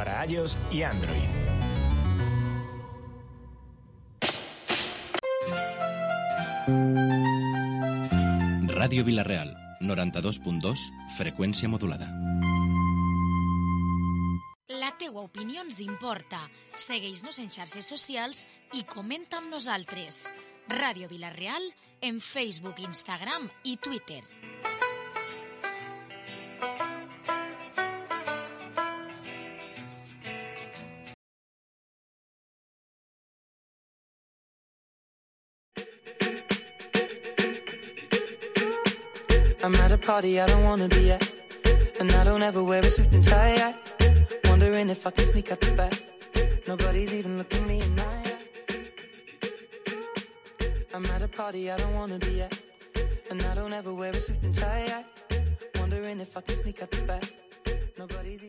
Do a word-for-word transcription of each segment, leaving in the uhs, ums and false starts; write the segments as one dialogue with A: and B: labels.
A: para iOS y Android.
B: Ràdio Vila-real, noranta-dos punt dos, freqüència modulada.
C: La teua opinió ens importa. Segueix-nos en xarxes socials i comenta amb nosaltres. Ràdio Vila-real en Facebook, Instagram i Twitter.
D: I'm at a party I don't wanna be at, and I don't ever wear a suit and tie yet. Wondering if I can sneak out the back. Nobody's even looking me in my eye. I'm at a party I don't wanna be at, and I don't ever wear a suit and tie yet. Wondering if I can sneak out the back.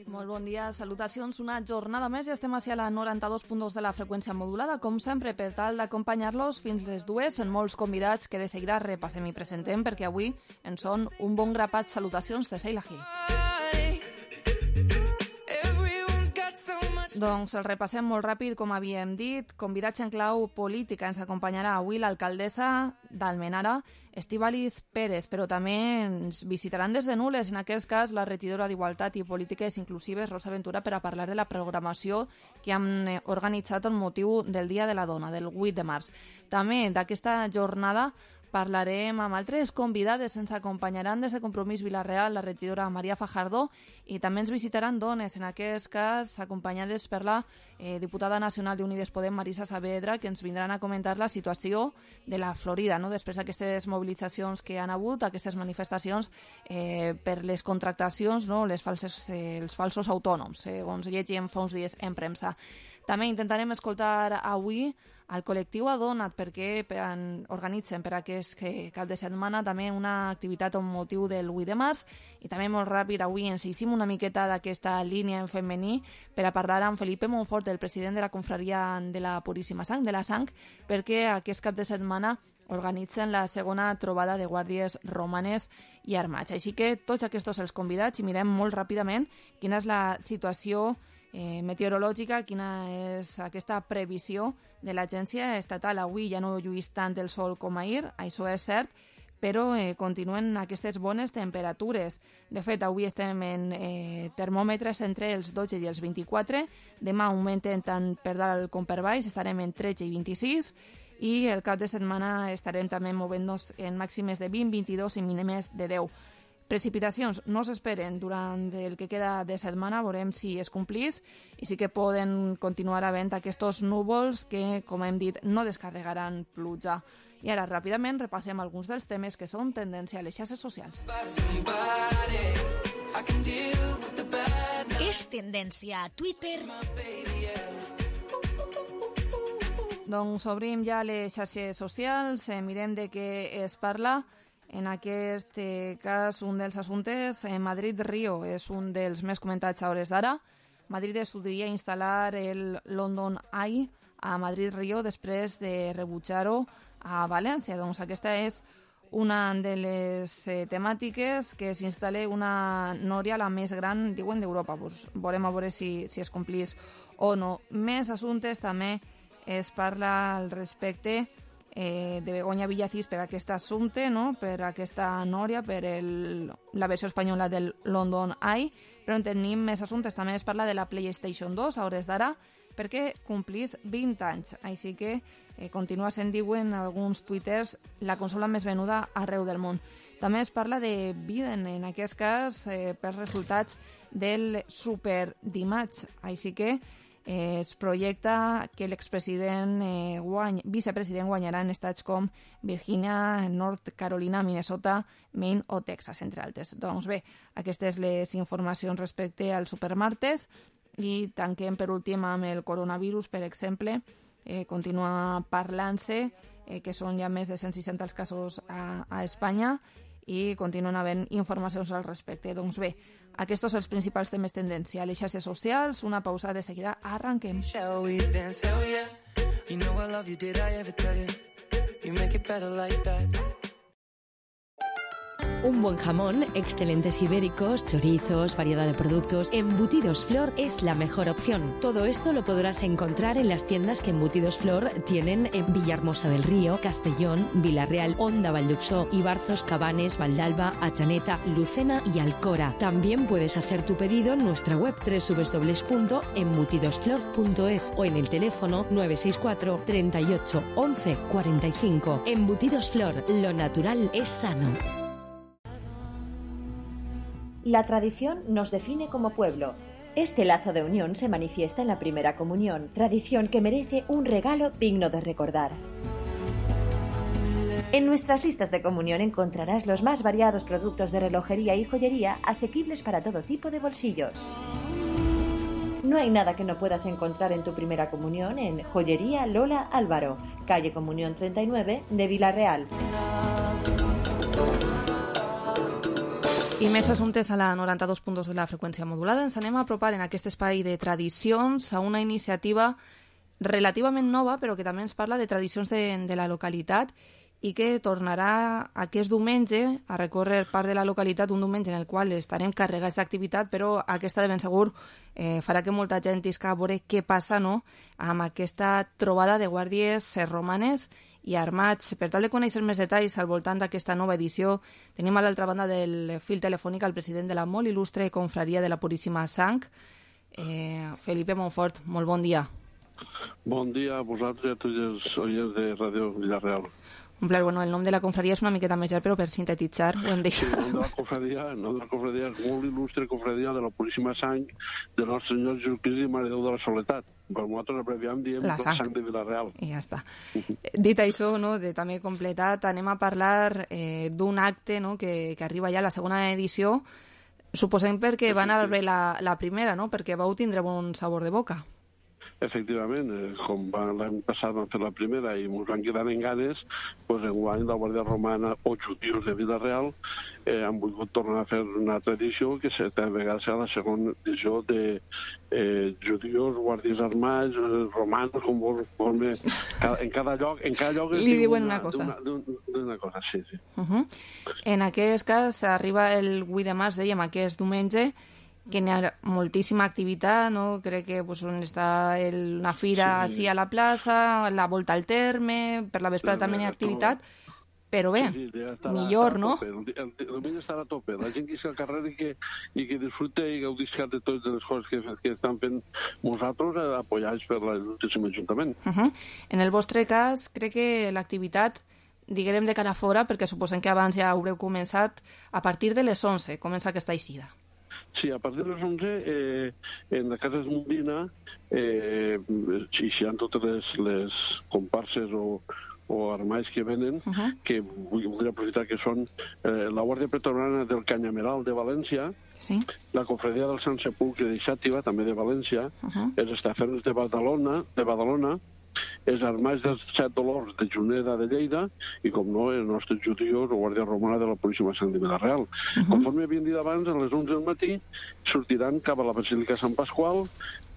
E: Molt bon dia, salutacions. Una jornada més i estem a la noranta-dos punt dos de la freqüència modulada, com sempre, per tal d'acompanyar-los fins les dues en molts convidats que de seguida repassem i presentem, perquè avui en són un bon grapat. Salutacions de Seila Gil. Doncs el repassem molt ràpid, com havíem dit. Convidats en clau política. Ens acompanyarà avui l'alcaldessa d'Almenara, Estíbaliz Pérez, però també ens visitaran des de Nules, en aquest cas la regidora d'Igualtat i Polítiques Inclusives, Rosa Ventura, per a parlar de la programació que han organitzat amb motiu del Dia de la Dona, del vuit de març. També d'aquesta jornada parlarem amb altres convidades. Ens acompanyaran des de Compromís Vila-real la regidora Maria Fajardo i també ens visitaran dones, en aquest cas acompanyades per la eh, diputada nacional d'Unides Podem, Marisa Saavedra, que ens vindran a comentar la situació de la Florida, no? Després d'aquestes mobilitzacions que han hagut, aquestes manifestacions eh, per les contractacions, no? les falses, eh, els falsos autònoms, segons llegíem fa uns dies en premsa. També intentarem escoltar avui al col·lectiu Adonat, perquè organitzen per aquest cap de setmana també una activitat amb motiu del vuit de març, i també molt ràpid avui ens hicim una miqueta d'aquesta línia en femení per a parlar amb Felipe Monfort, el president de la confraria de la Puríssima Sang, de la Sang, perquè aquest cap de setmana organitzen la segona trobada de guàrdies romanes i armats. Així que tots aquests els convidats i mirem molt ràpidament quina és la situació Eh, meteorològica, quina és aquesta previsió de l'agència estatal. Avui ja no lluís tant el sol com ahir, això és cert, però eh, continuen aquestes bones temperatures. De fet, avui estem en eh, termòmetres entre els dotze i els vint-i-quatre, demà augmenten tant per dalt com per baix, estarem en tretze i vint-i-sis, i el cap de setmana estarem també movent-nos en màximes de vint, vint-i-dos i mínimes de deu. Precipitacions no s'esperen durant el que queda de setmana, veurem si es complís, i sí que poden continuar havent aquests núvols que, com hem dit, no descarregaran pluja. I ara, ràpidament, repassem alguns dels temes que són tendència a les xarxes socials.
C: És tendència a Twitter.
E: Doncs obrim ja les xarxes socials, eh, mirem de què es parla. En aquest eh, cas, un dels assumptes, eh, Madrid-Rio, és un dels més comentats a hores d'ara. Madrid estudia instal·lar el London Eye a Madrid-Rio després de rebutjar-ho a València. Doncs aquesta és una de les eh, temàtiques, que s'instal·la una nòria, la més gran, diuen, d'Europa. Pues veurem a veure si, si es complís o no. Més assumptes també es parla al respecte Eh, de Begoña Villacís per aquest assumpte, no? Per aquesta nòria, per el, la versió espanyola del London Eye, però en tenim més assumptes. També es parla de la PlayStation dos a hores d'ara, perquè complís vint anys, així que eh, continua sent, diuen alguns twitters, la consola més venuda arreu del món. També es parla de Biden, en aquest cas eh, per resultats del Super Dimarts, així que Eh, es projecta que l'expresident eh, guany, vicepresident guanyarà en estats com Virgínia, North Carolina, Minnesota, Maine o Texas, entre altres. Doncs bé, aquestes les informacions respecte al supermartes, i tanquem per últim amb el coronavirus, per exemple. Eh, continua parlant-se eh, que són ja més de cent seixanta els casos a, a Espanya, i continuen havent informacions al respecte. Doncs bé, aquests són els principals temes tendència a les xarxes socials. Una pausa, de seguida arranquem.
D: Shall we dance? Hell yeah. You know I love you, did I ever tell you? You make it better like that.
A: Un buen jamón, excelentes ibéricos, chorizos, variedad de productos. Embutidos Flor es la mejor opción. Todo esto lo podrás encontrar en las tiendas que Embutidos Flor tienen en Villahermosa del Río, Castellón, Vila-real, Onda, Valldhuxó, Ibarzos, Cabanes, Valdalba, Atxaneta, Lucena y Alcora. También puedes hacer tu pedido en nuestra web doble u doble u doble u punto embutidosflor punto es o en el teléfono nueve seis cuatro, treinta y ocho, once, cuarenta y cinco. Embutidos Flor, lo natural es sano.
F: La tradición nos define como pueblo. Este lazo de unión se manifiesta en la primera comunión, tradición que merece un regalo digno de recordar. En nuestras listas de comunión encontrarás los más variados productos de relojería y joyería asequibles para todo tipo de bolsillos. No hay nada que no puedas encontrar en tu primera comunión en Joyería Lola Álvaro, calle Comunión treinta y nueve de Vila-real.
E: I més assumptes a la noranta-dos punt dos de la freqüència modulada. Ens anem a apropar en aquest espai de tradicions a una iniciativa relativament nova, però que també ens parla de tradicions de, de la localitat i que tornarà aquest diumenge a recórrer part de la localitat, un diumenge en el qual estarem carregats d'activitat, però aquesta de ben segur eh, farà que molta gent isca a veure què passa, no?, amb aquesta trobada de guàrdies romanes i armats. Per tal de conèixer més detalls al voltant d'aquesta nova edició, tenim a l'altra banda del fil telefònic el president de la molt il·lustre confraria de la Puríssima Sang, eh, Felipe Montfort. Molt bon dia.
G: Bon dia a vosaltres i a tots els oients de Ràdio Vila-real.
E: Un plaer. Bueno, el nom de la confraria és una miqueta més llarg, però per sintetitzar ho hem deixat.
G: Sí, el nom de la confraria, el nom de la confraria és molt il·lustre confraria de la Puríssima Sang de Nostre Senyor Jesucrist i Mare Déu de la Soledat. Per nosaltres abreviam diem la sang. sang de Vila-real.
E: I ja està. Dit això, no, de també completat, anem a parlar eh, d'un acte, no, que, que arriba ja a la segona edició, suposem perquè va anar bé la, la primera, no?, perquè vau tindre bon sabor de boca.
G: Efectivament, eh, com l'any passat vam fer la primera i ens van quedar en ganes, doncs enguany la Guàrdia Romana o Judius de Vila-real eh, han volgut tornar a fer una altra edició que a vegades serà la segona edició de eh, Judius, Guàrdies Armats, eh, Romanos, com vols, com en cada lloc... En cada lloc
E: li diuen una, una cosa.
G: Una, una cosa, sí, sí.
E: Uh -huh. En aquest cas arriba el vuit de març, dèiem, aquest diumenge, que hi ha moltíssima activitat, no? Crec que pues, on està el, una fira sí. Així a la plaça, la volta al terme, per la vesprada també hi ha activitat, però bé, sí, sí, estarà, millor, no?
G: El, el, el diumenge estarà a tope, la gent que està al carrer i que, i que disfruta i gaudisca de totes les coses que, que estan fent nosaltres, eh, apoyats per l'Ajuntament Ajuntament.
E: Uh -huh. En el vostre cas, crec que l'activitat, diguem de cara a fora, perquè suposem que abans ja haureu començat, a partir de les onze comença aquesta eixida.
G: Sí, a partir de les onze, eh, en la casa Esmundina, eh, si hi ha totes les, les comparses o, o armais que venen, uh -huh. que voldria aprofitar que són eh, la Guàrdia Pretoriana del Canyameral de València, sí. La Confraria del Sant Sepulcre de Xàtiva, també de València, uh -huh. els estaferms de Badalona, de Badalona, els armais dels Set Dolors de Juneda de Lleida i, com no, els nostres judios o Guàrdia Romana de la Puríssima Sang de Vila-real. Uh -huh. Conforme havien dit abans, a les onze del matí sortiran cap a la Basílica Sant Pasqual.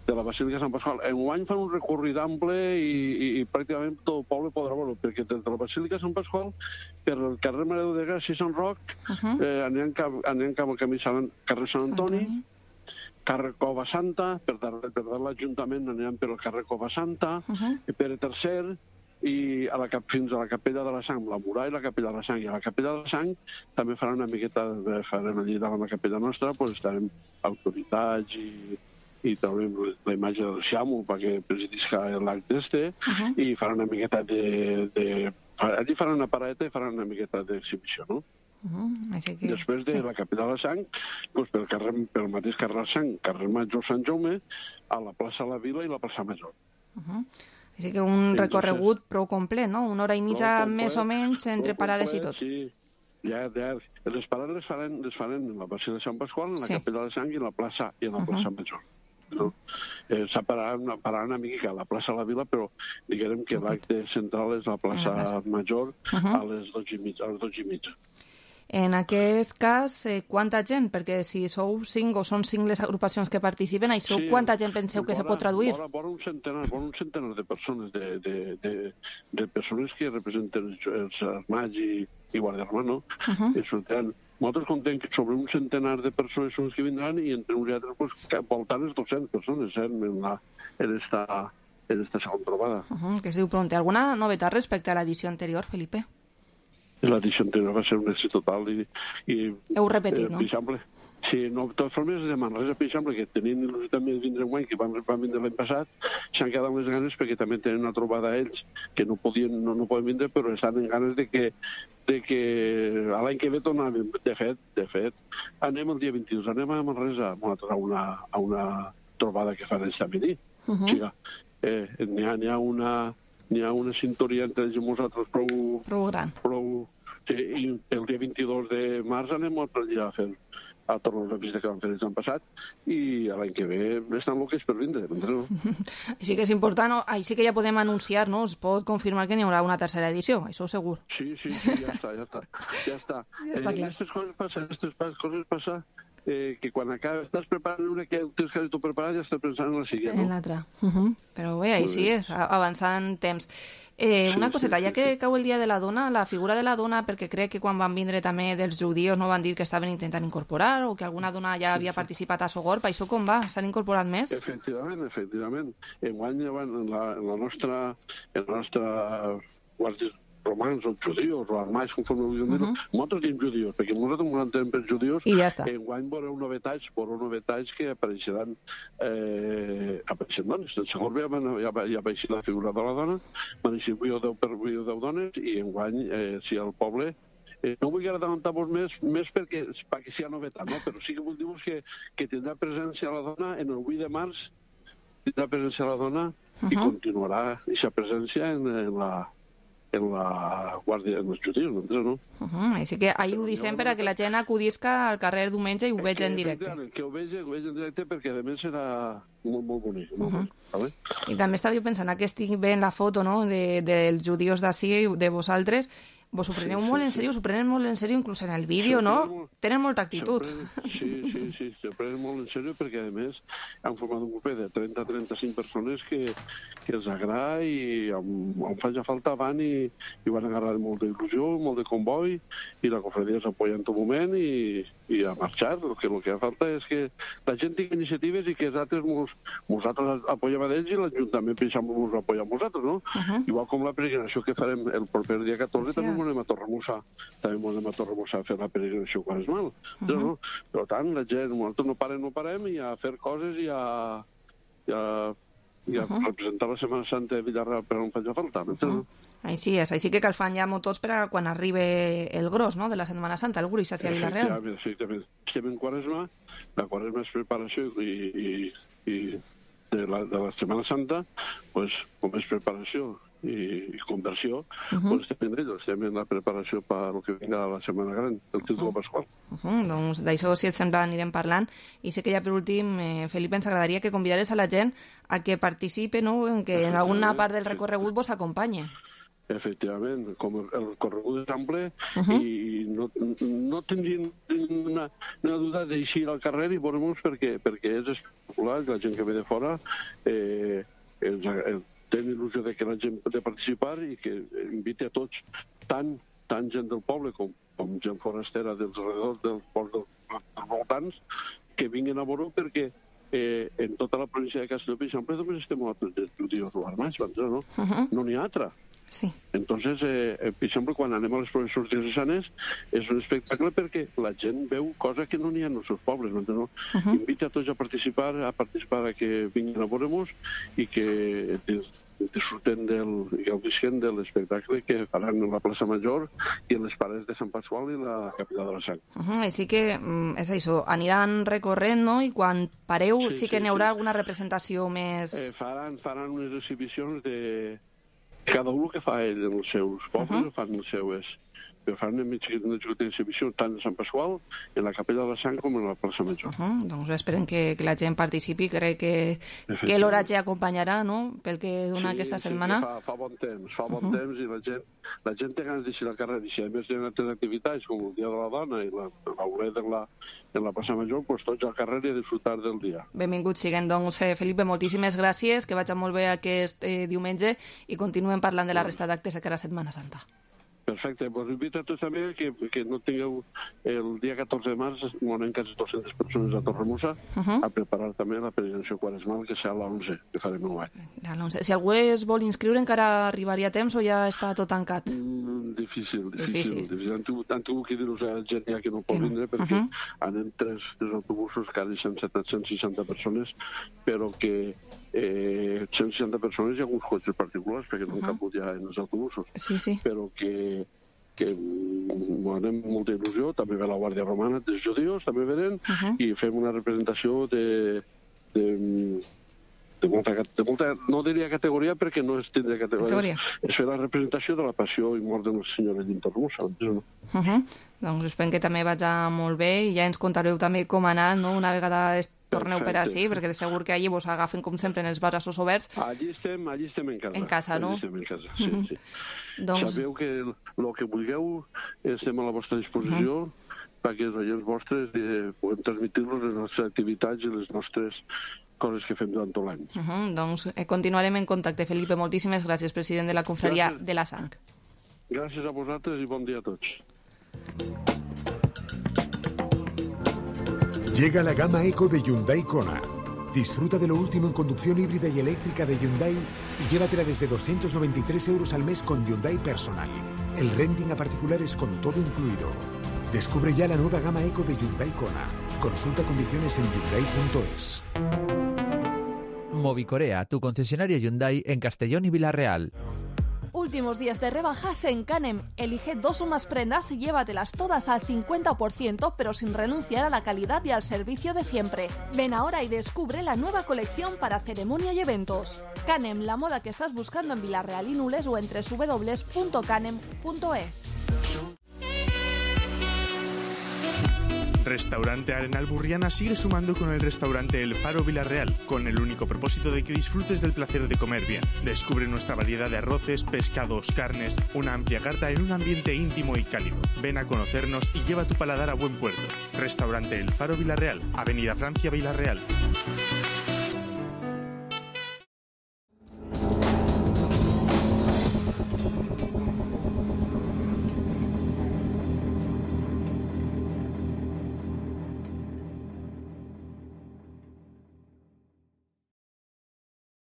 G: De la Basílica Sant Pasqual enguany fan un recorrit ample i, i, i pràcticament tot el poble podrà veure, perquè des de la Basílica Sant Pasqual per el carrer Mare Déu de Gràcia i Sant Roc uh -huh. eh, aniran, cap, aniran cap al camí Sant, carrer Sant Antoni, Antoni. Carrer Cova Santa, per darrere per l'Ajuntament aniran per el carrer Cova Santa, uh -huh. i per el tercer, i a la, fins a la Capella de la Sang, la Muralla i la Capella de la Sang. I a la Capella de la Sang també faran una miqueta, farem allí davant la Capella nostra, doncs estarem autoritats i, i traurem la imatge del Xàmul perquè presidisca l'acte este, uh -huh. i faran una miqueta de, de... Allí faran una paradeta i faran una miqueta d'exhibició, no?
E: Uh-huh. Així que...
G: Després de sí. la Capella de la Sang, doncs pel, carrer, pel mateix carrer de Sang, carrer Major Sant Jaume, a la plaça La Vila i la plaça Major.
E: Uh-huh. Així que un Entonces, recorregut prou complet, no? Una hora i mitja complet, més o menys entre parades complet, i tot.
G: Sí, ja, ja. Les parades les faran, les faran en la Basílica de Sant Pasqual, en la sí. Capella de la Sang i en la plaça, i en la plaça uh-huh. Major. No? Eh, s'ha parat una, parat una mica a la plaça La Vila, però diguem que okay. l'acte central és la plaça uh-huh. Major uh-huh. a les dotze i mitja. A les dotze i mitja.
E: En aquest cas, eh, quanta gent? Perquè si sou cinc o són cinc les agrupacions que participen, això sí, quanta gent penseu que vora, se pot traduir?
G: Vora, vora un centenar, vora un centenar de persones, de, de, de, de persones que representen els, els armats i, i Guàrdia Romana, uh -huh. i sortiran nosaltres contem que sobre un centenar de persones són les que vindran i entre uns i altres pues, voltant les dues-centes persones eh, en, la, en, esta, en esta segona trobada.
E: Uh -huh, que es diu Pronte. Alguna novetat respecte a l'edició anterior, Felipe?
G: L'edició anterior va ser un èxit total i... i
E: Heu repetit,
G: eh,
E: no?
G: Per exemple, sí, no, de totes formes, de Manresa, per exemple, que tenien il·lusió també de vindre guany, que van, van vindre l'any passat, s'han quedat amb les ganes perquè també tenen una trobada a ells que no podien, no, no poden vindre, però estan en ganes de que, de que l'any que ve tornarem. De fet, de fet, anem el dia vint-i-dos, anem a Manresa a una, a una trobada que fan ells també. Uh -huh. O sigui, eh, n'hi ha, n'hi ha una... N'hi ha una sintonia entre ells i nosaltres prou...
E: Prou gran.
G: Prou, sí, i el dia vint-i-dos de març anem a allà a fer a tornar la visita que vam fer l'any passat i l'any que ve estan loques per vindre. No?
E: Així que és important, no? Així que ja podem anunciar, no? Es pot confirmar que n'hi haurà una tercera edició, això segur.
G: Sí, sí, sí, ja està, ja està. Ja està,
E: ja està
G: eh,
E: clar.
G: Aquestes coses passen, aquestes coses passen eh, que quan acabes, estàs preparant una que tens que tu preparat ja estàs pensant en la següent, no?
E: En l'altra. Uh -huh. Però bé, ahí sí és, avançant temps. Eh,
G: sí,
E: una coseta,
G: sí, sí,
E: ja que
G: sí.
E: cau el dia de la dona, la figura de la dona, perquè crec que quan van vindre també dels judíos no van dir que estaven intentant incorporar o que alguna dona ja havia participat a Sogorb, això com va? S'han incorporat més?
G: Efectivament, efectivament. Enguany, en la, en la nostra, en la nostra guàrdies romans o judíos o armais, conforme vulguem dir-ho, uh -huh. nosaltres diem judíos, perquè nosaltres ens entenem per judíos,
E: i ja està.
G: Enguany veureu novetats, veureu novetats que apareixeran eh, apareixen dones. En segon ja, ja, va, ja va així la figura de la dona, van així vuit o deu dones, i enguany, eh, si el poble Eh, no vull adelantar-vos més, més perquè, perquè sigui novetat, no? Però sí que vull dir-vos que, que tindrà presència la dona en el vuit de març, tindrà presència la dona uh -huh. i continuarà aquesta presència en, en la en la guàrdia dels judíos, no?
E: Uh -huh. Així que ahir ho dissem per a que la gent acudisca al carrer diumenge i ho veig en directe.
G: Que ho veig, ho veig en directe perquè a més serà molt, molt bonic. Molt uh -huh. bonic,
E: I també estava pensant que estic veient la foto, no?, de, dels judíos d'ací, de vosaltres. Vos ho preneu sí, molt sí, en sèrio, sí. Us ho prenen molt en sèrio, inclús en el vídeo, no? Molt... Tenen molta actitud.
G: Prenen... Sí, sí, sí, se prenen molt en sèrio perquè, a més, han format un grup de trenta a trenta-cinc persones que, que els agrada i on, on faci falta van i, i van agarrar molta il·lusió, molt de comboi, i la cofradia s'apoya en tot moment i, i a marxar. El que, el que falta és que la gent tingui iniciatives i que els altres mos, nosaltres apoyem a ells i l'Ajuntament pensam mos apoya a nosaltres, no? Uh -huh. Igual com la peregrinació que farem el proper dia catorze, sí, també anem a Torremossa, també anem a Torremossa a fer la peregrinació quaresmal. Uh -huh. no? Per tant, la gent, nosaltres no parem, no parem, i a fer coses i a, i a, i a uh -huh. representar la Setmana Santa de Villarreal per on faci falta. Uh -huh.
E: Així és, així que cal fan ja tots per a quan arribi el gros, no?, de la Setmana Santa, el gruix hacia Villarreal.
G: Efectivament, efectivament. Estem en Quaresma, la Quaresma és preparació i, i, i de, la, de la Setmana Santa, pues, com és preparació i, i conversió, uh -huh. doncs estem en ells, estem en la preparació per el que vinga la Setmana Gran, el títol uh -huh. pasqual.
E: Uh -huh. Doncs d'això, si et sembla, anirem parlant. I sé que ja per últim, eh, Felipe, ens agradaria que convidares a la gent a que participe, no?, en que en alguna part del recorregut vos acompanyi.
G: Efectivament, com el corregut és ample uh -huh. i no, no tindrien una, una duda d'eixir al carrer i veure-nos perquè, perquè és espectacular, la gent que ve de fora eh, els, els, tenen il·lusió de que la gent pot participar i que invite a tots, tant, tant gent del poble com, com gent forastera dels redors dels pobles dels, dels voltants, que vinguin a veure perquè eh, en tota la província de Castelló, per exemple, només estem nosaltres judíos o armats, no? Uh -huh. No n'hi ha altra.
E: Sí.
G: Entonces, eh, per exemple, quan anem a les professors diocesanes és un espectacle perquè la gent veu coses que no n'hi ha en els seus pobles. No? Uh -huh. Invita a tots a participar, a participar a que vinguin a veure-nos i que disfruten del, i gaudisquen de l'espectacle que faran en la plaça Major i en les parets de Sant Pasqual i la capital de la Sang.
E: Uh -huh. Així que, és això, aniran recorrent, no?, i quan pareu sí, sí que sí, n'hi haurà sí. alguna representació més...
G: Eh, faran, faran unes exhibicions de... Cada un que fa ell en els seus pobles, uh -huh. fan els seus... Però fan una xicoteta exhibició tant a Sant Pasqual, en la capella de la Sang, com en la plaça Major.
E: Uh -huh. Doncs esperem que, que la gent participi. Crec que, que l'oratge acompanyarà, no?, pel que dona
G: sí,
E: aquesta
G: sí,
E: setmana.
G: Fa, fa bon temps, fa bon uh -huh. temps, i la gent, la gent té ganes d'eixir al carrer. I si a més hi ha altres activitats, com el Dia de la Dona i l'Aulet en, la, en la plaça Major, doncs tots al carrer i a disfrutar del dia.
E: Benvinguts siguen. Doncs, eh, Felipe, moltíssimes gràcies, que vagi molt bé aquest eh, diumenge i continuem parlant de la resta d'actes que era Setmana Santa.
G: Perfecte, vos invito a tots també que, que no tingueu el dia catorze de març, moren quasi dues-centes persones a Torremossa, uh -huh. a preparar també la peregrinació quaresmal, que serà l'onze, que farem nou anys.
E: Si algú es vol inscriure, encara arribaria a temps o ja està tot tancat?
G: Mm, difícil, difícil.
E: difícil.
G: difícil. Han, tingut, han tingut que dir-nos a la gent ja que no pot vindre, perquè uh -huh. anem tres, tres autobusos, quasi cent seixanta persones, però que eh, cent seixanta persones i alguns cotxes particulars, perquè no uh -huh. han caput ja en els autobusos.
E: Sí, sí.
G: Però que que bueno, amb molta il·lusió, també ve la Guàrdia Romana dels Judios, també venen, uh -huh. i fem una representació de, de, de, molta, de molta, no diria categoria perquè no es tindria categoria, categoria. És fer la representació de la passió i mort de Nostra Senyora de Torremossa. No?
E: Uh -huh. Doncs esperem que també vaig molt bé i ja ens contareu també com ha anat, no? Una vegada torneu per així, perquè de segur que allí vos agafen com sempre en els braços oberts.
G: Allí estem, allí estem en casa.
E: En casa, no?
G: Allí estem en casa, sí, uh -huh. sí.
E: Doncs...
G: Sabeu que el que vulgueu estem a la vostra disposició uh -huh. perquè els oients vostres eh, puguem transmitir-los les nostres activitats i les nostres coses que fem durant tot l'any.
E: Uh -huh. Doncs eh, continuarem en contacte. Felipe, moltíssimes gràcies, president de la Confraria gràcies. de la Sang.
G: Gràcies a vosaltres i bon dia a tots.
H: Llega la gama Eco de Hyundai Kona. Disfruta de lo último en conducción híbrida y eléctrica de Hyundai y llévatela desde doscientos noventa y tres euros al mes con Hyundai Personal. El renting a particulares con todo incluido. Descubre ya la nueva gama Eco de Hyundai Kona. Consulta condiciones en hyundai punto es.
I: Movicorea, tu concesionario Hyundai en Castellón y Villarreal.
E: Últimos días de rebajas en Canem. Elige dos o más prendas y llévatelas todas al cincuenta por ciento, pero sin renunciar a la calidad y al servicio de siempre. Ven ahora y descubre la nueva colección para ceremonia y eventos. Canem, la moda que estás buscando en Villarreal y Nules o en doble u doble u doble u punto canem punto es.
J: Restaurante Arenal Burriana sigue sumando con el restaurante El Faro Villarreal, con el único propósito de que disfrutes del placer de comer bien. Descubre nuestra variedad de arroces, pescados, carnes, una amplia carta en un ambiente íntimo y cálido. Ven a conocernos y lleva tu paladar a buen puerto. Restaurante El Faro Villarreal, Avenida Francia Villarreal.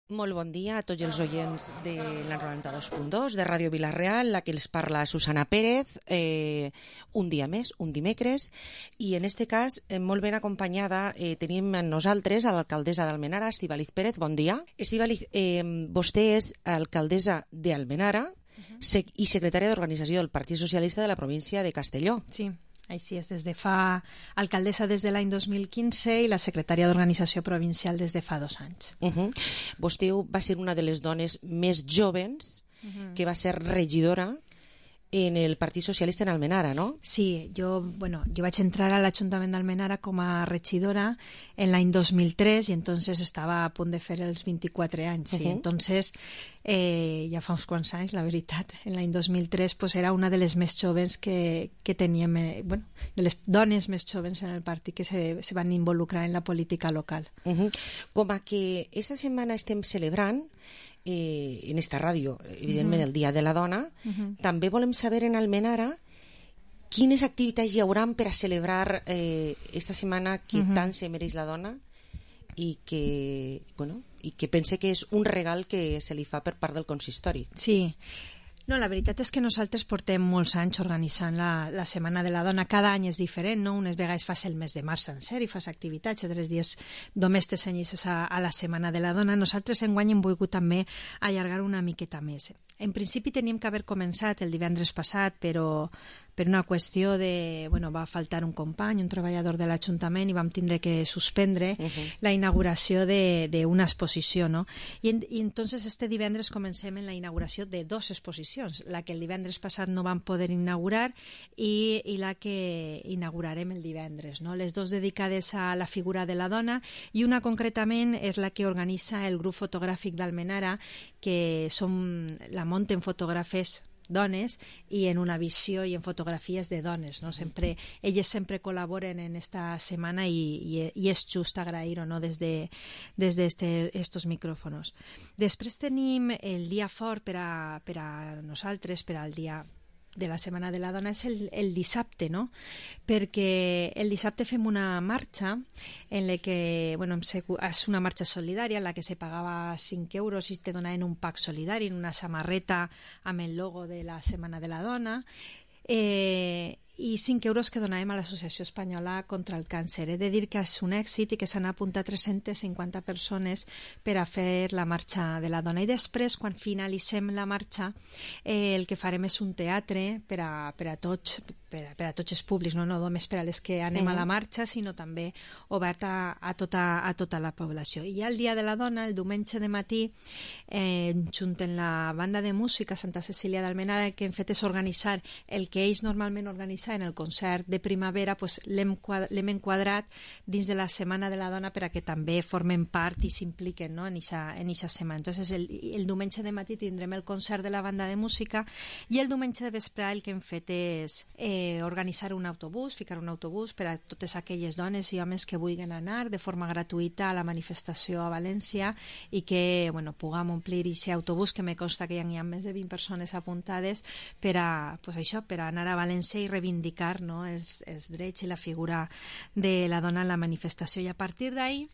K: Molt bon dia a tots els oients de la noranta-dos punt dos de Ràdio Vilareal, la que els parla Susana Pérez, eh, un dia més, un dimecres, i en este cas, eh, molt ben acompanyada, eh, tenim amb nosaltres a l'alcaldessa d'Almenara, Estíbaliz Pérez. Bon dia. Estíbaliz, eh, vostè és alcaldessa d'Almenara uh-huh. sec- i secretària d'Organització del Partit Socialista de la província de Castelló.
L: Sí. Així és, des de fa alcaldessa des de l'any dos mil quinze i la secretària d'Organització Provincial des de fa dos anys.
K: Uh -huh. Vostè va ser una de les dones més joves uh -huh. que va ser regidora en el Partit Socialista en Almenara, ¿no?
L: Sí, jo, bueno, jo vaig entrar a l'Ajuntament d'Almenara com a regidora en l'any dos mil tres i entonces estava a punt de fer els vint-i-quatre anys. Sí. Uh -huh. Entonces, eh, ja fa uns quants anys, la veritat, en l'any dos mil tres pues, era una de les més joves que, que teníem, eh, bueno, de les dones més joves en el partit que se, se van involucrar en la política local.
K: Uh -huh. Com a que esta setmana estem celebrant Eh, en esta ràdio, evidentment, uh -huh. el Dia de la Dona, uh -huh. també volem saber en Almenara quines activitats hi hauran per a celebrar eh, esta setmana que uh -huh. tant se mereix la dona i que, bueno, i que pense que és un regal que se li fa per part del consistori.
L: Sí. No, la veritat és que nosaltres portem molts anys organitzant la, la Setmana de la Dona. Cada any és diferent, no? Unes vegades fas el mes de març sencer i fas activitats, altres dies només te cenyisses a, a la Setmana de la Dona. Nosaltres enguany hem volgut també allargar una miqueta més. En principi teníem que haver començat el divendres passat, però per una qüestió de... Bueno, va faltar un company, un treballador de l'Ajuntament, i vam tindre que suspendre uh -huh. la inauguració d'una exposició, no? I, en, I entonces este divendres comencem en la inauguració de dos exposicions, la que el divendres passat no vam poder inaugurar i, i la que inaugurarem el divendres, no? Les dos dedicades a la figura de la dona i una concretament és la que organitza el grup fotogràfic d'Almenara, que som, la munten fotògrafes dones i en una visió i en fotografies de dones, no? Sempre, elles sempre col·laboren en esta setmana i, i, i és just agrair-ho, no? des de, des de este, estos micrófonos. Després tenim el dia fort per a, per a nosaltres, per al dia de la Setmana de la Dona és el, el dissabte, no? Perquè el dissabte fem una marxa en la que, bueno, és una marxa solidària en la que se pagava cinc euros i te donaven un pack solidari, una samarreta amb el logo de la Setmana de la Dona, eh, i cinc euros que donàvem a l'Associació Espanyola contra el Càncer. He de dir que és un èxit i que s'han apuntat tres-centes cinquanta persones per a fer la marxa de la dona. I després, quan finalitzem la marxa, eh, el que farem és un teatre per a, per a tots, per a, per a tots els públics, no, no només per a les que anem uh-huh. a la marxa, sinó també obert a, a, tota, a tota la població. I ja el Dia de la Dona, el diumenge de matí, eh, junt amb la banda de música Santa Cecília d'Almenara, el que hem fet és organitzar el que ells normalment organitzen en el concert de primavera, pues, l'hem enquadrat dins de la Setmana de la Dona per a que també formen part i s'impliquen, no, en aquesta setmana. Entonces, el, el diumenge de matí tindrem el concert de la banda de música i el diumenge de vespre el que hem fet és eh, organitzar un autobús, ficar un autobús per a totes aquelles dones i homes que vulguin anar de forma gratuïta a la manifestació a València i que, bueno, puguem omplir aquest autobús, que me consta que ja hi ha més de vint persones apuntades per a, pues això, per a anar a València i reivindicar indicar, no, els, els drets i la figura de la dona en la manifestació. I a partir d'ahí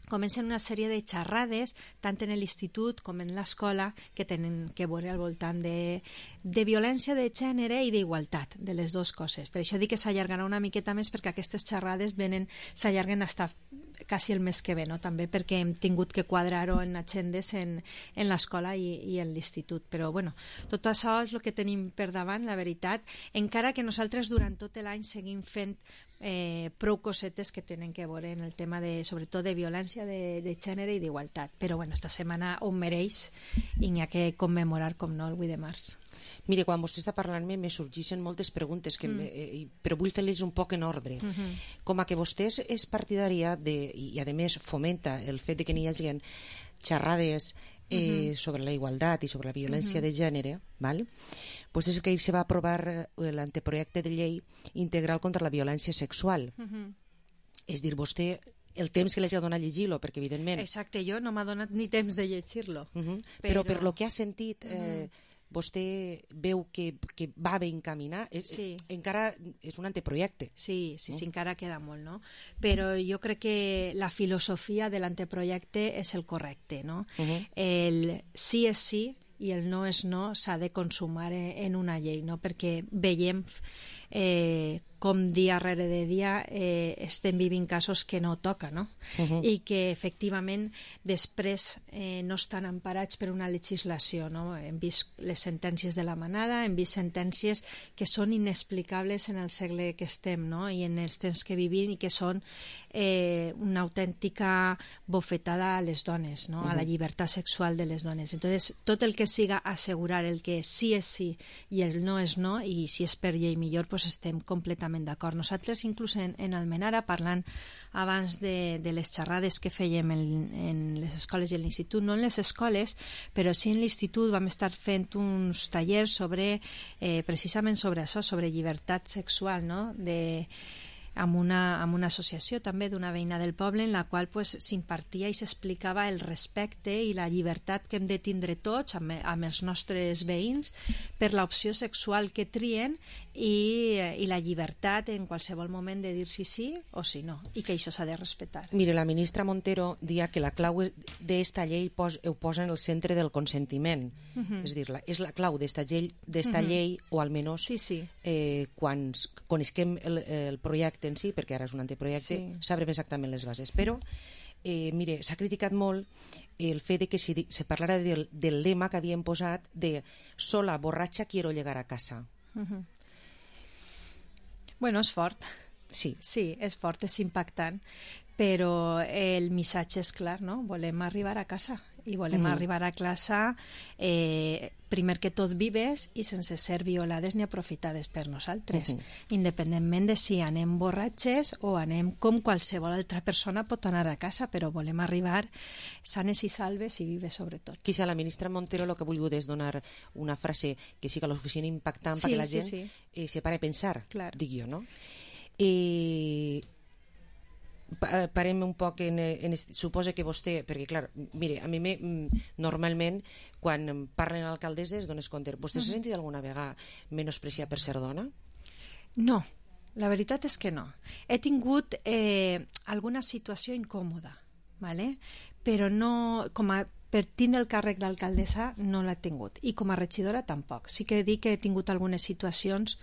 L: comencen una sèrie de xerrades, tant en l'institut com en l'escola, que tenen que veure al voltant de, de violència de gènere i d'igualtat, de les dues coses. Per això dic que s'allargarà una miqueta més, perquè aquestes xerrades venen, s'allarguen fins quasi el mes que ve, no? També perquè hem tingut que quadrar-ho en agendes en, en l'escola i, i en l'institut. Però, bueno, tot això és el que tenim per davant, la veritat, encara que nosaltres durant tot l'any seguim fent eh, prou cosetes que tenen que veure en el tema, de, sobretot, de violència de, de gènere i d'igualtat. Però, bueno, esta setmana ho mereix i n'hi ha que commemorar, com no, el vuit de març.
K: Mire, quan vostè està parlant-me me sorgeixen moltes preguntes, que mm. me, eh, però vull fer-les un poc en ordre. Mm-hmm. Com a que vostè és partidària de, i, i a més fomenta el fet de que n'hi hagi xerrades eh, mm-hmm. sobre la igualtat i sobre la violència mm-hmm. de gènere, val? Pues és que ahir se va aprovar l'anteprojecte de llei integral contra la violència sexual. Mm-hmm. És dir, vostè el temps que li ha donat a llegir-lo, perquè evidentment...
L: Exacte, jo no m'ha donat ni temps de llegir-lo.
K: Mm-hmm. Però... però per lo que ha sentit... Eh, mm-hmm. vostè veu que, que va ben encaminat, sí. Encara és un anteprojecte.
L: Sí, sí, sí, encara queda molt, no? Però jo crec que la filosofia de l'anteprojecte és el correcte, no? Uh-huh. El sí és sí i el no és no s'ha de consumar en una llei, no? Perquè veiem eh, com dia rere de dia eh, estem vivint casos que no toca, no? Uh-huh. I que efectivament després eh, no estan emparats per una legislació, no? Hem vist les sentències de la Manada, hem vist sentències que són inexplicables en el segle que estem, no? I en els temps que vivim, i que són eh, una autèntica bofetada a les dones, no? Uh-huh. A la llibertat sexual de les dones. Entonces, tot el que siga assegurar el que sí és sí i el no és no, i si és per llei millor, pues estem completament d'acord. Nosaltres, inclús en, en Almenara, parlant abans de, de les xerrades que fèiem en, en les escoles i en l'institut, no en les escoles, però sí en l'institut, vam estar fent uns tallers sobre, eh, precisament sobre això, sobre llibertat sexual, no?, de... amb una, amb una associació també d'una veïna del poble, en la qual pues, s'impartia i s'explicava el respecte i la llibertat que hem de tindre tots amb, amb els nostres veïns per l'opció sexual que trien i, i la llibertat en qualsevol moment de dir si sí o si no, i que això s'ha de respectar.
K: Mire, la ministra Montero dia que la clau d'esta llei pos, ho posa en el centre del consentiment. Uh-huh. És dir, la, és la clau d'esta llei, d'esta uh-huh. llei, o almenys
L: sí, sí.
K: Eh, quan coneixem el, el projecte en si, perquè ara és un anteprojecte, sí. Sabrem exactament les bases. Però, eh, mire, s'ha criticat molt el fet de que si se parlara del, del lema que havien posat de sola, borratxa, quiero llegar a casa.
L: Uh-huh. Bueno, és fort.
K: Sí.
L: Sí, és fort, és impactant, però el missatge és clar, no? Volem arribar a casa i volem mm. arribar a classe eh, primer que tot vives i sense ser violades ni aprofitades per nosaltres, mm-hmm. independentment de si anem borratxes o anem com qualsevol altra persona pot anar a casa, però volem arribar sanes i salves i vives sobretot.
K: Quizá la ministra Montero el que ha volgut és donar una frase que siga lo suficient impactant
L: sí,
K: perquè la gent
L: sí, sí.
K: Eh, se pare a pensar,
L: clar.
K: dic jo, no? Eh, parem un poc en, en suposa que vostè, perquè clar, mire, a mi me, normalment quan parlen alcaldesses dones compte, vostè s'ha sentit alguna vegada menospreciar per ser dona?
L: No, la veritat és que no. He tingut eh, alguna situació incòmoda, ¿vale? Però no, com a per tindre el càrrec d'alcaldessa no l'he tingut, i com a regidora tampoc. Sí que dic que he tingut algunes situacions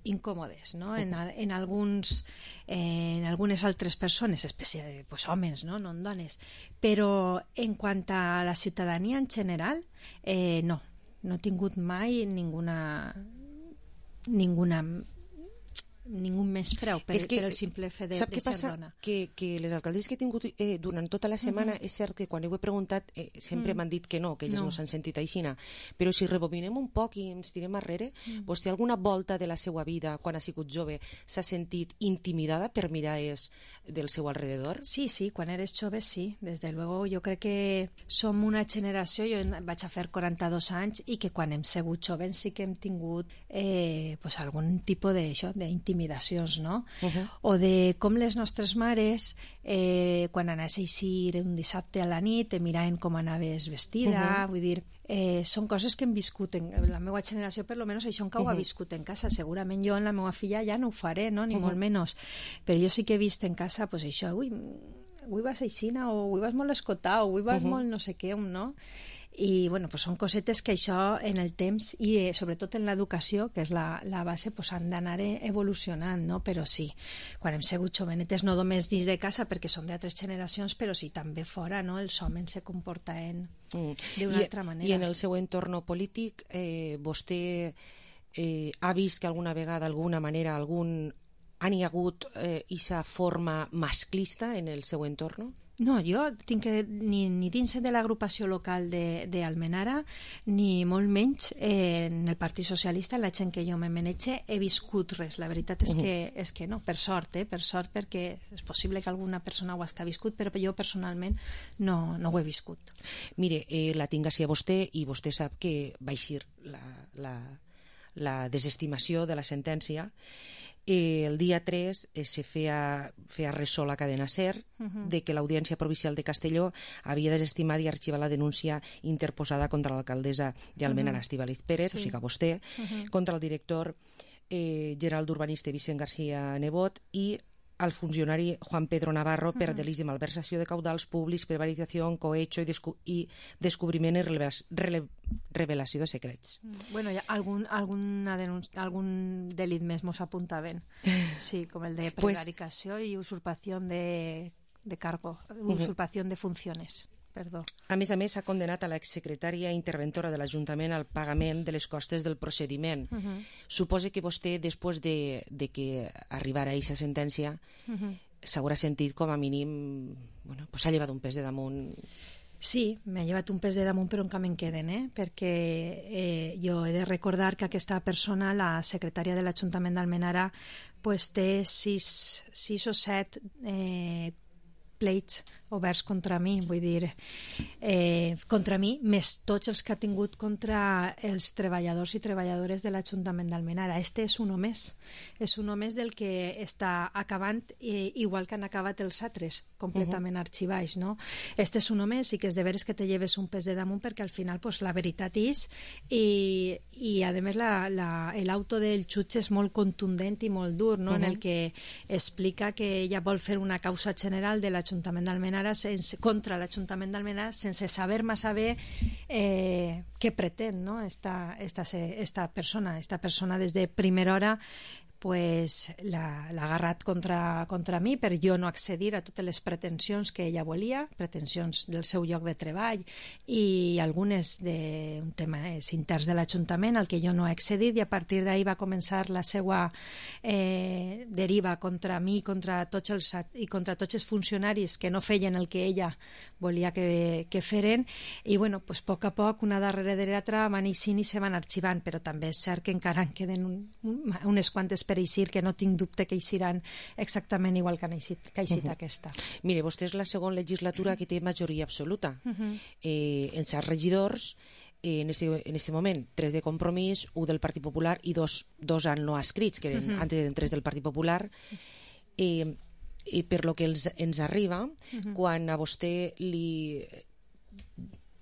L: incòmodes, no? En, en, alguns, eh, en algunes altres persones, especialment pues, homes, no? No en dones. Però en quant a la ciutadania en general, eh, no. No he tingut mai ninguna... ninguna ningú més preu per,
K: que,
L: per el simple fet de,
K: sap
L: de
K: què
L: ser
K: passa?
L: dona.
K: Que, que les alcaldesses que he tingut eh, durant tota la setmana, uh -huh. és cert que quan ho he preguntat eh, sempre
L: Mm.
K: m'han dit que no, que elles no,
L: No.
K: s'han sentit aixina, però si rebobinem un poc i ens tirem arrere,
L: Mm.
K: vostè alguna volta de la seva vida, quan ha sigut jove, s'ha sentit intimidada per mirades del seu alrededor?
L: Sí, sí, quan eres jove sí, desde luego. Jo crec que som una generació, jo vaig a fer quaranta-dos anys, i que quan hem sigut joves sí que hem tingut eh, pues algun tipus d'intimidacions, no?
K: Uh -huh.
L: O de com les nostres mares eh, quan anaves a eixir un dissabte a la nit te miraven com anaves vestida.
K: Uh-huh.
L: Vull dir, eh, són coses que hem viscut en la meva generació, per lo menos això encara ho ha
K: Uh-huh.
L: viscut en casa. Segurament jo en la meva filla ja no ho faré, no? Ni
K: Uh-huh.
L: molt menys, però jo sí que he vist en casa pues això, ui, avui vas aixina, o avui vas molt escotat, o avui vas
K: Uh-huh.
L: molt no sé què, no? I bueno, pues són cosetes que això en el temps i eh, sobretot en l'educació, que és la, la base, pues han d'anar evolucionant, no? Però sí, quan hem sigut jovenetes, no només dins de casa perquè són d'altres generacions, però sí també fora, no? Els homes se comportaven
K: Mm.
L: d'una
K: I,
L: altra manera.
K: I en el seu entorn polític eh, vostè eh, ha vist que alguna vegada, d'alguna manera, algun ha n'hi hagut eh, esa forma masclista en el seu entorn?
L: No, jo tinc que, ni, ni dins de l'agrupació local d'Almenara, ni molt menys eh, en el Partit Socialista, la gent que jo me manege, he viscut res. La veritat és,
K: Uh-huh.
L: que, és que no, per sort, eh, per sort, perquè és possible que alguna persona ho hagi viscut, però jo personalment no, no ho he viscut.
K: Mire, eh, la tinc així a vostè i vostè sap que va eixir la, la, la desestimació de la sentència. Eh, el dia tres eh, se feia, feia ressò la cadena SER
L: Uh-huh.
K: de que l'Audiència Provincial de Castelló havia desestimat i arxivat la denúncia interposada contra l'alcaldessa d'Almenara,
L: Uh-huh.
K: Estíbaliz Pérez,
L: Sí.
K: o sigui que vostè,
L: Uh-huh.
K: contra el director eh, general d'urbanista Vicent García Nebot i al funcionari Juan Pedro Navarro per
L: Uh-huh.
K: delicte de malversació de caudals públics, prevaricació, cohecho i, descu i descobriment i revelació, revelació de secrets.
L: Bueno, hi ha algun, alguna denunci- algun delit més mos apuntaven. Sí, com el de
K: Pues-
L: prevaricació i usurpació de, de cargo, usurpació de funciones. Perdó.
K: A més a més, s'ha condenat a l'exsecretària interventora de l'Ajuntament al pagament de les costes del procediment.
L: Uh-huh.
K: Suposa que vostè, després de, de que arribara a aquesta sentència,
L: Uh-huh.
K: s'haurà sentit com a mínim... Bueno, pues s'ha llevat un pes de damunt.
L: Sí, m'ha llevat un pes de damunt, però encara me'n queden, eh? perquè eh, jo he de recordar que aquesta persona, la secretària de l'Ajuntament d'Almenara, pues, té sis, sis o set eh, pleits oberts contra mi, vull dir, eh, contra mi, més tots els que ha tingut contra els treballadors i treballadores de l'Ajuntament d'Almenara. Este és un més, és un més del que està acabant, eh, igual que han acabat els altres, completament uh-huh. arxivats, no? Este és un més i que és de veres que te lleves un pes de damunt, perquè al final pues, la veritat és, i, i a més la, la, l'auto del jutge és molt contundent i molt dur, no? Uh-huh. En el que explica que ella vol fer una causa general de l'Ajuntament d'Almenara sense, contra l'Ajuntament d'Almenara sense saber massa bé eh, què pretén, no? esta, esta, esta persona esta persona des de primera hora pues l'ha agarrat contra, contra mi per jo no accedir a totes les pretensions que ella volia, pretensions del seu lloc de treball i algunes d'un tema és interns de l'Ajuntament al que jo no he accedit, i a partir d'ahir va començar la seva eh, deriva contra mi contra tots els, i contra tots els funcionaris que no feien el que ella volia que, que feren, i bueno, pues, a poc a poc, una darrere de l'altra van eixint i se van arxivant, però també és cert que encara en queden un, un, unes quantes per eixir, que no tinc dubte que eixiran exactament igual que ha eixit, que ha eixit uh-huh. aquesta.
K: Mire, vostè és la segona legislatura que té majoria absoluta.
L: Uh-huh.
K: Eh, en set regidors, eh, en, este, en este moment, tres de Compromís, un del Partit Popular i dos, dos han no escrits, que eren uh-huh. antes eren tres del Partit Popular. Eh, i per lo que els, ens arriba, uh-huh. quan a vostè li...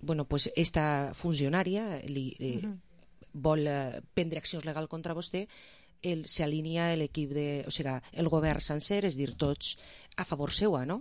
K: Bueno, pues esta funcionària li, li uh-huh. vol eh, prendre accions legals contra vostè, s'alinea l'equip de... O sigui, el govern sencer, és dir, tots a favor seua, no?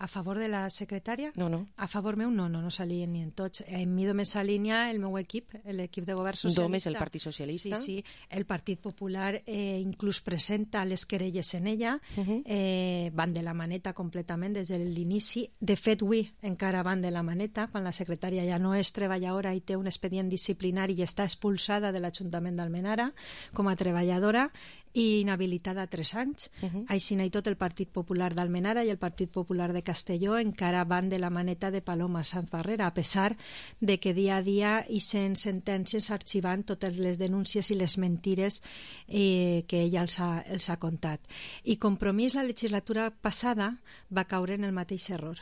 L: A favor de la secretària?
K: No, no.
L: A favor meu no, no, no s'alineen tots. En mi només s'alinea el meu equip, l'equip de govern socialista.
K: Només el Partit Socialista?
L: Sí, sí. El Partit Popular eh, inclús presenta les querelles en ella, uh-huh. eh, van de la maneta completament des de l'inici. De fet, avui encara van de la maneta, quan la secretària ja no és treballadora i té un expedient disciplinari i està expulsada de l'Ajuntament d'Almenara com a treballadora i inhabilitada tres anys. Uh-huh. Així i tot el Partit Popular d'Almenara i el Partit Popular de Castelló encara van de la maneta de Paloma Sanz Barrera, a pesar de que dia a dia hi sent sentències arxivant totes les denúncies i les mentires eh, que ella els ha, els ha contat. I Compromís, la legislatura passada, va caure en el mateix error.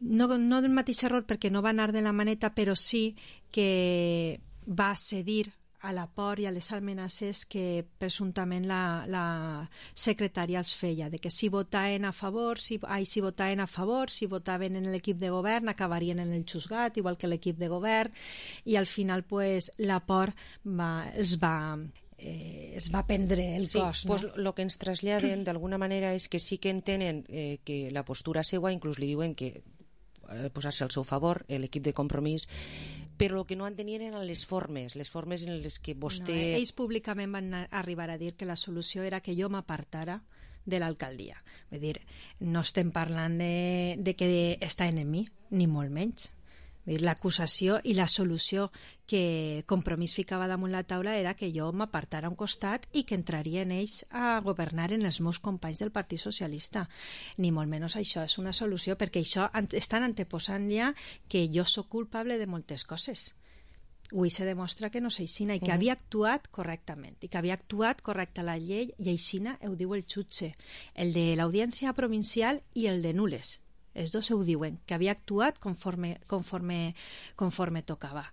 L: No, no del mateix error perquè no va anar de la maneta, però sí que va cedir a la por i a les amenaces que presumptament la, la secretària els feia, de que si votaven a favor, si, ai, si votaven a favor, si votaven en l'equip de govern, acabarien en el xusgat, igual que l'equip de govern, i al final pues, la por va, els va... Eh, es va prendre el
K: sí,
L: cos.
K: Pues
L: no?
K: Lo que ens traslladen d'alguna manera és que sí que entenen eh, que la postura seua, inclús li diuen que eh, posar-se al seu favor, l'equip de Compromís, però el que no entenien eren les formes, les formes en les que vostè...
L: No, ells públicament van arribar a dir que la solució era que jo m'apartara de l'alcaldia. Vull dir, no estem parlant de, de que està en mi, ni molt menys. L'acusació i la solució que Compromís ficava damunt la taula era que jo m'apartara a un costat i que entrarien ells a governar en els meus companys del Partit Socialista. Ni molt menys això és una solució, perquè això estan anteposant ja que jo sóc culpable de moltes coses. Avui se demostra que no és aixina i que uh-huh. havia actuat correctament i que havia actuat correcta la llei, i aixina ho diu el jutge, el de l'Audiència Provincial i el de Nules. Els dos ho diuen, que havia actuat conforme, conforme, conforme tocava.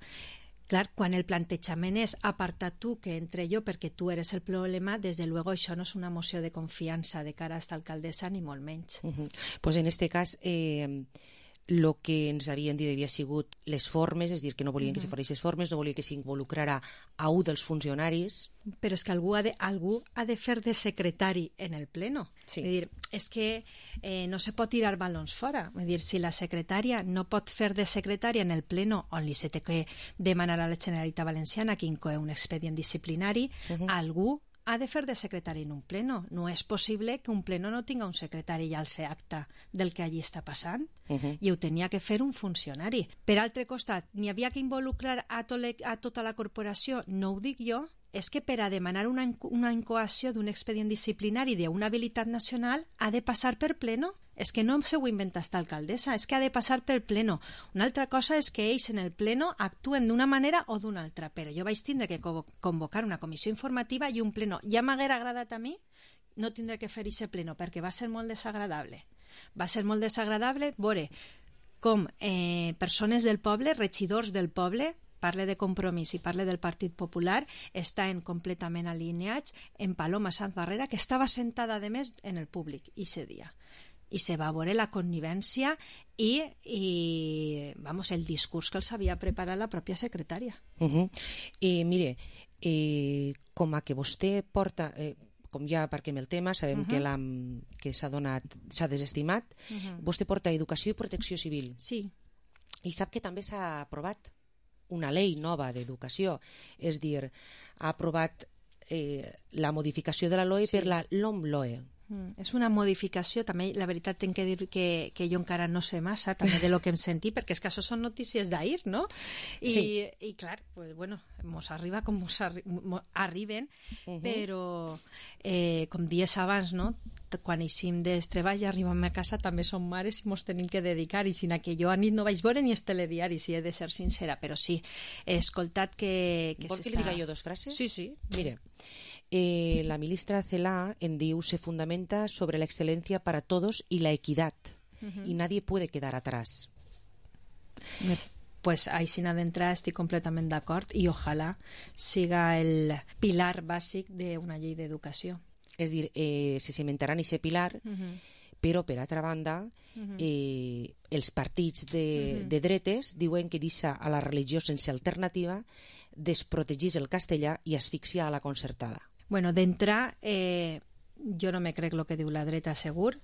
L: Clar, quan el plantejament és aparta tu que entre jo perquè tu eres el problema, des de luego això no és una moció de confiança de cara a esta alcaldessa, ni molt menys.
K: Uh-huh. Pues en este cas... Eh... el que ens havien dit havia sigut les formes, és dir, que no volien uh-huh. que se fos les formes, no volien que s'involucrara a un dels funcionaris.
L: Però és que algú ha de, algú ha de fer de secretari en el pleno.
K: Sí.
L: És dir, és que eh, no se pot tirar balons fora. És dir, si la secretària no pot fer de secretària en el pleno on li se té que demanar a la Generalitat Valenciana que incoe un expedient disciplinari, uh-huh. algú ha de fer de secretari en un pleno. No és possible que un pleno no tinga un secretari i alce acta del que allí està passant. Uh-huh. I ho tenia que fer un funcionari. Per altre costat, n'hi havia que involucrar a, to a tota la corporació, no ho dic jo, és que per a demanar una, una incoació d'un expedient disciplinari d'una habilitat nacional ha de passar per pleno. És que no s'ho inventa esta alcaldessa, és que ha de passar per pleno. Una altra cosa és que ells en el pleno actuen d'una manera o d'una altra, però jo vaig tindre que convocar una comissió informativa i un pleno. Ja m'haguera agradat a mi no tindre que fer aquest pleno, perquè va ser molt desagradable. Va ser molt desagradable veure com eh, persones del poble, regidors del poble, parle de Compromís i parle del Partit Popular, estan completament alineats en Paloma Sanz Barrera, que estava sentada, a més, en el públic ese dia. I se va veure la connivència i, i vamos, el discurs que els havia preparat la pròpia secretària.
K: Uh-huh. I mire, eh, com a que vostè porta... Eh, com ja aparquem el tema, sabem uh-huh. que, la, que s'ha donat, s'ha desestimat, uh-huh. vostè porta Educació i Protecció Civil.
L: Sí.
K: I sap que també s'ha aprovat una llei nova d'educació, és dir, ha aprovat eh, la modificació de la L O E sí. per la LOMLOE.
L: Mm, és una modificació, també la veritat tinc que dir que, que jo encara no sé massa també de lo que em sentí, perquè és que això són notícies d'ahir, no? I,
K: sí.
L: i clar, pues, bueno, mos arriba com mos, arri mos arriben, uh-huh. però eh, com dies abans, no? Quan eixim dels treballs i arribem a casa també som mares i mos tenim que dedicar, i sinó que jo a nit no vaig veure ni els telediaris, si he de ser sincera, però sí, he escoltat que... que
K: Vol que li diga jo dos frases?
L: Sí, sí.
K: Mire, eh, la ministra Celaá en diu se fundamenta sobre la excelencia para todos y la equidad, uh-huh. y nadie puede quedar atrás.
L: Me pues així d'entrar estic completament d'acord i ojalà siga el pilar bàsic d'una llei d'educació.
K: És dir, eh, se cimentaran ese pilar, uh-huh. Però, per altra banda,
L: Mhm.
K: eh, els partits de,
L: Mhm.
K: de dretes diuen que deixa a la religió sense alternativa, desprotegís el castellà i asfixia a la concertada.
L: Bueno, d'entrar, eh, jo no me crec el que diu la dreta segur.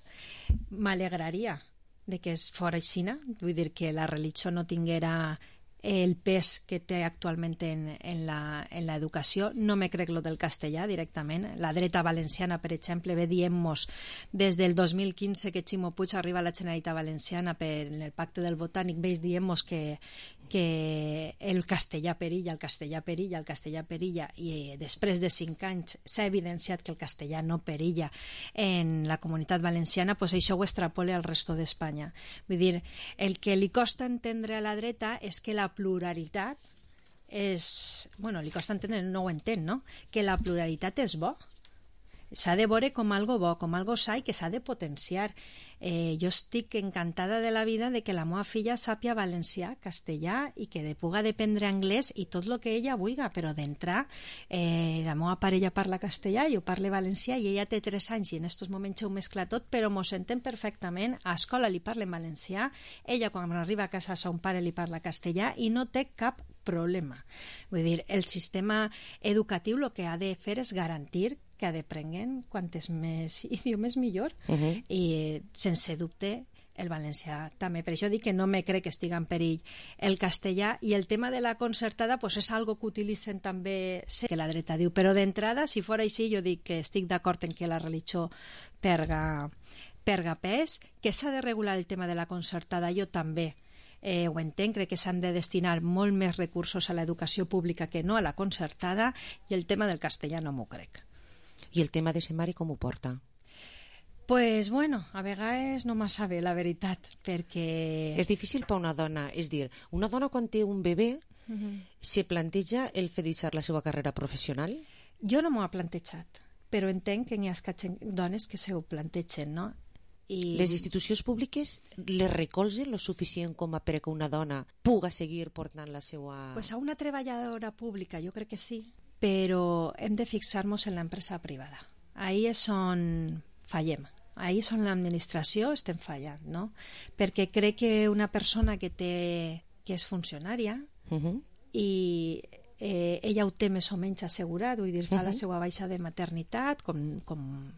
L: M'alegraria de que es fora aixina, vull dir que la religió no tinguera el pes que té actualment en, en la en l'educació. No me crec lo del castellà directament. La dreta valenciana, per exemple, ve dient-nos des del dos mil quinze que Ximo Puig arriba a la Generalitat Valenciana per el pacte del Botànic, veis dient-nos que, que el castellà perilla, el castellà perilla, el castellà perilla, i després de cinc anys s'ha evidenciat que el castellà no perilla en la comunitat valenciana, pues això ho extrapole al resto d'Espanya. Vull dir, el que li costa entendre a la dreta és que la pluralitat és... Bueno, li costa entendre, no ho entén, no? Que la pluralitat és bo. S'ha de veure com algo bo, com algo sa i que s'ha de potenciar. Eh, jo estic encantada de la vida de que la meva filla sàpia valencià, castellà i que de puga d'aprendre anglès i tot el que ella vulgui, però d'entrar eh, la meva parella parla castellà, jo parle valencià i ella té tres anys i en estos moments ho mescla tot, però mos sentem perfectament, a escola li parla en valencià, ella quan arriba a casa a son pare li parla castellà i no té cap problema. Vull dir, el sistema educatiu el que ha de fer és garantir que aprenguen quantes més idiomes millor.
K: Uh-huh.
L: I sense dubte el valencià també. Per això dic que no me crec que estigui en perill el castellà, i el tema de la concertada pues és algo que utilitzen també, sé que la dreta diu, però d'entrada, si fora així, jo dic que estic d'acord en que la religió perga, perga pes, que s'ha de regular el tema de la concertada, jo també Eh, ho entenc, crec que s'han de destinar molt més recursos a l'educació pública que no a la concertada, i el tema del castellà no m'ho crec.
K: I el tema de ser mare com ho porta?
L: Pues bueno, a vegades no massa bé, la veritat, perquè...
K: És difícil per una dona, és dir, una dona quan té un bebè
L: Uh -huh.
K: se planteja el fer deixar la seva carrera professional?
L: Jo no m'ho he plantejat, però entenc que n'hi ha dones que se ho plantegen, no? I...
K: Les institucions públiques les recolzen lo suficient com a perquè una dona puga seguir portant la seva...
L: Pues a una treballadora pública jo crec que sí, però hem de fixar-nos en l'empresa privada. Ahí és on fallem. Ahí és on l'administració estem fallant, no? Perquè crec que una persona que té que és funcionària
K: uh-huh.
L: i eh, ella ho té més o menys assegurat, vull dir, fa
K: uh-huh.
L: la seva baixa de maternitat, com... com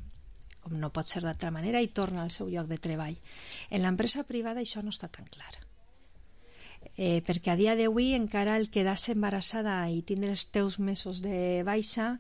L: com no pot ser d'altra manera, i torna al seu lloc de treball. En l'empresa privada això no està tan clar. Eh, perquè a dia d'avui encara el quedar-se embarassada i tindre els teus mesos de baixa,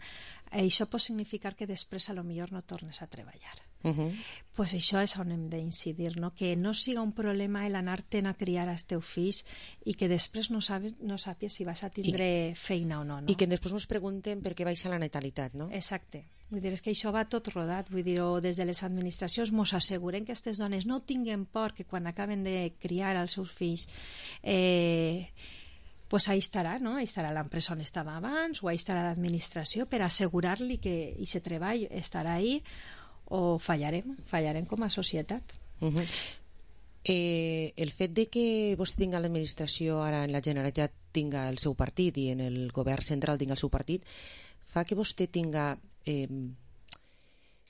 L: eh, això pot significar que després a lo millor no tornes a treballar.
K: Uh-huh.
L: Pues això és on hem d'incidir, no? Que no siga un problema el anar-te'n a criar als teus fills i que després no sabes, no sàpies si vas a tindre I, feina o no, no.
K: I que després ens pregunten per què baixa la natalitat, no?
L: Exacte. Vull dir, és que això va tot rodat, vull dir, o des de les administracions mos asseguren que aquestes dones no tinguen por que quan acaben de criar els seus fills eh, pues ahí estarà, no? Ahí estarà l'empresa on estava abans, o ahí estarà l'administració per assegurar-li que aquest treball estarà ahí, o fallarem, fallarem com a societat.
K: Uh-huh. eh, el fet de que vostè tinga l'administració ara en la Generalitat tinga el seu partit i en el govern central tinga el seu partit fa que vostè tinga eh,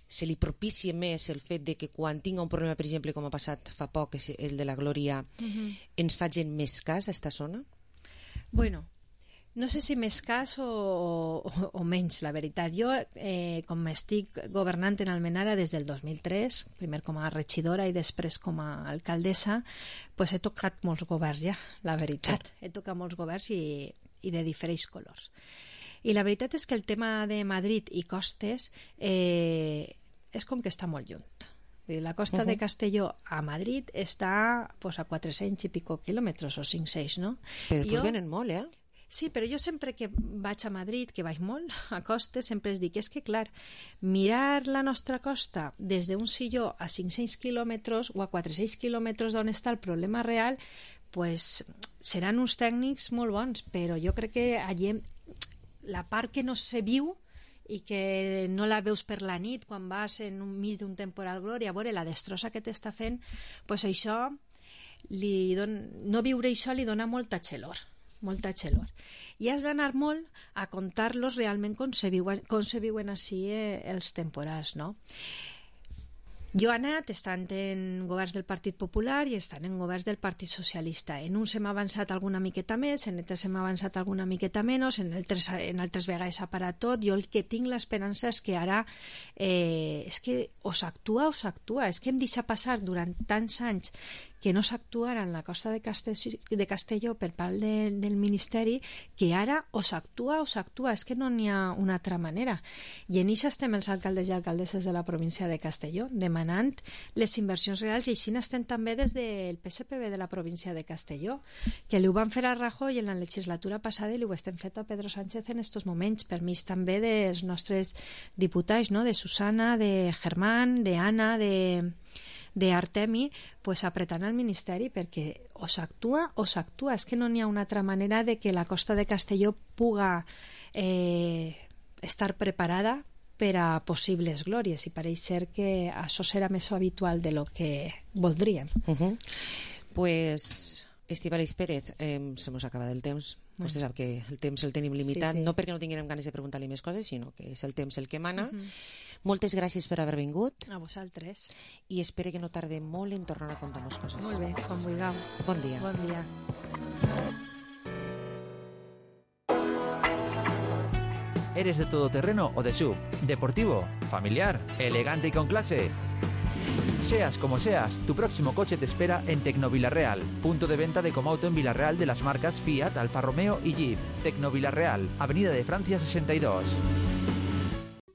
K: se li propicie més el fet de que quan tinga un problema, per exemple, com ha passat fa poc, és el de la Glòria, uh-huh. ens facin més cas a esta zona?
L: Bueno, no sé si més cas o, o, o menys, la veritat. Jo, eh, com estic governant en Almenara des del dos mil tres, primer com a regidora i després com a alcaldessa, pues he tocat molts governs ja, la veritat. He tocat molts governs i, i de diferents colors. I la veritat és que el tema de Madrid i costes eh, és com que està molt lluny. La costa uh-huh. de Castelló a Madrid està pues, a quatre-cents i pico quilòmetres o cinc-cents, no?
K: Però després jo... venen molt, eh?
L: Sí, però jo sempre que vaig a Madrid, que vaig molt a costes, sempre es dic, és que clar, mirar la nostra costa des d'un silló a cinc-cents quilòmetres o a quatre-cents quilòmetres d'on està el problema real, pues, seran uns tècnics molt bons, però jo crec que allí la part que no se viu i que no la veus per la nit quan vas en un mig d'un temporal glòria a veure la destrossa que t'està fent, pues això li don... no viure això li dona molta xelor molta xelor. I has d'anar molt a contar-los realment com se viuen, com se viuen així eh, els temporals, no? Jo he anat, estan en governs del Partit Popular i estan en governs del Partit Socialista. En uns hem avançat alguna miqueta més, en altres hem avançat alguna miqueta menys, en altres, en altres vegades s'ha parat tot. Jo el que tinc l'esperança és que ara eh, és que o s'actua o s'actua. És que hem deixat passar durant tants anys que no s'actuara en la costa de Castelló, de Castelló per part de, del Ministeri, que ara o s'actua o s'actua, és que no n'hi ha una altra manera. I en això estem els alcaldes i alcaldesses de la província de Castelló, demanant les inversions reals, i així n'estem també des del P S P B de la província de Castelló, que li ho van fer a Rajoy en la legislatura passada i li ho estem fet a Pedro Sánchez en estos moments, per mig també dels nostres diputats, no? De Susana, de Germán, de Anna, de... d'Artemi, pues, apretant al Ministeri perquè o s'actua o s'actua. És que no n'hi ha una altra manera de que la costa de Castelló puga eh, estar preparada per a possibles glòries, i pareix ser que això serà més habitual de lo que voldríem.
K: Uh-huh. Pues, Estíbaliz Pérez, eh, se mos acaba el temps. Bueno. Vostè sap que el temps el tenim limitat, sí, sí. No perquè no tinguem ganes de preguntar-li més coses, sinó que és el temps el que mana. Uh-huh. Moltes gràcies per haver vingut.
L: A vosaltres.
K: I espero que no tardem molt en tornar a contar-nos coses.
L: Molt bé, quan vulgueu.
K: Bon dia.
L: Bon dia.
I: ¿Eres de todoterreno o de S U V? ¿Deportivo? ¿Familiar? ¿Elegante y con clase? Seas como seas, tu próximo coche te espera en Tecnovilarreal, punto de venta de Comauto en Villarreal de las marcas Fiat, Alfa Romeo y Jeep. Tecnovilarreal, Avenida de Francia sesenta y dos.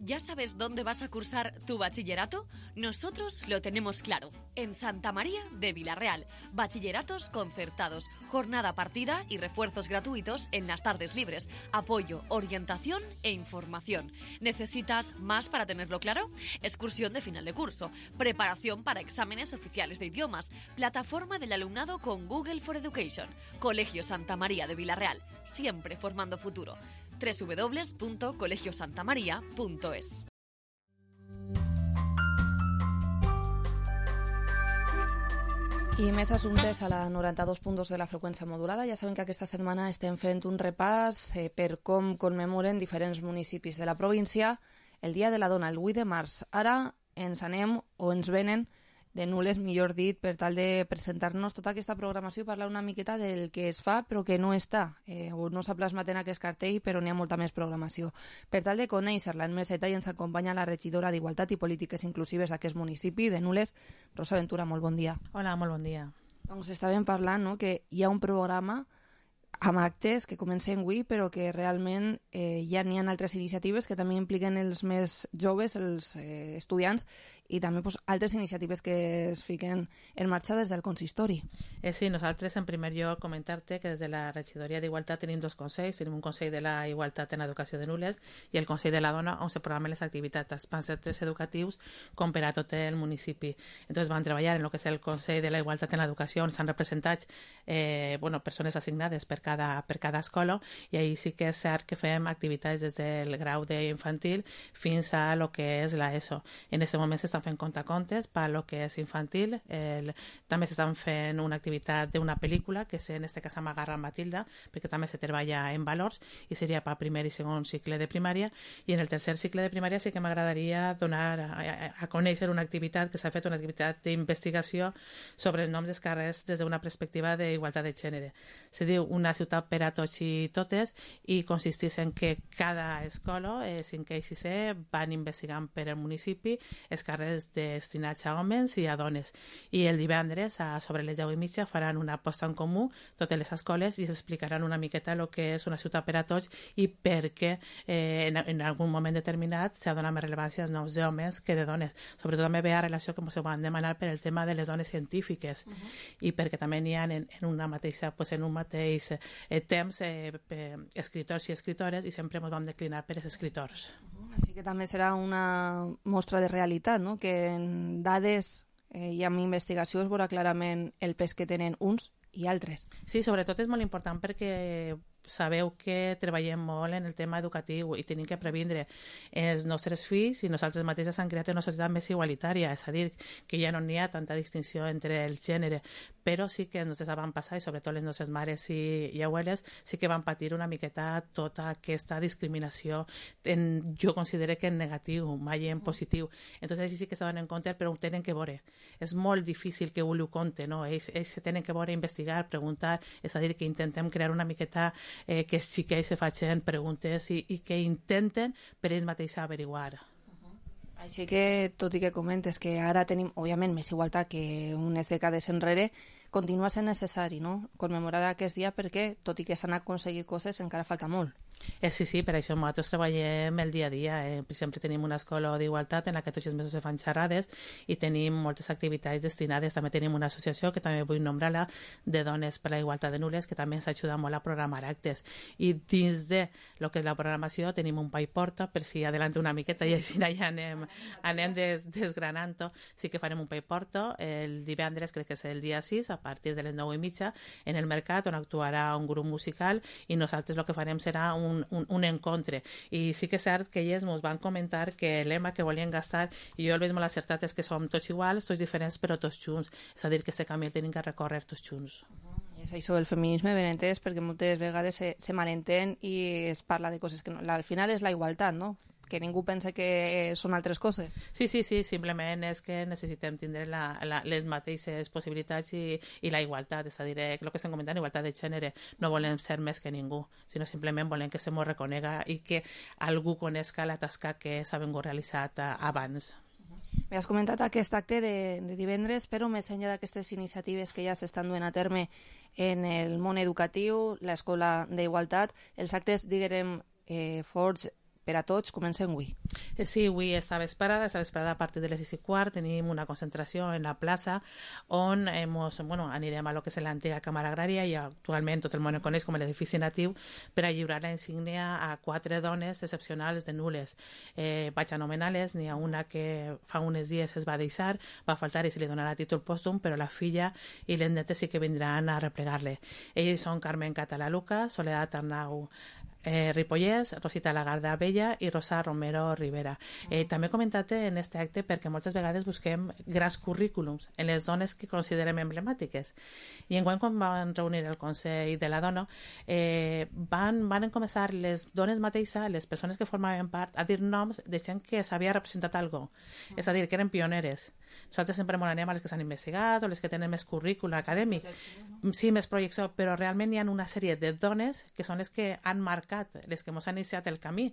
M: ¿Ya sabes dónde vas a cursar tu bachillerato? Nosotros lo tenemos claro. En Santa María de Villarreal. Bachilleratos concertados, jornada partida y refuerzos gratuitos en las tardes libres. Apoyo, orientación e información. ¿Necesitas más para tenerlo claro? Excursión de final de curso. Preparación para exámenes oficiales de idiomas. Plataforma del alumnado con Google for Education. Colegio Santa María de Villarreal. Siempre formando futuro. doble u doble u doble u punto colegio santa maría punto es.
E: I més assumptes a la noranta-dos punt dos de la freqüència modulada. Ja saben que aquesta setmana estem fent un repàs eh, per com commemoren diferents municipis de la província el Dia de la Dona, el vuit de març. Ara ens anem o ens venen de Nules, millor dit, per tal de presentar-nos tota aquesta programació i parlar una miqueta del que es fa però que no està, eh, o no s'ha plasmat en aquest cartell, però n'hi ha molta més programació. Per tal de conèixer-la en més detall ens acompanya la regidora d'Igualtat i Polítiques Inclusives d'aquest municipi, de Nules, Rosa Ventura. Molt bon dia.
N: Hola, molt bon dia.
E: Doncs estàvem parlant, no?, que hi ha un programa amb actes que comencen avui, però que realment eh, ja n'hi ha altres iniciatives que també impliquen els més joves, els eh, estudiants, i també pues, altres iniciatives que es fiquen en marxa des del consistori.
N: Eh, sí, nosaltres en primer lloc comentar-te que des de la regidoria d'Igualtat tenim dos consells, tenim un consell de la Igualtat en Educació de Nules i el consell de la Dona, on se programen les activitats tant centres educatius com per a tot el municipi. Entonces van treballar en el que és el consell de la Igualtat en l'Educació, on s'han representat eh, bueno, persones assignades per cada, per cada escola, i ahí sí que és cert que fem activitats des del grau d'infantil fins a lo que és l'ESO. En aquest moment s'estan fent contacontes per lo que és infantil. El, també s'estan fent una activitat d'una pel·lícula que és, en este cas Amagarra Matilda, perquè també se treballa en valors i seria per primer i segon cicle de primària, i en el tercer cicle de primària sí que m'agradaria donar a, a, a conèixer una activitat que s'ha fet, una activitat d'investigació sobre els noms dels carrers des d'una perspectiva d'igualtat de gènere. Se diu Una ciutat per a tots i totes, i consisteix en que cada escola, eh, cinquè i sisè, van investigant per el municipi els carrers destinats a homes i a dones. I el divendres, a sobre les deu i mitja, faran una posta en comú totes les escoles i s'explicaran una miqueta el que és una ciutat per a tots i per què eh, en, en algun moment determinat s'ha donat més rellevància als noms d'homes que de dones. Sobretot també ve a relació que ens van demanar per el tema de les dones científiques, uh -huh. i perquè també n'hi ha en, en, una mateixa, pues, en un mateix eh, temps eh, escriptors i escriptores, i sempre ens vam declinar per els escriptors.
E: Uh -huh. Així que també serà una mostra de realitat, no?, que en dades eh, i amb investigació es veurà clarament el pes que tenen uns i altres.
N: Sí, sobretot és molt important perquè sabeu que treballem molt en el tema educatiu i tenim que previndre els nostres fills i nosaltres mateixes han creat una societat més igualitària, és a dir, que ja no n'hi ha tanta distinció entre el gènere, però sí que els nostres avantpassats, i sobretot les nostres mares i, i abueles, sí que van patir una miqueta tota aquesta discriminació, en, jo considero que en negatiu, mai en positiu. Entonces, ells sí que se donen compte, però ho tenen que veure. És molt difícil que ho ho compte, no? Ells, ells se tenen que veure, investigar, preguntar, és a dir, que intentem crear una miqueta eh, que sí que ells se facin preguntes i, i que intenten per ells mateixos averiguar.
E: Així que, tot i que comentes que ara tenim, òbviament, més igualtat que unes dècades enrere, continua sent necessari, no?, commemorar aquest dia perquè, tot i que s'han aconseguit coses, encara falta molt.
N: Eh, sí, sí, per això nosaltres treballem el dia a dia. Eh, per exemple, tenim una escola d'igualtat en la que tots els mesos se fan xerrades i tenim moltes activitats destinades. També tenim una associació, que també vull nombrar-la, de dones per la igualtat de nules, que també ens ajuda molt a programar actes. I dins de lo que és la programació tenim un pa i porta, per si adelante una miqueta i així ja anem, anem des, desgranant-ho. Sí que farem un pa i porta el divendres, crec que és el dia sis, a partir de les nou i mitja, en el mercat, on actuarà un grup musical i nosaltres el que farem serà un, un, un encontre. I sí que és cert que ells ens van comentar que el lema que volien gastar, i jo el veig molt acertat, és que som tots iguals, tots diferents, però tots junts. És a dir, que aquest camí el tenim que recórrer tots junts.
E: I és això del feminisme ben entès, perquè moltes vegades se, se malentén i es parla de coses que no, al final és la igualtat, no?, que ningú pensa que són altres coses.
N: Sí, sí, sí, simplement és que necessitem tindre la, la, les mateixes possibilitats i, i la igualtat, és a dir, el que estem comentant, igualtat de gènere, no volem ser més que ningú, sinó simplement volem que se mos reconega i que algú coneixa la tasca que s'ha vingut realitzat abans.
E: M'has comentat aquest acte de, de divendres, però més enllà d'aquestes iniciatives que ja s'estan duent a terme en el món educatiu, l'escola d'igualtat, els actes, diguem, eh, forts per a tots, comencen avui.
N: Sí, avui està vesprada, està vesprada a partir de les sis i quart, tenim una concentració en la plaça on hemos, bueno, anirem a lo que és l'antiga Càmera Agrària i actualment tot el món el coneix com l'edifici natiu per a lliurar la insígnia a quatre dones excepcionals de nules. Eh, vaig anomenar-les, n'hi ha una que fa uns dies es va deixar, va faltar i se li donarà títol pòstum, però la filla i les netes sí que vindran a replegar-le. Ells són Carmen Catalaluca, Soledat Arnau Eh, Ripollès, Rosita Lagarda Bella i Rosa Romero Rivera. Eh, també he comentat en aquest acte perquè moltes vegades busquem grans currículums en les dones que considerem emblemàtiques. I enguany, quan van reunir el Consell de la Dona, eh, van, van començar les dones mateixes, les persones que formaven part, a dir noms de gent que s'havia representat algo. És a dir, que eren pioneres. Nosaltres sempre molt anem a les que s'han investigat o les que tenen més currículum acadèmic. Sí, més projecció, però realment hi ha una sèrie de dones que són les que han marcat, les que ens han iniciat el camí.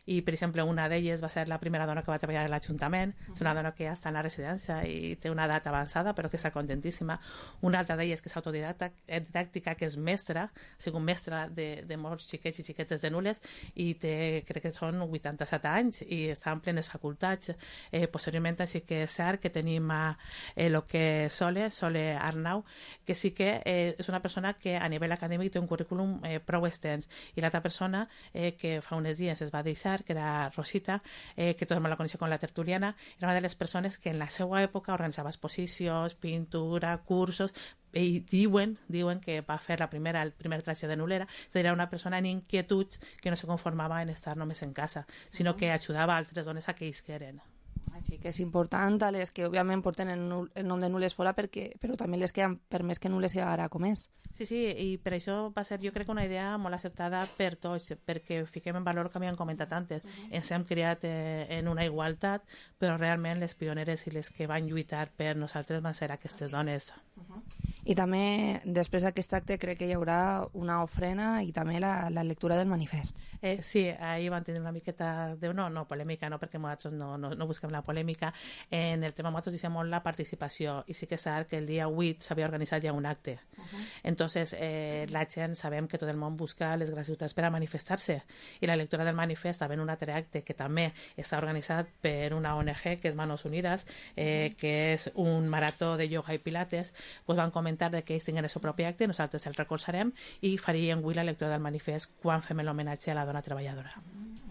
N: I, per exemple, una d'elles va ser la primera dona que va treballar a l'Ajuntament. És una dona que ja està en la residència i té una edat avançada, però que està contentíssima. Una altra d'elles que és autodidàctica, que és mestra, ha sigut mestra de, de molts xiquets i xiquetes de nules i té, crec que són vuitanta-set anys i està en plenes facultats. Eh, posteriorment, així que és cert que tenim a eh, lo que Sole, Sole Arnau, que sí que eh, és una persona que a nivell acadèmic té un currículum eh, prou extens. I l'altra persona eh, que fa uns dies es va deixar, que era Rosita, eh, que tothom la coneixia com la tertuliana, era una de les persones que en la seva època organitzava exposicions, pintura, cursos, i diuen, diuen que va fer la primera, el primer traje de nulera. Era una persona en inquietud que no se conformava en estar només en casa, sinó que ajudava a altres dones a que isqueren.
E: Així que és important a les que òbviament porten el, nul, el nom de nules fora, perquè, però també les que han permès que nules ara com és.
N: Sí, sí, i per això va ser, jo crec, una idea molt acceptada per tots, perquè fiquem en valor que m'han comentat antes. Uh-huh. Ens hem criat eh, en una igualtat, però realment les pioneres i les que van lluitar per nosaltres van ser aquestes dones.
E: Uh-huh. I també, després d'aquest acte, crec que hi haurà una ofrena i també la, la lectura del manifest.
N: Eh, sí, ahir van tenir una miqueta de... No, no, polèmica, no, perquè nosaltres no, no, no busquem la polèmica. En el tema nosaltres dicem molt la participació, i sí que és cert que el dia vuit s'havia organitzat ja un acte. Uh-huh. Entonces, eh, la gent, sabem que tot el món busca les gratuïtats per a manifestar-se, i la lectura del manifest, havent un altre acte que també està organitzat per una O N G, que és Manos Unides, eh, que és un marató de ioga i pilates, pues van comentar de que ells tinguin el seu propi acte, nosaltres el recolzarem i faríem avui la lectura del manifest quan fem l'homenatge a la dona treballadora.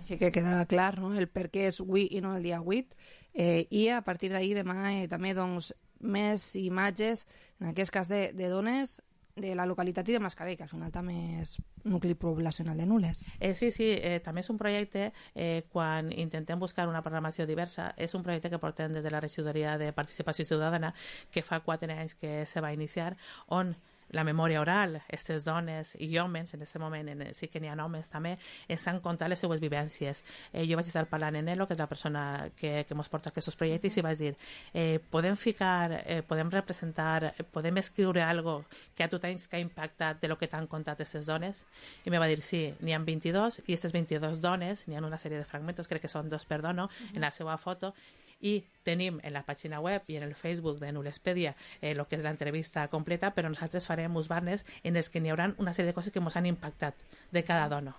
E: Així que queda clar, no?, el per què és avui i no el dia vuit, eh, i a partir d'ahir demà eh, també doncs, més imatges, en aquest cas de, de dones de la localitat i de Mascarell, que al final també és nucli poblacional de Nules.
N: Eh, sí, sí, eh, també és un projecte, eh, quan intentem buscar una programació diversa, és un projecte que portem des de la regidoria de Participació Ciutadana, que fa quatre anys que se va iniciar, on la memòria oral, aquestes dones i homes, en aquest moment en, sí que n'hi ha homes també, ens han contat les seues vivències. Eh, jo vaig estar parlant en Elo, que és la persona que, que mos porta aquests projectes, i vaig dir, eh, podem ficar, eh, podem representar, podem escriure algo que a tu tens que ha impactat de lo que t'han contat aquestes dones? I me va dir, sí, n'hi ha vint-i-dos, i aquestes vint-i-dos dones, n'hi ha una sèrie de fragmentos, crec que són dos per dono, uh-huh. en la seva foto, i tenim en la pàgina web i en el Facebook de Nulespedia el eh, que és l'entrevista completa, però nosaltres farem uns banners en els que n'hi haurà una sèrie de coses que ens han impactat de cada dona.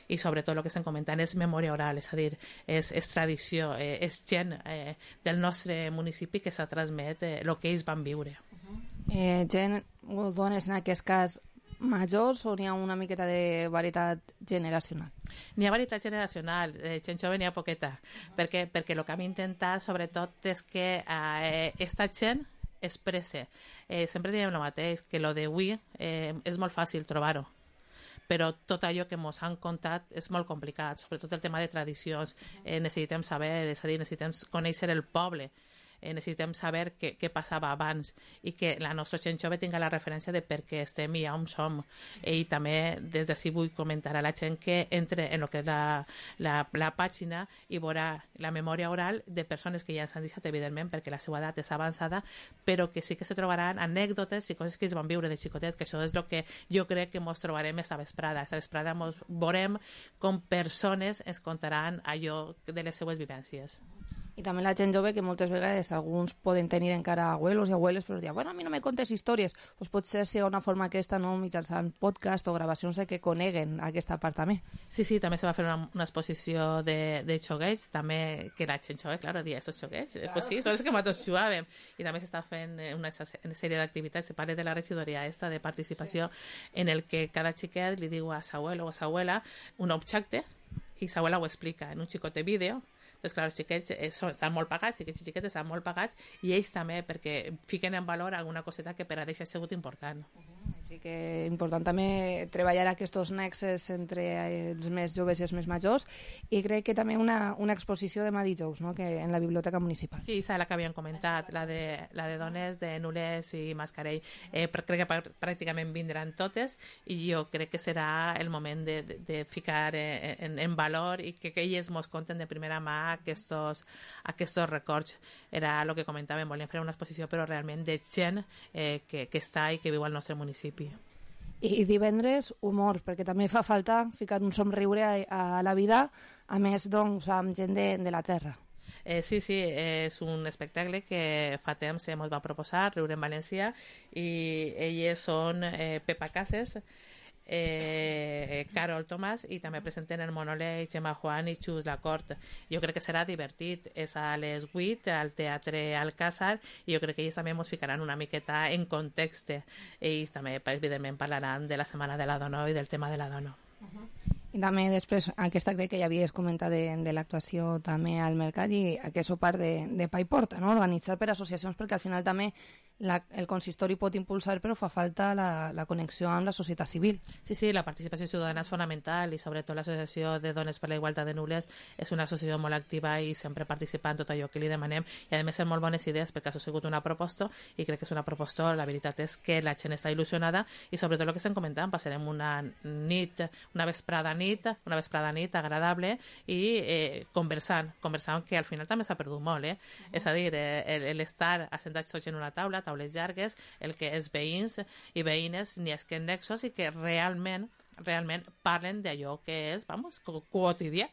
N: I sobretot el que estem comentant és memòria oral, és a dir, és, és tradició, eh, és gent eh, del nostre municipi que s'ha transmet el eh, que ells van viure.
E: Eh, gent o dones, en aquest cas, majors, o n'hi ha una miqueta de varietat generacional?
N: N'hi ha varietat generacional, eh, gent jove n'hi ha poqueta, uh-huh. perquè, perquè el que hem intentat sobretot és que eh, esta gent expresse. Eh, sempre diem el mateix, que lo d'avui eh, és molt fàcil trobar-ho, però tot allò que ens han contat és molt complicat, sobretot el tema de tradicions. Eh, necessitem saber, és a dir, necessitem conèixer el poble, Eh, necessitem saber què, què passava abans i que la nostra gent jove tinga la referència de per què estem i on som. Eh, I també des d'ací vull comentar a la gent que entre en el que és la, la, la pàgina i veurà la memòria oral de persones que ja ens han deixat, evidentment, perquè la seva edat és avançada, però que sí que se trobaran anècdotes i coses que es van viure de xicotet, que això és el que jo crec que ens trobarem esta vesprada. Esta vesprada ens veurem com persones ens contaran allò de les seues vivències.
E: I també la gent jove, que moltes vegades alguns poden tenir encara abuelos i abueles, però diuen, bueno, a mi no me contes històries. Pues potser sigui una forma aquesta, no?, mitjançant podcast o gravacions de que coneguen aquesta part també.
N: Sí, sí, també se va fer una, una exposició de, de xoguets, també, que la gent jove, clar, dia, estos xoguets, claro. Pues sí, són els que nosaltres jugàvem. I també s'està fent una, una sèrie d'activitats, se parla de la regidoria esta de participació, sí. En el que cada xiquet li diu a sa abuelo o a sa abuela un objecte i sa abuela ho explica en un xicot de vídeo. Doncs clar, els xiquets eh, són, estan molt pagats, xiquets i xiquetes estan molt pagats, i ells també, perquè fiquen en valor alguna coseta que per a ells ha sigut important.
E: Uh-huh. Així que important també treballar aquests nexes entre els més joves i els més majors, i crec que també una, una exposició demà dijous, no?, que en la Biblioteca Municipal.
N: Sí, és la que havíem comentat, la de, la de dones de Nules i Mascarell. Eh, crec que pràcticament vindran totes, i jo crec que serà el moment de, de, de ficar eh, en, en valor i que, que elles mos conten de primera mà aquests, aquests records. Era el que comentàvem, volíem fer una exposició però realment de gent eh, que, que està i que viu al nostre municipi.
E: I, i divendres, humor, perquè també fa falta ficar un somriure a, a la vida, a més, doncs, amb gent de, de la terra.
N: Eh, sí, sí, és un espectacle que fa temps ens va proposar, Riure en València, i elles són eh, Pepa Cases, Eh, Carol Tomàs, i també presenten el Monolé, Gemma Juan i Xus Lacort. Jo crec que serà divertit. És a les vuit al Teatre Alcázar, i jo crec que ells també ens ficaran una miqueta en context. Ells també, evidentment, parlaran de la Setmana de la Dona i del tema de la dona.
E: Uh-huh. I també després, aquesta crec que ja havies comentat de, de l'actuació també al mercat, i aquest part de, de Pa i Porta, no?, organitzat per associacions, perquè al final també la, el consistori pot impulsar, però fa falta la, la connexió amb la societat civil.
N: Sí, sí, la participació ciutadana és fonamental, i sobretot l'Associació de Dones per la Igualtat de Nules és una associació molt activa i sempre participa en tot allò que li demanem, i a més són molt bones idees, perquè ha sigut una proposta, i crec que és una proposta, la veritat és que la gent està il·lusionada, i sobretot el que estem comentant, passarem una nit, una vesprada nit, una vesprada nit agradable, i eh, conversant, conversant, que al final també s'ha perdut molt, eh? Uh-huh. És a dir, eh, l'estar assentats tots en una taula, taules llargues, el que és veïns i veïnes, ni és que en nexos, i que realment, realment parlen d'allò que és, vamos, quotidià.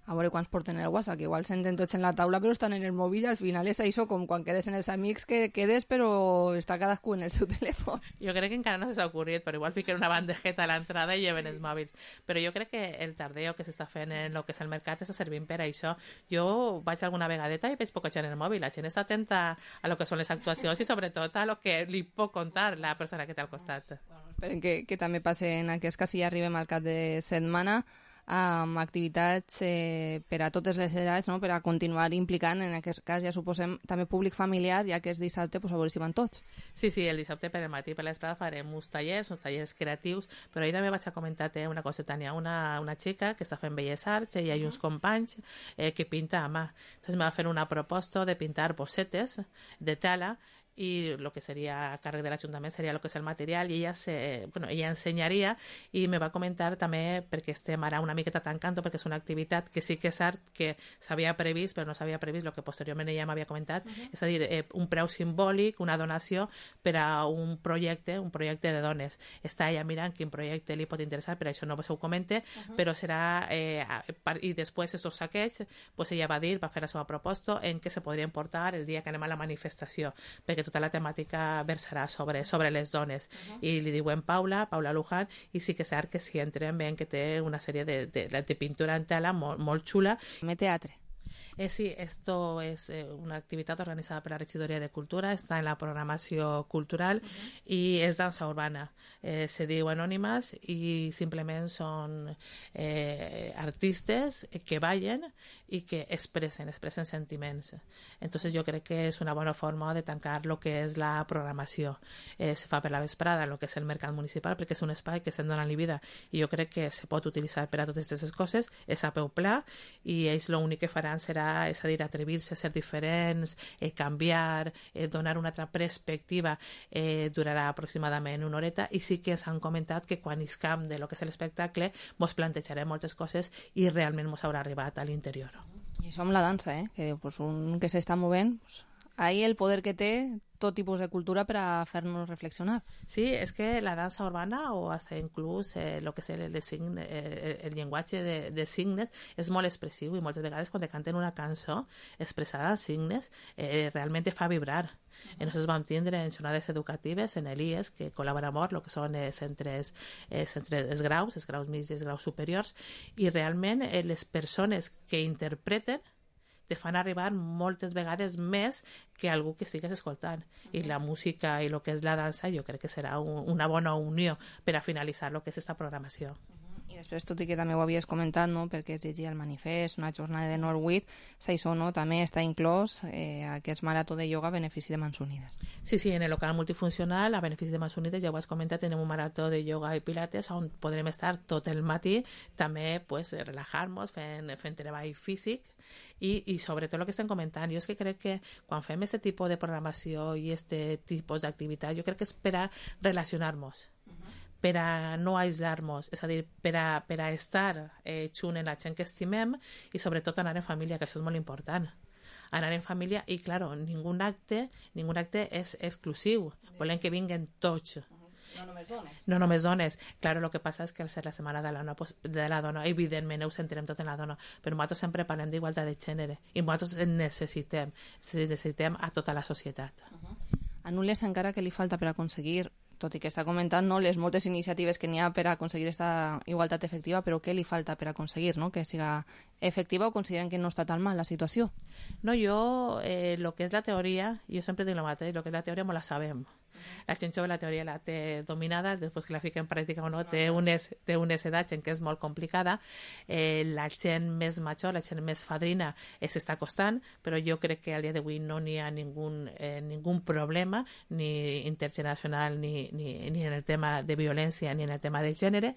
E: A veure quants porten el WhatsApp, que igual senten tots en la taula però estan en el mòbil, i al final és això, com quan quedes en els amics, que quedes però està cadascú en el seu telèfon.
N: Jo crec que encara no s'ha ocorrit, però igual fiquen una bandejeta a l'entrada i lleven els mòbils. Però jo crec que el tardeo que s'està fent en el que és el mercat està servint per això. Jo vaig alguna vegadeta i veig poca gent en el mòbil. La gent està atenta a lo que són les actuacions i sobretot a lo que li pot contar la persona que té al costat.
E: Bueno, esperen que, que també passe en aquest cas, si ja arribem al cap de setmana. amb activitats eh, per a totes les edats, no? Per a continuar implicant, en aquest cas ja suposem, també públic familiar, ja que és dissabte, pues, a veure si van tots.
N: Sí, sí, el dissabte per el matí per l'esprada farem uns tallers, uns tallers creatius, però ahir també vaig a comentar-te una cosa, Tania, una, una xica que està fent belles arts, ella i uns companys eh, que pinta a mà. Entonces me va fer una proposta de pintar bossetes de tela y lo que sería a càrrec de l'Ajuntament seria lo que és el material i ella, se, bueno, ella ensenyaria i me va comentar també perquè estem ara una miqueta tancant perquè és una activitat que sí que és art que s'havia previst però no s'havia previst el que posteriorment ella m'havia comentat, uh-huh. és a dir, eh, un preu simbòlic, una donació per a un projecte, un projecte de dones. Està ella mirant quin projecte li pot interessar, per això no se ho comente, uh-huh. però serà eh, i després estos saquets, pues ella va dir, va fer la seva proposta en què se podrien portar el dia que anem a la manifestació, perquè tota la temàtica versarà sobre, sobre les dones. Uh-huh. I li diuen Paula, Paula Luján, i sí que és cert que si entren veuen que té una sèrie de, de, de pintura en tela molt, molt xula.
E: Me teatre.
N: Eh, sí, esto es eh, una actividad organizada por la Regidoria de Cultura, está en la programació cultural uh-huh. i és dansa urbana. Eh, se diu anònimes i simplement són eh, artistes que ballen i que expressen, expressen sentiments. Entonces yo crec que és una bona forma de tancar lo que és la programació. Eh, se fa per la vesprada, lo que és el mercat municipal, perquè és un espai que estem donant-li vida i jo crec que se pot utilitzar per a totes aquestes coses, és a peu pla i ells l'únic que faran serà és a dir, atrevir-se a ser diferents, eh, canviar, eh, donar una altra perspectiva, eh, durarà aproximadament una horeta i sí que s'han comentat que quan iscam de lo que és l'espectacle mos plantejarem moltes coses i realment mos haurà arribat a l'interior.
E: I això amb la dansa, eh? Que pues, un que s'està movent, pues, ahí el poder que té tot tipus de cultura per a fer-nos reflexionar.
N: Sí, és que la dansa urbana o hasta inclús eh, lo que és el, el, signe, el, el llenguatge de, de signes és molt expressiu i moltes vegades quan te canten una cançó expressada en signes eh, realment te fa vibrar. Uh-huh. I nosaltres vam tindre en jornades educatives en l'I E S que col·labora molt el que són els centres, eh, centres els graus, els graus mitjans i els graus superiors i realment eh, les persones que interpreten te fan arribar moltes vegades més que algú que estigues escoltant. Uh-huh. I la música i el que és la dansa jo crec que serà un, una bona unió per a finalitzar el que és aquesta programació.
E: Uh-huh. I després, tot i que també ho havies comentat, no? Perquè es llegia el manifest, una jornada de Norwich, això no? També està inclòs eh, aquest marató de ioga a benefici de Mans Unides.
N: Sí, sí, en el local multifuncional, a benefici de Mans Unides, ja ho has comentat, tenim un marató de ioga i pilates on podrem estar tot el matí, també pues, relajar-nos fent, fent treball físic, I, i sobretot el que estem comentant, jo és que crec que quan fem aquest tipus de programació i aquest tipus d'activitat, jo crec que és per a relacionar-nos, uh-huh. per a no aïslar-nos, és a dir, per a, per a estar eh, junt en la gent que estimem i sobretot anar en família, que això és molt important. Anar en família i, claro, ningú acte, ningú acte és exclusiu, volem que vinguen tots.
E: No només dones.
N: No només dones. Claro, lo que passa és que al ser la setmana de la dona, pues, de la dona evidentment ho sentirem tot en la dona, però nosaltres sempre parlem d'igualtat de gènere i nosaltres necessitem, necessitem a tota la societat.
E: Uh-huh. A Nules encara que li falta per aconseguir, tot i que està comentant no, les moltes iniciatives que n'hi ha per aconseguir aquesta igualtat efectiva, però què li falta per aconseguir no? Que siga efectiva o consideren que no està tan mal la situació?
N: No, jo, eh, lo que és la teoria, jo sempre dic el mateix, lo que és la teoria me la sabem. La gent jove la teoria la té dominada, després que la fica en pràctica o no, té unes, té unes edats en què és molt complicada. Eh, la gent més major, la gent més fadrina, eh, s'està costant, però jo crec que al dia d'avui no n'hi ha ningú, eh, ningú problema, ni intergeneracional, ni, ni, ni en el tema de violència, ni en el tema de gènere,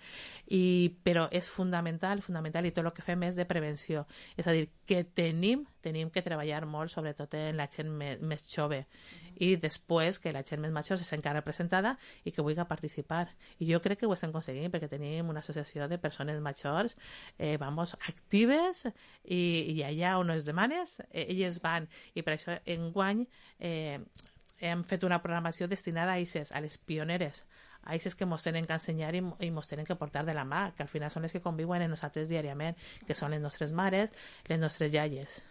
N: i, però és fundamental, fundamental, i tot el que fem és de prevenció. És a dir, que tenim, tenim que treballar molt, sobretot en la gent més, més jove, i després que la gent més major se sent representada i que vulgui participar. I jo crec que ho estem aconseguint perquè tenim una associació de persones majors eh, vamos, actives i, i allà on es demanes, eh, elles van. I per això enguany eh, hem fet una programació destinada a aquestes, a les pioneres, a aquestes que ens tenen que ensenyar i, i ens tenen que portar de la mà, que al final són les que conviuen en nosaltres diàriament, que són les nostres mares, les nostres iaies.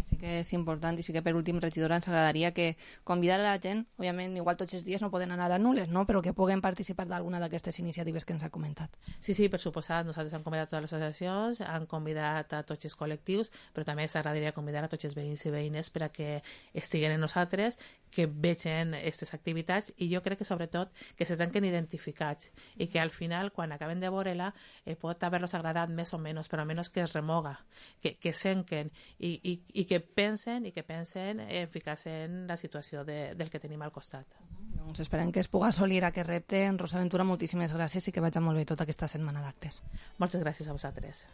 E: Sí que és important i sí que per últim, regidora, ens agradaria que convidar a la gent, òbviament, igual tots els dies no poden anar a Nules, no? Però que puguen participar d'alguna d'aquestes iniciatives que ens ha comentat.
N: Sí, sí, per suposat, nosaltres hem convidat a totes les associacions, han convidat a tots els col·lectius, però també s'agradaria convidar a tots els veïns i veïnes per a que estiguen en nosaltres, que vegin aquestes activitats i jo crec que sobretot que se senten identificats i que al final, quan acaben de veure-la, eh, pot haver-los agradat més o menys, però almenys que es remoga, que, que senquen i, i, i que pensen i que pensen en ficar-se en la situació de, del que tenim al costat.
E: Doncs esperem que es pugui assolir aquest repte. En Rosa Ventura, moltíssimes gràcies i que vagi molt bé tota aquesta setmana d'actes.
N: Moltes gràcies a vosaltres.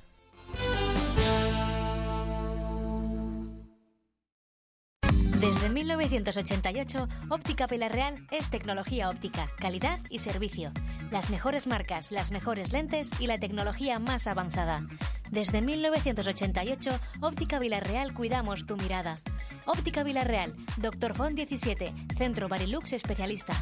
O: Desde mil novecientos ochenta y ocho, Óptica Vilar Real es tecnología óptica, calidad y servicio. Las mejores marcas, las mejores lentes y la tecnología más avanzada. Desde mil novecientos ochenta y ocho, Óptica Vilar Real cuidamos tu mirada. Óptica Vilar Real, Doctor Font diecisiete, Centro Barilux especialista.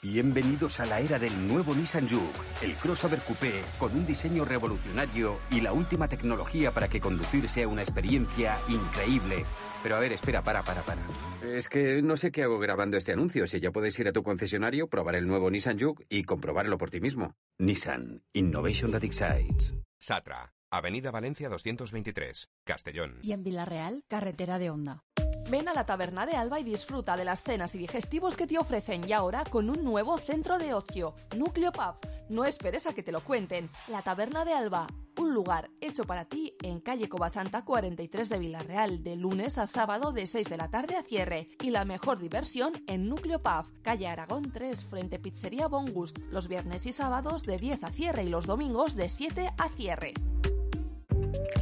P: Bienvenidos a la era del nuevo Nissan Juke, el crossover coupé con un diseño revolucionario y la última tecnología para que conducir sea una experiencia increíble. Pero a ver, espera, para, para, para. Es que no sé qué hago grabando este anuncio. Si ya puedes ir a tu concesionario, probar el nuevo Nissan Juke y comprobarlo por ti mismo. Nissan. Innovation that excites.
Q: Satra, Avenida Valencia doscientos veintitrés, Castellón.
R: Y en Villarreal, carretera de Honda.
E: Ven a la Taberna de Alba y disfruta de las cenas y digestivos que te ofrecen y ahora con un nuevo centro de ocio, Núcleo Pub. No esperes a que te lo cuenten. La Taberna de Alba, un lugar hecho para ti en calle Covasanta cuarenta y tres de Villarreal, de lunes a sábado de seis de la tarde a cierre. Y la mejor diversión en Núcleo Pub, calle Aragón tres, frente Pizzería Bon Gust, los viernes y sábados de diez a cierre y los domingos de siete a cierre.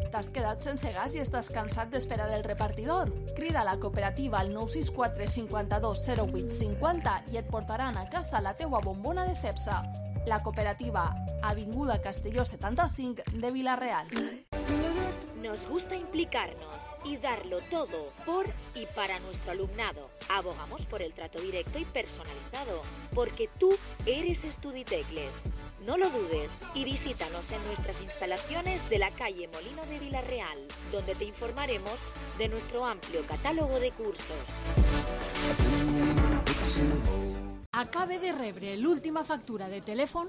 E: T'has quedat sense gas i estàs cansat d'esperar el repartidor? Crida a la cooperativa al nou sis quatre cinquanta-dos zero vuit cinquanta i et portaran a casa la teua bombona de Cepsa. La cooperativa, Avinguda Castelló setanta-cinc de Villarreal.
O: Nos gusta implicarnos y darlo todo por y para nuestro alumnado. Abogamos por el trato directo y personalizado, porque tú eres Estuditecles. No lo dudes y visítanos en nuestras instalaciones de la calle Molino de Villarreal, donde te informaremos de nuestro amplio catálogo de cursos.
R: Acabe de rebre l'última factura de telèfon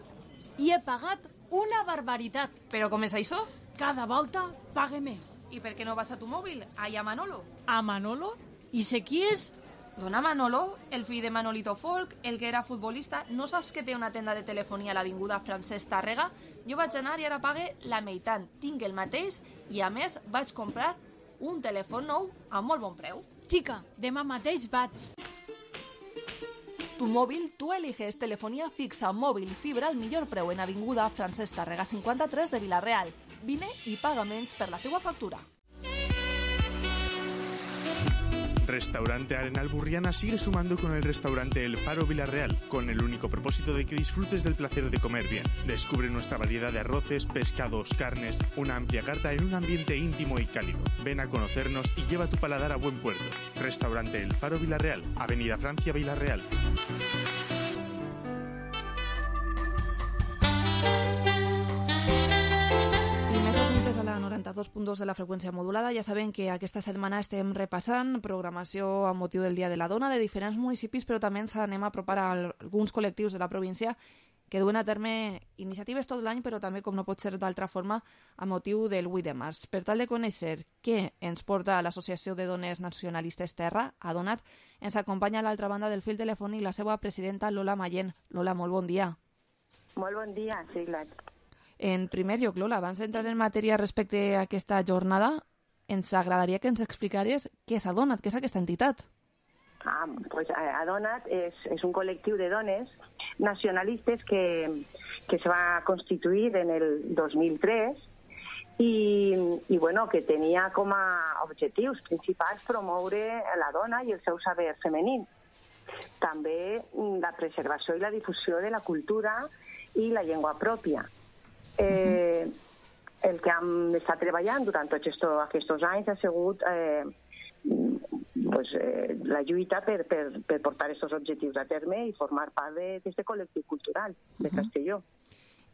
R: i he pagat una barbaritat.
E: Però com és això?
R: Cada volta pague més.
E: I per què no vas a tu mòbil? Allà a Manolo.
R: A Manolo? I sé qui és?
E: Dona Manolo, el fill de Manolito Folk, el que era futbolista. No saps que té una tenda de telefonia a l'avinguda Francesc Tàrrega? Jo vaig anar i ara pague la meitat. Tinc el mateix i a més vaig comprar un telèfon nou a molt bon preu.
R: Xica, demà mateix vaig.
E: Tu móvil, tú eliges telefonía fixa, móvil, fibra al millor preu en avinguda Francesc Tàrrega cinquanta-tres de Villarreal. Vine i paga menys per la teua factura.
J: Restaurante Arenal Burriana sigue sumando con el restaurante El Faro Villarreal, con el único propósito de que disfrutes del placer de comer bien. Descubre nuestra variedad de arroces, pescados, carnes, una amplia carta en un ambiente íntimo y cálido. Ven a conocernos y lleva tu paladar a buen puerto. Restaurante El Faro Villarreal, Avenida Francia Villarreal.
E: noranta-dos punt dos de la freqüència modulada. Ja sabem que aquesta setmana estem repassant programació amb motiu del Dia de la Dona de diferents municipis, però també ens anem a apropar a alguns col·lectius de la província que duen a terme iniciatives tot l'any, però també, com no pot ser d'altra forma, a motiu del vuit de març. Per tal de conèixer què ens porta l'Associació de Dones Nacionalistes Terra, Adonat, ens acompanya a l'altra banda del fil telefònic la seva presidenta Lola Mallén. Lola, molt bon dia.
S: Molt bon dia, sí, clar.
E: En primer lloc, Lola, abans d'entrar en matèria respecte a aquesta jornada, ens agradaria que ens explicaries què és Adonat, què és aquesta entitat.
S: Ah, pues Adonat és, és un col·lectiu de dones nacionalistes que, que se va constituir en el dos mil tres i, i bueno, que tenia com a objectius principals promoure la dona i el seu saber femení. També la preservació i la difusió de la cultura i la llengua pròpia. Eh, el que hem estat treballant durant tots estos, aquests anys ha sigut eh, pues, eh, la lluita per, per, per portar aquests objectius a terme i formar part d'aquest col·lectiu cultural de Castelló.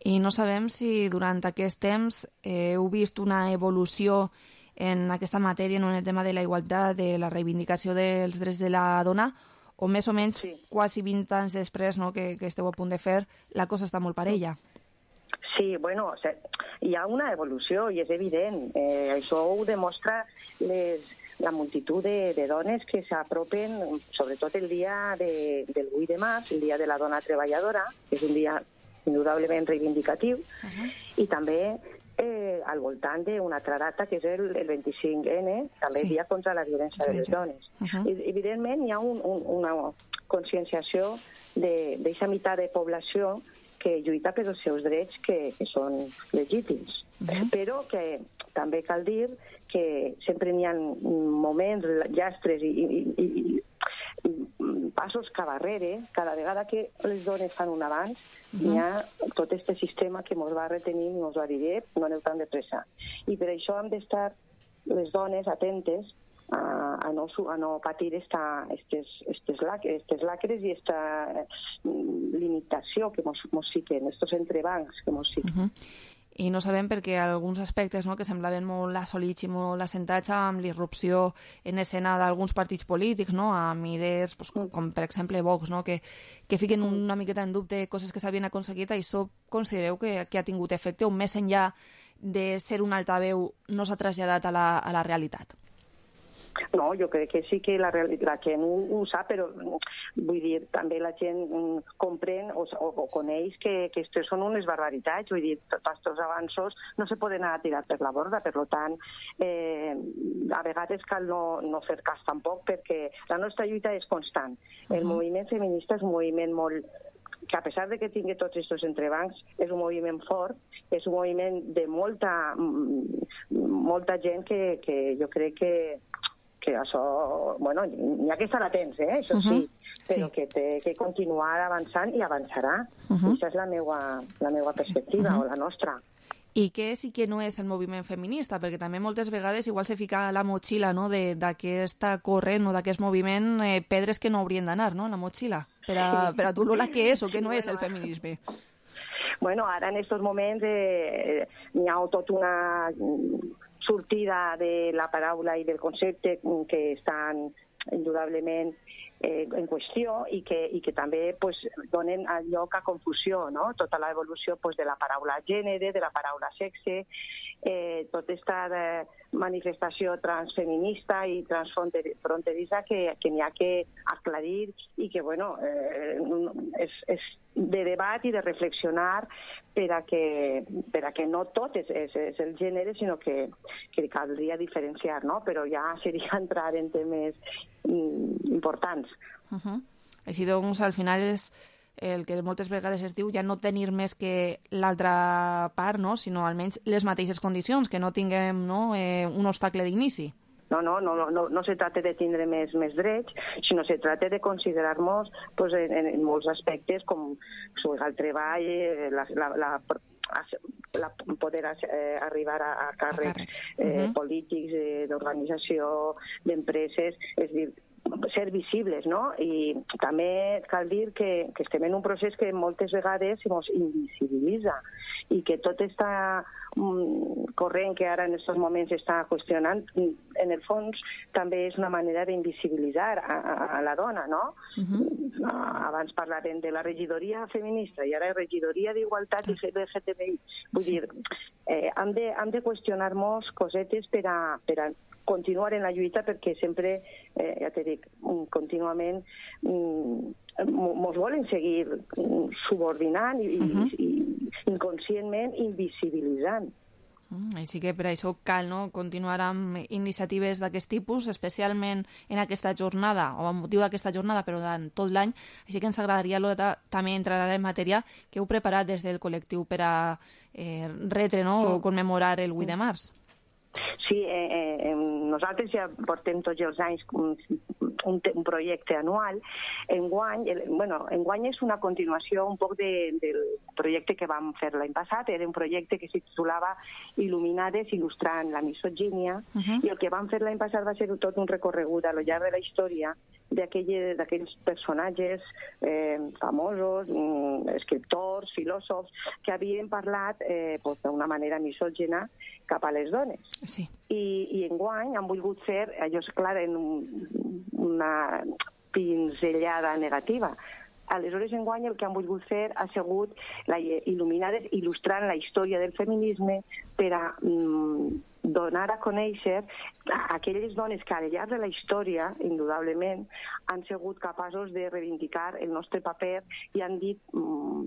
E: I no sabem si durant aquest temps eh, heu vist una evolució en aquesta matèria, no, en el tema de la igualtat, de la reivindicació dels drets de la dona, o més o menys sí. quasi vint anys després, no, que, que esteu a punt de fer, la cosa està molt parella.
S: Sí, bueno, o sea, hi ha una evolució i és evident. Eh, això ho demostra les, la multitud de, de dones que s'apropen, sobretot el dia de, del vuit de març, el dia de la dona treballadora, que és un dia indudablement reivindicatiu, uh-huh. i també eh, al voltant d'una altra data, que és el, el vint-i-cinc ene, també sí. dia contra la violència sí, de les sí. dones. Uh-huh. I, evidentment, hi ha un, un, una conscienciació d'aquesta meitat de població que lluita per els seus drets que, que són legítims. Uh-huh. Però que també cal dir que sempre n'hi ha moments, llastres i, i, i, i passos cap darrere. Cada vegada que les dones fan un avanç, uh-huh. hi ha tot aquest sistema que ens va retenir i ens va dir no aneu tan de pressa. I per això hem d'estar les dones atentes A, a, no, a no patir esta, estes, estes, lacres, estes lacres i esta mm, limitació que mos, mos fiquen, estos entrebancs que mos fiquen.
E: Uh-huh. I no sabem perquè alguns aspectes, no, que semblaven molt assolits i molt assentats amb l'irrupció en escena d'alguns partits polítics, no, amb idees pues, com, com per exemple Vox, no, que, que fiquen una miqueta en dubte coses que s'havien aconseguit. Això considereu que, que ha tingut efecte o més enllà de ser un altaveu no s'ha traslladat a la, a la realitat?
S: No, jo crec que sí que la, la gent ho, ho sap, però vull dir, també la gent comprèn o, o, o coneix que, que aquestes són unes barbaritats. Vull dir, tots aquests avanços no se poden anar a tirar per la borda, per tant, eh, a vegades cal no, no fer cas tampoc, perquè la nostra lluita és constant. El uh-huh. moviment feminista és un moviment molt que a pesar de que tingui tots aquests entrebancs, és un moviment fort, és un moviment de molta, molta gent que, que jo crec que que això, bueno, n'hi ha que estar atents, eh? Això sí, uh-huh. però sí. que té que continuar avançant i avançarà. Uh-huh. Aquesta és la meva, la meva perspectiva, uh-huh. o la nostra.
E: I què és i què no és el moviment feminista? Perquè també moltes vegades igual se fica a la motxilla, no?, d'aquesta corrent o d'aquest moviment eh, pedres que no haurien d'anar, no?, en la motxilla. Per a, per a tu, Lola, què és o què no és el feminisme?
S: Bueno, ara en aquests moments eh, n'hi ha tot una sortida de la paraula i del concepte que estan indudablement eh, en qüestió i que, i que també pues, donen lloc a confusió, no? Tota l'evolució pues, de la paraula gènere, de la paraula sexe, eh, tota aquesta eh, manifestació transfeminista i transfronterissa que, que n'hi ha que aclarir i que, bueno, eh, és, és de debat i de reflexionar per a que, per a que no tot és, és, és el gènere, sinó que, que caldria diferenciar, no? Però ja seria entrar en temes mm, importants.
E: Uh-huh. Així doncs, al final és el que moltes vegades es diu ja no tenir més que l'altra part, no? Sinó almenys les mateixes condicions, que no tinguem no, eh, un obstacle d'inici.
S: No, no, no, no, no se tracta de tindre més, més drets, sinó se tracta de considerar-nos pues, en, en molts aspectes com el treball, la, la, la, la poder eh, arribar a, a càrrecs eh, uh-huh. polítics, eh, d'organització, d'empreses, és dir, ser visibles, no? I també cal dir que, que estem en un procés que moltes vegades ens invisibilitza i que tot està um, corrent que ara en aquests moments està qüestionant, en el fons també és una manera d'invisibilitzar a, a, a la dona, no? Uh-huh. Abans parlarem de la regidoria feminista i ara regidoria d'igualtat i L G T B I. Vull sí. dir, eh, hem de, hem de qüestionar-nos cosetes per a, per a continuar en la lluita perquè sempre, eh, ja t'he dit, contínuament mm, mos volen seguir subordinant i, uh-huh. i, i inconscientment invisibilitzant.
E: Mm, així que per això cal no, continuar amb iniciatives d'aquest tipus, especialment en aquesta jornada, o amb motiu d'aquesta jornada, però en tot l'any. Així que ens agradaria Lola, també entrar en matèria que heu preparat des del col·lectiu per a eh, retre no, o commemorar el vuit de març.
S: Sí, eh, eh, nosaltres ja portem tots els anys un, un, un projecte anual. Enguany, el, bueno, enguany és una continuació un poc de, del projecte que vam fer l'any passat. Era un projecte que se titulava Il·luminades il·lustrant la misogínia, uh-huh. i el que vam fer l'any passat va ser tot un recorregut a lo llarg de la història d'aquells personatges eh, famosos, mm, escriptors, filòsofs, que havien parlat eh, pues, d'una manera misògina cap a les dones.
E: Sí.
S: I, i enguany han volgut fer, allò és clar, en un, una pinzellada negativa. Aleshores, enguany, el que han volgut fer ha sigut la, il·luminar, il·lustrant la història del feminisme per a mm, donar a conèixer aquelles dones que al llarg de la història, indudablement, han sigut capaços de reivindicar el nostre paper i han dit mm,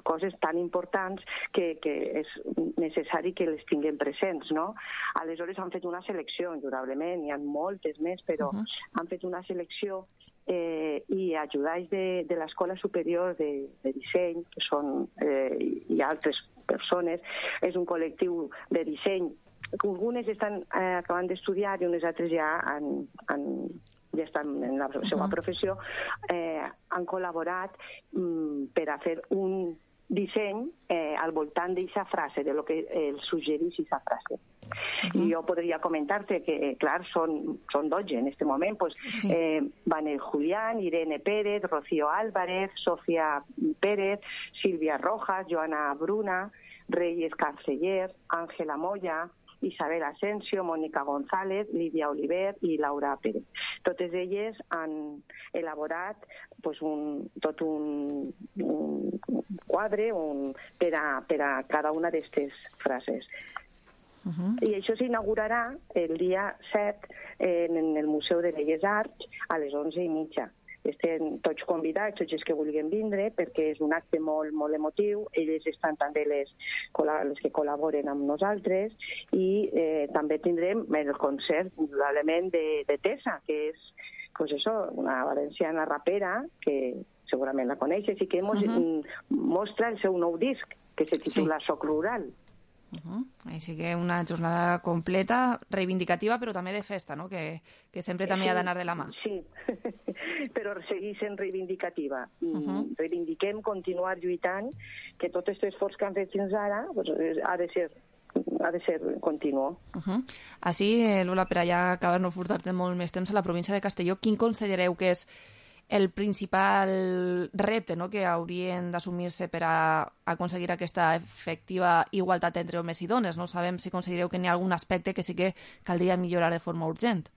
S: coses tan importants que, que és necessari que les tinguem presents, no? Aleshores han fet una selecció, indudablement, hi ha moltes més, però uh-huh. han fet una selecció eh, i ajudats de, de l'Escola Superior de, de Disseny, que són, eh, i altres persones, és un col·lectiu de disseny que algunes estan eh, acabant d'estudiar i unes altres ja han, han ja estan en la seva uh-huh. professió, eh, han col·laborat mm, per a fer un disseny eh, al voltant d'aquesta frase, de lo que el suggereix aquesta frase. Uh-huh. I jo podria comentar-te que, clar, són, són dotze en aquest moment. Pues, sí. eh, Vanel Julián, Irene Pérez, Rocío Álvarez, Sofía Pérez, Silvia Rojas, Joana Bruna, Reyes Canceller, Ángela Moya, Isabel Asensio, Mónica González, Lídia Oliver i Laura Pérez. Totes elles han elaborat pues, un, tot un, un quadre un, per, a, per a cada una d'aquestes frases. Uh-huh. I això s'inaugurarà el dia set en el Museu de Belles Arts a les onze i mitja. Estem tots convidats, tots els que vulguin vindre, perquè és un acte molt, molt emotiu. Elles estan també les, les que col·laboren amb nosaltres i eh, també tindrem el concert, indudablement, de, de Tessa, que és pues eso, una valenciana rapera, que segurament la coneixes, i que mos, uh-huh. mostra el seu nou disc, que se titula sí. Soc Rural.
E: Uh-huh. Així que una jornada completa, reivindicativa, però també de festa, no? que, que sempre també sí, ha d'anar de la mà.
S: Sí, però seguir sent reivindicativa. Uh-huh. Reivindiquem continuar lluitant, que tot aquest esforç que han fet fins ara pues, ha de ser ha de ser continu.
E: Uh-huh. Així, Lola, per allà acabar no furtar-te molt més temps a la província de Castelló, quin considereu que és el principal repte, no?, que haurien d'assumir-se per a aconseguir aquesta efectiva igualtat entre homes i dones? No sabem si considereu que n'hi ha algun aspecte que sí que caldria millorar de forma urgent.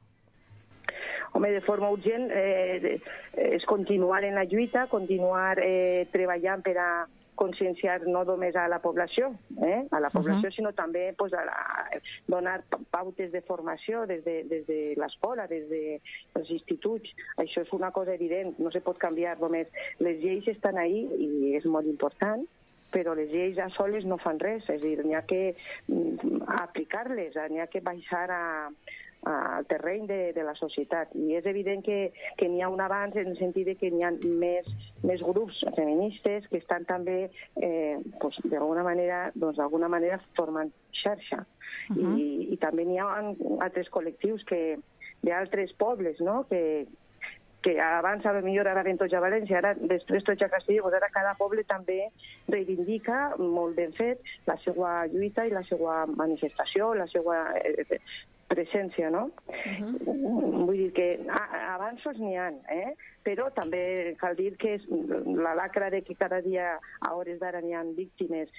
S: Home, de forma urgent eh, és continuar en la lluita, continuar eh, treballant per a conscienciar no només a la població, eh? a la població, uh-huh. sinó també pues, a la, donar pautes de formació des de, des de l'escola, des dels instituts. Això és una cosa evident, no se pot canviar només. Les lleis estan ahí i és molt important, però les lleis a soles no fan res, és a dir, n'hi ha que aplicar-les, n'hi ha que baixar a al terreny de, de la societat. I és evident que, que n'hi ha un avanç en el sentit de que n'hi ha més, més grups feministes que estan també, eh, pues, d'alguna manera, doncs, d'alguna manera formant xarxa. Uh-huh. I, I també n'hi ha altres col·lectius que, d'altres pobles, no?, que, que abans a lo millor ara ven tots a València, ara després tots a Castelló, doncs ara cada poble també reivindica molt ben fet la seva lluita i la seva manifestació, la seva eh, presència, no? Uh-huh. Vull dir que avanços n'hi ha, eh? Però també cal dir que és la lacra de que cada dia a hores d'ara n'hi ha víctimes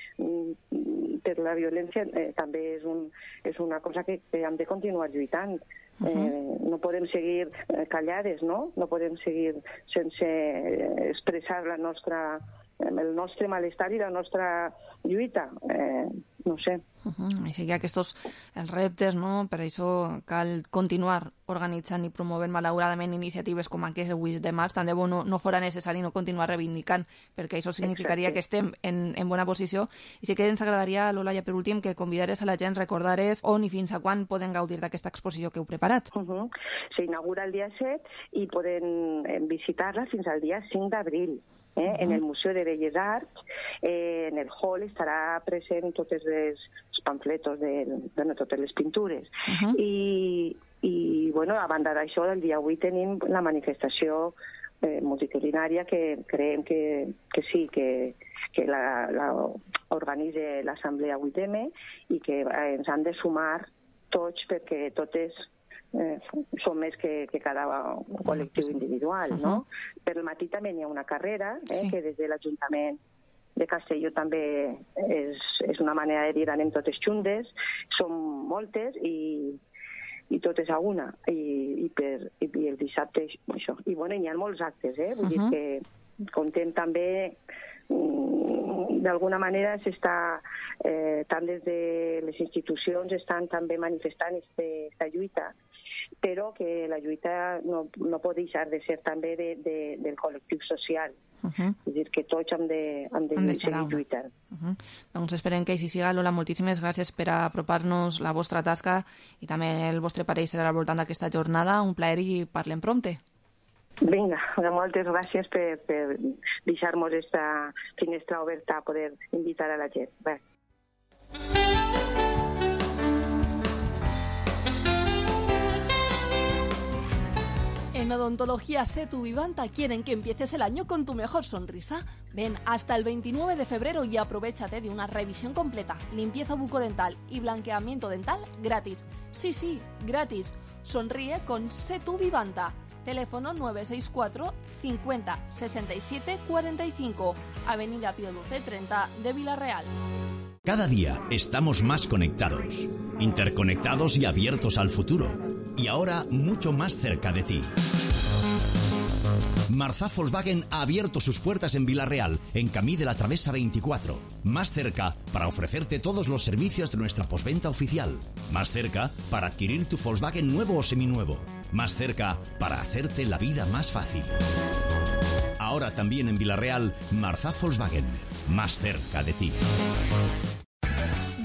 S: per la violència eh, també és, un, és una cosa que, que hem de continuar lluitant. Uh-huh. Eh, no podem seguir callades, no? No podem seguir sense expressar la nostra, el nostre malestar i la nostra lluita. Eh, no sé.
E: Uh-huh. Així que aquests els reptes, no? Per això cal continuar organitzant i promovent malauradament iniciatives com aquestes avui de març. Tant de bo no, no fora necessari no continuar reivindicant, perquè això significaria Exacte. Que estem en, en bona posició. I sí que ens agradaria, Lola, ja per últim, que convidares a la gent, recordares on i fins a quan poden gaudir d'aquesta exposició que heu preparat.
S: Uh-huh. S'inaugura el dia set i poden visitar-la fins al dia cinc d'abril. Eh? Uh-huh. En el Museu de Belles Arts, eh, en el hall estarà present tots els pamfletos de, de no, totes les pintures. Uh-huh. I, i bueno, a banda d'això, el dia avui tenim la manifestació eh, multitudinària que creiem que, que sí, que, que la, la organitza l'Assemblea vuit eme i que ens han de sumar tots perquè totes eh, són més que, que cada col·lectiu individual, no? Uh-huh. Per al matí també hi ha una carrera, eh, sí. que des de l'Ajuntament de Castelló també és, és una manera de dir anem totes juntes, són moltes i, i totes a una, i, i, per, i, i el dissabte això. I bueno, hi ha molts actes, eh? Vull uh-huh. dir que contem també d'alguna manera s'està eh, tant des de les institucions estan també manifestant aquesta lluita, però que la lluita no, no pot deixar de ser també de, de, del col·lectiu social. Uh-huh. És a dir, que tots hem de, hem de, hem de seguir lluitant.
E: Uh-huh. Doncs esperem que així siga. Lola, moltíssimes gràcies per apropar-nos la vostra tasca i també el vostre parell serà al voltant d'aquesta jornada. Un plaer i parlem prompte.
S: Vinga, moltes gràcies per, per deixar-nos aquesta finestra oberta a poder invitar a la gent. Bé.
T: En Odontología Setu Vivanta quieren que empieces el año con tu mejor sonrisa. Ven hasta el veintinueve de febrero y aprovéchate de una revisión completa, limpieza bucodental y blanqueamiento dental gratis. Sí, sí, gratis. Sonríe con Setu Vivanta. Teléfono nueve seis cuatro cincuenta sesenta y siete cuarenta y cinco, Avenida Pío doce treinta de Villarreal.
U: Cada día estamos más conectados, interconectados y abiertos al futuro. Y ahora mucho más cerca de ti. Marzá Volkswagen ha abierto sus puertas en Villarreal, en Camí de la Travesa veinticuatro. Más cerca para ofrecerte todos los servicios de nuestra postventa oficial. Más cerca para adquirir tu Volkswagen nuevo o seminuevo. Más cerca para hacerte la vida más fácil. Ahora también en Villarreal, Marzá Volkswagen. Más cerca de ti.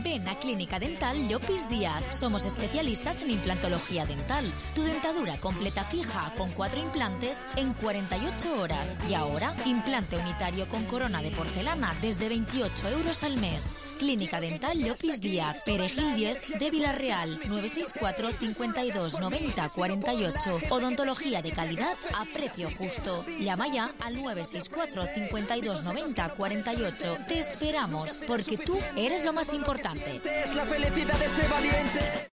C: Ven a Clínica Dental Llopis Díaz. Somos especialistas en implantología dental. Tu dentadura completa fija con cuatro implantes en cuarenta y ocho horas. Y ahora, implante unitario con corona de porcelana desde veintiocho euros al mes. Clínica Dental Llopis Díaz, Perejil diez de Villarreal, nueve seis cuatro cincuenta y dos noventa cuarenta y ocho. Odontología de calidad a precio justo. Llama ya al nueve seis cuatro cincuenta y dos noventa cuarenta y ocho. Te esperamos, porque tú eres lo más importante.
V: Es la felicidad de este valiente.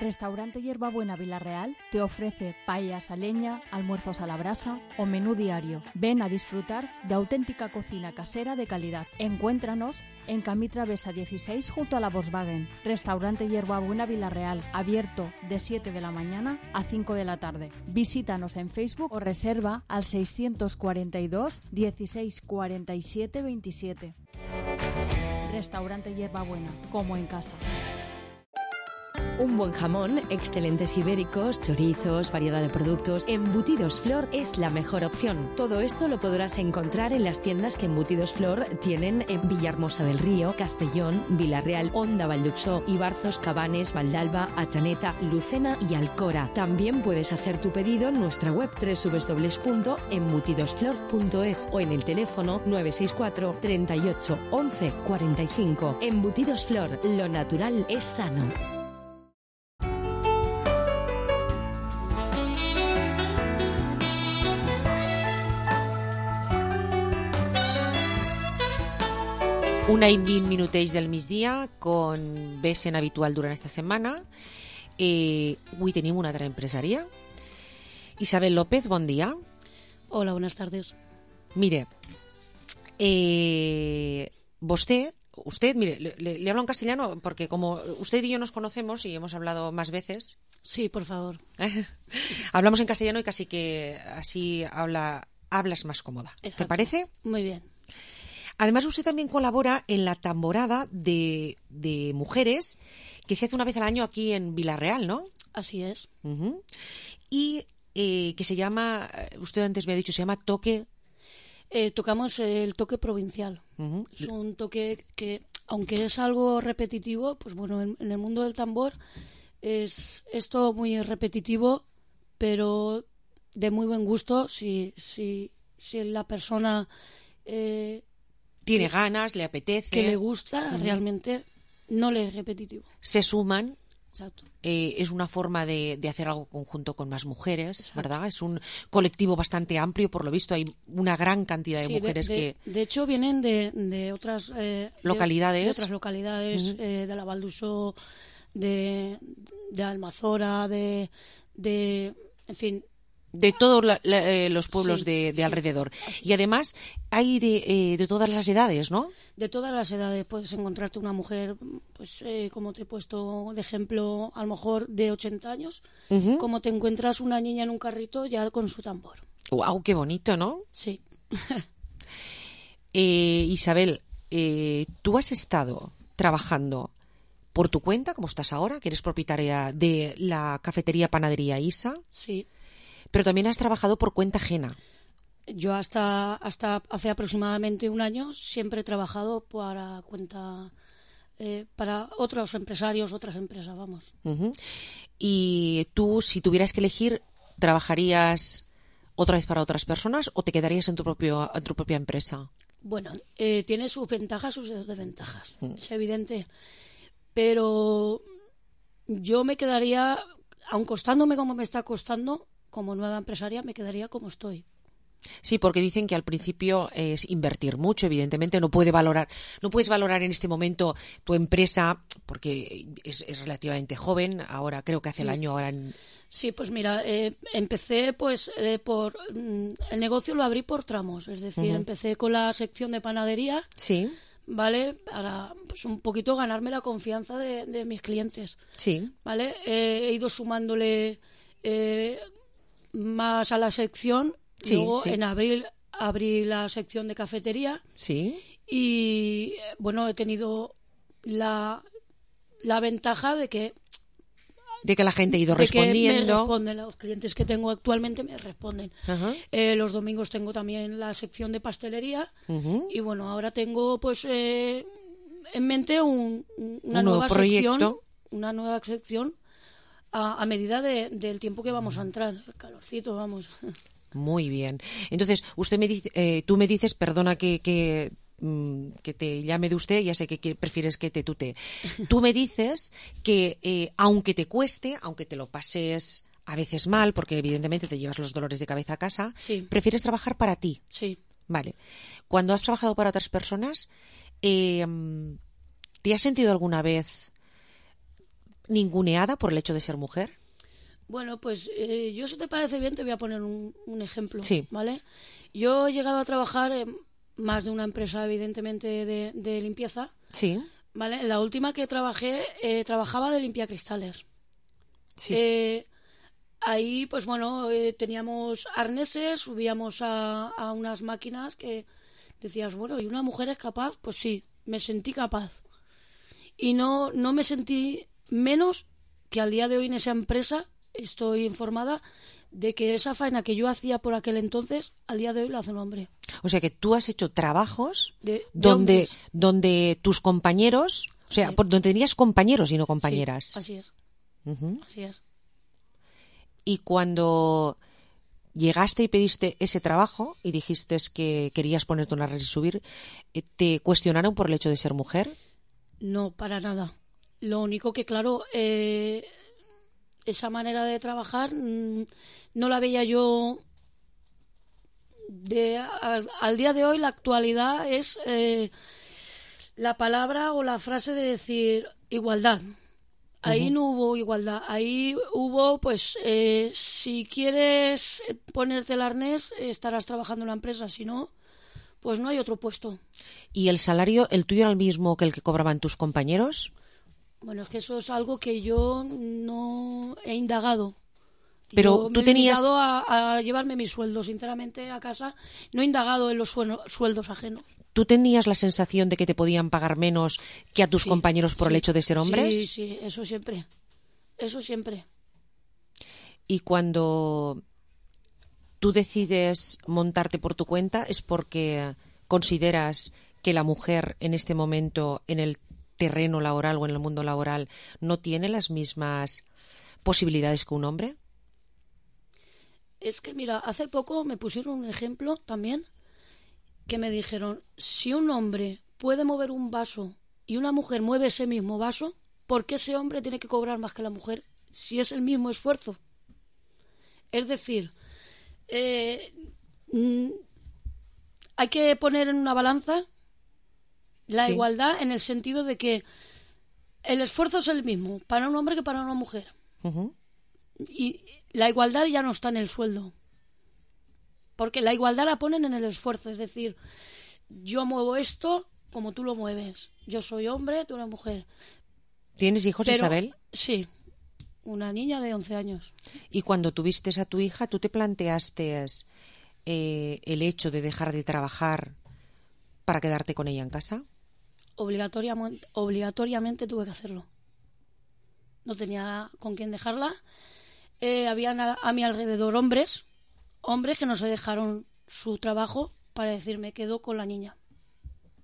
R: Restaurante Hierbabuena Villarreal te ofrece paellas a leña, almuerzos a la brasa o menú diario. Ven a disfrutar de auténtica cocina casera de calidad. Encuéntranos en Camí Travesa dieciséis junto a la Volkswagen. Restaurante Hierbabuena Villarreal, abierto de siete de la mañana a cinco de la tarde. Visítanos en Facebook o reserva al seiscientos cuarenta y dos dieciséis cuarenta y siete veintisiete. Restaurante Hierbabuena, como en casa.
A: Un buen jamón, excelentes ibéricos, chorizos, variedad de productos. Embutidos Flor es la mejor opción. Todo esto lo podrás encontrar en las tiendas que Embutidos Flor tienen en Villahermosa del Río, Castellón, Villarreal, Onda, Valldexó, Ibarzos, Cabanes, Valdalba, Achaneta, Lucena y Alcora. También puedes hacer tu pedido en nuestra web doble u doble u doble u punto embutidosflor punto es o en el teléfono nueve seis cuatro treinta y ocho once cuarenta y cinco. Embutidos Flor, lo natural es sano.
K: Una i vint minutets del migdia, con vessent habitual durant esta setmana. Eh, avui tenim una altra empresària. Isabel López, bon dia.
W: Hola, buenas tardes.
K: Mire, eh, usted, usted, mire, le, le hablo en castellano porque como usted y yo nos conocemos y hemos hablado más veces.
W: Sí, por favor.
K: Hablamos en castellano y casi que así habla, hablas más cómoda. Exacto. ¿Te parece?
W: Muy bien.
K: Además, usted también colabora en la tamborada de, de mujeres que se hace una vez al año aquí en Villarreal, ¿no?
W: Así es.
K: Uh-huh. Y eh, que se llama, usted antes me ha dicho, se llama Toque.
W: Eh, tocamos el toque provincial. Uh-huh. Es un toque que, aunque es algo repetitivo, pues bueno, en, en el mundo del tambor es esto muy repetitivo, pero de muy buen gusto si, si, si la persona... Eh,
K: tiene ganas, le apetece,
W: que le gusta, uh-huh. Realmente no le es repetitivo.
K: Se suman.
W: Exacto.
K: Eh, es una forma de, de hacer algo conjunto con más mujeres. Exacto. ¿Verdad? Es un colectivo bastante amplio, por lo visto hay una gran cantidad de sí, mujeres
W: de, de,
K: que...
W: De hecho vienen de, de otras... Eh,
K: localidades.
W: De, de otras localidades, uh-huh. eh, de la Valduso, de, de Almazora, de, de, en fin,
K: de todos la, la, eh, los pueblos
W: sí,
K: de, de
W: sí,
K: alrededor. Y además hay de, eh, de todas las edades, ¿no?
W: De todas las edades. Puedes encontrarte una mujer, pues eh, como te he puesto de ejemplo, a lo mejor de ochenta años, uh-huh. como te encuentras una niña en un carrito ya con su tambor.
K: ¡Guau, qué bonito!, ¿no?
W: Sí.
K: eh, Isabel, eh, tú has estado trabajando por tu cuenta, como estás ahora, que eres propietaria de la cafetería Panadería Isa.
W: Sí.
K: Pero también has trabajado por cuenta ajena.
W: Yo hasta hasta hace aproximadamente un año siempre he trabajado para cuenta eh, para otros empresarios, otras empresas, vamos.
K: Uh-huh. Y tú, si tuvieras que elegir, ¿trabajarías otra vez para otras personas o te quedarías en tu propio en tu propia empresa?
W: Bueno, eh, tiene sus ventajas, sus desventajas, uh-huh. es evidente. Pero yo me quedaría, aun costándome como me está costando, como nueva empresaria me quedaría como estoy.
K: Sí, porque dicen que al principio es invertir mucho, evidentemente no puede valorar, no puedes valorar en este momento tu empresa porque es, es relativamente joven, ahora creo que hace el año ahora. En...
W: Sí, pues mira, eh, empecé pues eh, por mm, el negocio lo abrí por tramos, es decir, uh-huh. empecé con la sección de panadería.
K: Sí.
W: ¿Vale? Para pues, un poquito ganarme la confianza de, de mis clientes.
K: Sí.
W: ¿Vale? Eh, he ido sumándole eh, más a la sección.
K: Sí,
W: Luego,
K: sí.
W: en abril, abrí la sección de cafetería.
K: Sí.
W: Y, bueno, he tenido la, la ventaja de que...
K: De que la gente ha ido
W: de
K: respondiendo.
W: Que me responden, los clientes que tengo actualmente me responden.
K: Uh-huh.
W: Eh, los domingos tengo también la sección de pastelería.
K: Uh-huh.
W: Y, bueno, ahora tengo, pues, eh, en mente un, una
K: un
W: nueva
K: nuevo proyecto.
W: sección. Una nueva sección a, a medida de, del tiempo que vamos a entrar. El calorcito, vamos...
K: Muy bien. Entonces, usted me dice, eh, tú me dices, perdona que, que, mm, que te llame de usted, ya sé que, que prefieres que te tutee. Tú me dices que eh, aunque te cueste, aunque te lo pases a veces mal, porque evidentemente te llevas los dolores de cabeza a casa,
W: sí.
K: prefieres trabajar para ti.
W: Sí.
K: Vale. Cuando has trabajado para otras personas, eh, ¿te has sentido alguna vez ninguneada por el hecho de ser mujer?
W: Bueno, pues eh, yo, si te parece bien, te voy a poner un, un ejemplo,
K: sí.
W: ¿vale? Yo he llegado a trabajar en más de una empresa, evidentemente, de, de limpieza.
K: Sí.
W: ¿Vale? La última que trabajé, eh, trabajaba de limpiacristales.
K: Sí.
W: Eh, ahí, pues bueno, eh, teníamos arneses, subíamos a, a unas máquinas que decías, bueno, ¿y una mujer es capaz? Pues sí, me sentí capaz. Y no, no me sentí menos que al día de hoy en esa empresa. Estoy informada de que esa faena que yo hacía por aquel entonces, al día de hoy la hace un hombre.
K: O sea que tú has hecho trabajos
W: de, de
K: donde, donde tus compañeros, o sea,
W: sí.
K: por, donde tenías compañeros y no compañeras.
W: Sí, así es.
K: Uh-huh.
W: Así es.
K: Y cuando llegaste y pediste ese trabajo y dijiste que querías ponerte una red y subir, ¿te cuestionaron por el hecho de ser mujer?
W: No, para nada. Lo único que, claro, eh, esa manera de trabajar mmm, no la veía yo. De, a, al día de hoy, la actualidad es eh, la palabra o la frase de decir igualdad. Ahí uh-huh. no hubo igualdad. Ahí hubo, pues, eh, si quieres ponerte el arnés, estarás trabajando en la empresa. Si no, pues no hay otro puesto.
K: ¿Y el salario, el tuyo, era el mismo que el que cobraban tus compañeros?
W: Bueno, es que eso es algo que yo no he indagado.
K: Pero
W: yo
K: tú
W: me
K: tenías...
W: he indagado a, a llevarme mi sueldo, sinceramente, a casa. No he indagado en los suel- sueldos ajenos.
K: ¿Tú tenías la sensación de que te podían pagar menos que a tus
W: sí,
K: compañeros por
W: sí,
K: el hecho de ser hombres?
W: Sí, sí, eso siempre. Eso siempre.
K: Y cuando tú decides montarte por tu cuenta, ¿es porque consideras que la mujer en este momento en el terreno laboral o en el mundo laboral no tiene las mismas posibilidades que un hombre?
W: Es que, mira, hace poco me pusieron un ejemplo también que me dijeron, si un hombre puede mover un vaso y una mujer mueve ese mismo vaso, ¿por qué ese hombre tiene que cobrar más que la mujer si es el mismo esfuerzo? Es decir, eh, mm, hay que poner en una balanza la
K: sí.
W: igualdad en el sentido de que el esfuerzo es el mismo para un hombre que para una mujer.
K: Uh-huh.
W: Y la igualdad ya no está en el sueldo. Porque la igualdad la ponen en el esfuerzo. Es decir, yo muevo esto como tú lo mueves. Yo soy hombre, tú eres mujer.
K: ¿Tienes hijos,
W: Pero,
K: Isabel?
W: Sí, una niña de once años.
K: Y cuando tuviste a tu hija, ¿tú te planteaste eh, el hecho de dejar de trabajar para quedarte con ella en casa?
W: Obligatoriamente, obligatoriamente tuve que hacerlo. No tenía con quién dejarla. Eh, habían a, a mi alrededor hombres, hombres que no se dejaron su trabajo para decir me quedo con la niña.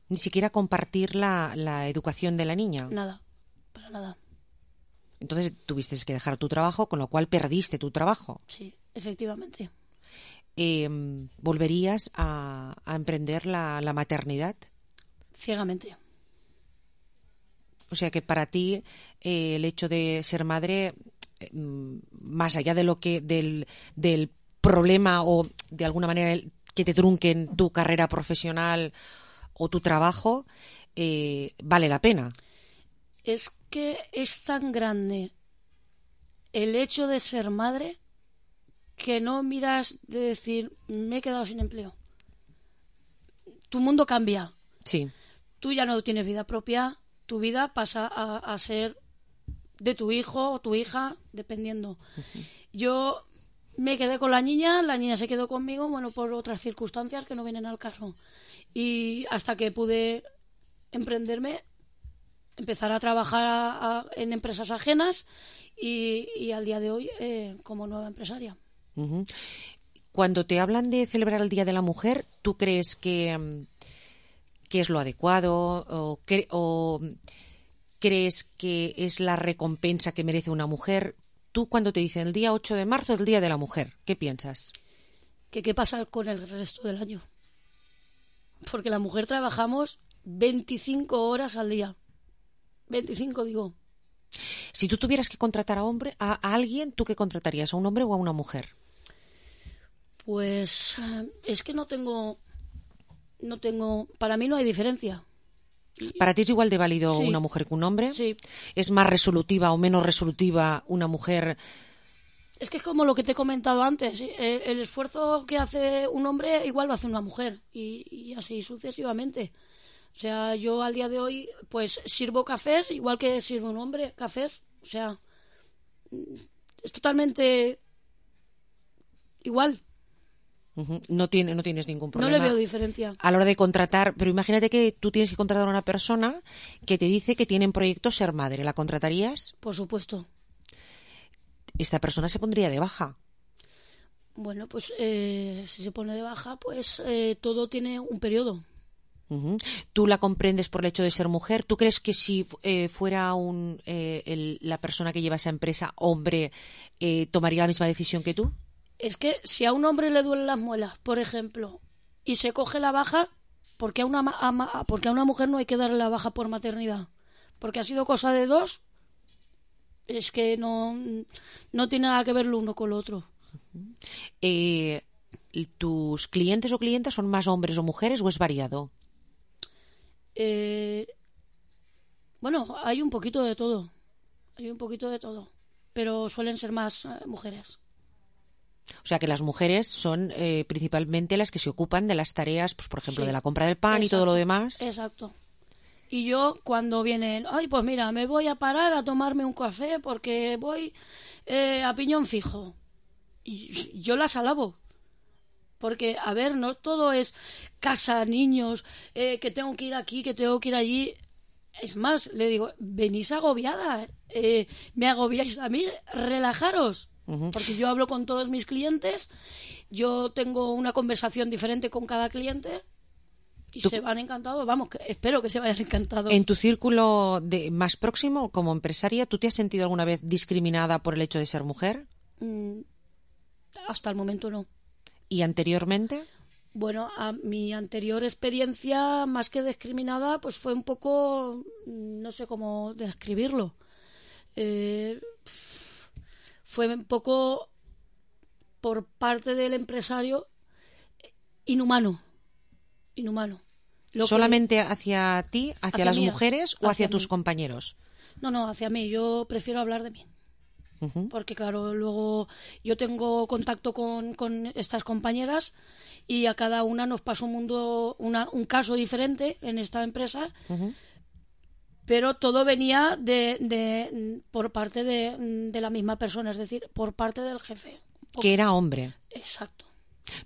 K: Ni siquiera compartir la, la educación de la niña.
W: Nada, para nada.
K: Entonces tuviste que dejar tu trabajo, con lo cual perdiste tu trabajo.
W: Sí, efectivamente.
K: Eh, ¿Volverías a, a emprender la, la maternidad?
W: Ciegamente.
K: O sea que para ti eh, el hecho de ser madre, eh, más allá de lo que del, del problema o de alguna manera el, que te trunquen tu carrera profesional o tu trabajo, eh, vale la pena.
W: Es que es tan grande el hecho de ser madre que no miras de decir me he quedado sin empleo. Tu mundo cambia.
K: Sí.
W: Tú ya no tienes vida propia, tu vida pasa a, a ser de tu hijo o tu hija, dependiendo. Uh-huh. Yo me quedé con la niña, la niña se quedó conmigo, bueno, por otras circunstancias que no vienen al caso. Y hasta que pude emprenderme, empezar a trabajar a, a, en empresas ajenas y, y al día de hoy eh, como nueva empresaria.
K: Uh-huh. Cuando te hablan de celebrar el Día de la Mujer, ¿tú crees que, que es lo adecuado o, cre- o crees que es la recompensa que merece una mujer? Tú cuando te dicen el día ocho de marzo es el Día de la Mujer, ¿qué piensas?
W: Que qué pasa con el resto del año. Porque la mujer trabajamos veinticinco horas al día. veinticinco, digo.
K: Si tú tuvieras que contratar a hombre a, a alguien, ¿tú qué contratarías? ¿A un hombre o a una mujer?
W: Pues es que no tengo, no tengo, para mí no hay diferencia.
K: ¿Para ti es igual de válido
W: Sí.
K: una mujer que un hombre?
W: Sí.
K: ¿Es más resolutiva o menos resolutiva una mujer?
W: Es que es como lo que te he comentado antes. ¿Sí? Eh, El esfuerzo que hace un hombre igual lo hace una mujer y, y así sucesivamente. O sea, yo al día de hoy pues sirvo cafés igual que sirve un hombre cafés. O sea, es totalmente igual.
K: Uh-huh. No, tiene, no tienes ningún problema.
W: No le veo diferencia.
K: A la hora de contratar, pero imagínate que tú tienes que contratar a una persona que te dice que tiene en proyecto ser madre. ¿La contratarías?
W: Por supuesto.
K: Esta persona se pondría de baja.
W: Bueno, pues eh, si se pone de baja, pues eh, todo tiene un periodo.
K: Uh-huh. ¿Tú la comprendes por el hecho de ser mujer? ¿Tú crees que si eh, fuera un, eh, el, la persona que lleva esa empresa hombre, eh, tomaría la misma decisión que tú?
W: Es que si a un hombre le duelen las muelas, por ejemplo, y se coge la baja, ¿por qué a una, a, porque a una mujer no hay que darle la baja por maternidad? Porque ha sido cosa de dos. Es que no, no tiene nada que ver lo uno con lo otro.
K: Uh-huh. Eh, ¿Tus clientes o clientas son más hombres o mujeres o es variado?
W: Eh, bueno, hay un poquito de todo. Hay un poquito de todo. Pero suelen ser más eh, mujeres.
K: O sea que las mujeres son eh, principalmente las que se ocupan de las tareas, pues por ejemplo,
W: Sí.
K: de la compra del pan. Exacto. Y todo lo demás.
W: Exacto. Y yo cuando vienen, ay, pues mira, me voy a parar a tomarme un café porque voy eh, a piñón fijo. Y yo las alabo. Porque, a ver, no todo es casa, niños, eh, que tengo que ir aquí, que tengo que ir allí. Es más, le digo, venís agobiada, eh, me agobiáis a mí, relajaros. Uh-huh. Porque yo hablo con todos mis clientes, yo tengo una conversación diferente con cada cliente y ¿Tú? se van encantados. Vamos, que espero que se vayan encantados.
K: En tu círculo de más próximo, como empresaria, ¿tú te has sentido alguna vez discriminada por el hecho de ser mujer?
W: Mm, hasta el momento no.
K: ¿Y anteriormente?
W: Bueno, a mi anterior experiencia, más que discriminada, pues fue un poco, no sé cómo describirlo. Eh, fue un poco por parte del empresario inhumano. Inhumano. Lo
K: ¿Solamente
W: que...
K: hacia ti, hacia, hacia
W: hacia
K: las
W: mí,
K: mujeres o hacia, hacia tus
W: mí.
K: compañeros?
W: No, no, hacia mí. Yo prefiero hablar de mí. Uh-huh. Porque, claro, luego yo tengo contacto con, con estas compañeras y a cada una nos pasa un mundo, una, un caso diferente en esta empresa. Uh-huh. Pero todo venía de, de por parte de, de la misma persona, es decir, por parte del jefe.
K: Que era hombre.
W: Exacto.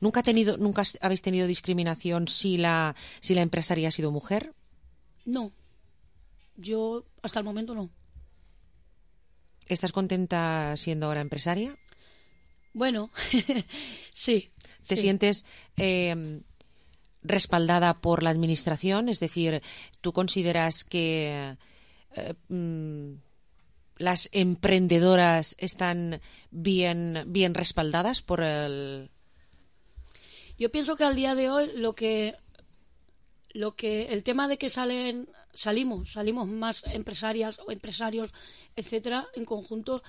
K: ¿Nunca, ha tenido, nunca habéis tenido discriminación si la, si la empresaria ha sido mujer?
W: No. Yo, hasta el momento, no.
K: ¿Estás contenta siendo ahora empresaria?
W: Bueno, sí.
K: ¿Te
W: sí.
K: sientes eh, respaldada por la administración? Es decir, ¿tú consideras que eh, mm, las emprendedoras están bien, bien respaldadas por el...?
W: Yo pienso que al día de hoy lo que... Lo que el tema de que salen salimos salimos más empresarias o empresarios, etcétera, en conjunto,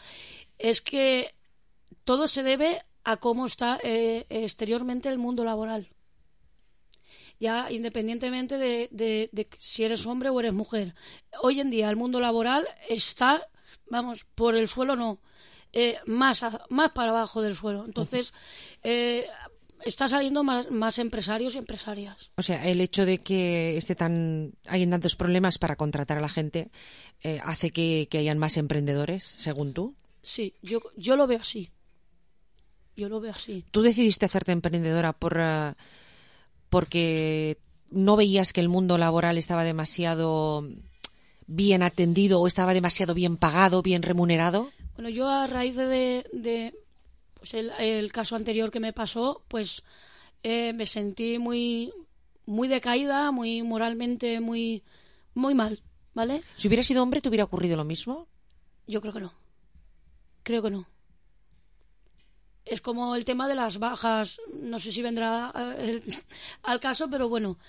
W: es que todo se debe a cómo está eh, exteriormente el mundo laboral. Ya independientemente de, de, de si eres hombre o eres mujer. Hoy en día el mundo laboral está, vamos, por el suelo no, eh, más a, más para abajo del suelo. Entonces, eh, está saliendo más, más empresarios y empresarias.
K: O sea, el hecho de que esté tan, hayan tantos problemas para contratar a la gente eh, hace que, que hayan más emprendedores, según tú.
W: Sí, yo, yo lo veo así. Yo lo veo así.
K: ¿Tú decidiste hacerte emprendedora por uh, porque no veías que el mundo laboral estaba demasiado bien atendido o estaba demasiado bien pagado, bien remunerado?
W: Bueno, yo a raíz de... de pues el, el caso anterior que me pasó, pues eh, me sentí muy muy decaída, muy moralmente, muy muy mal, ¿vale?
K: Si hubiera sido hombre, ¿te hubiera ocurrido lo mismo?
W: Yo creo que no. Creo que no. Es como el tema de las bajas, no sé si vendrá el, al caso, pero bueno,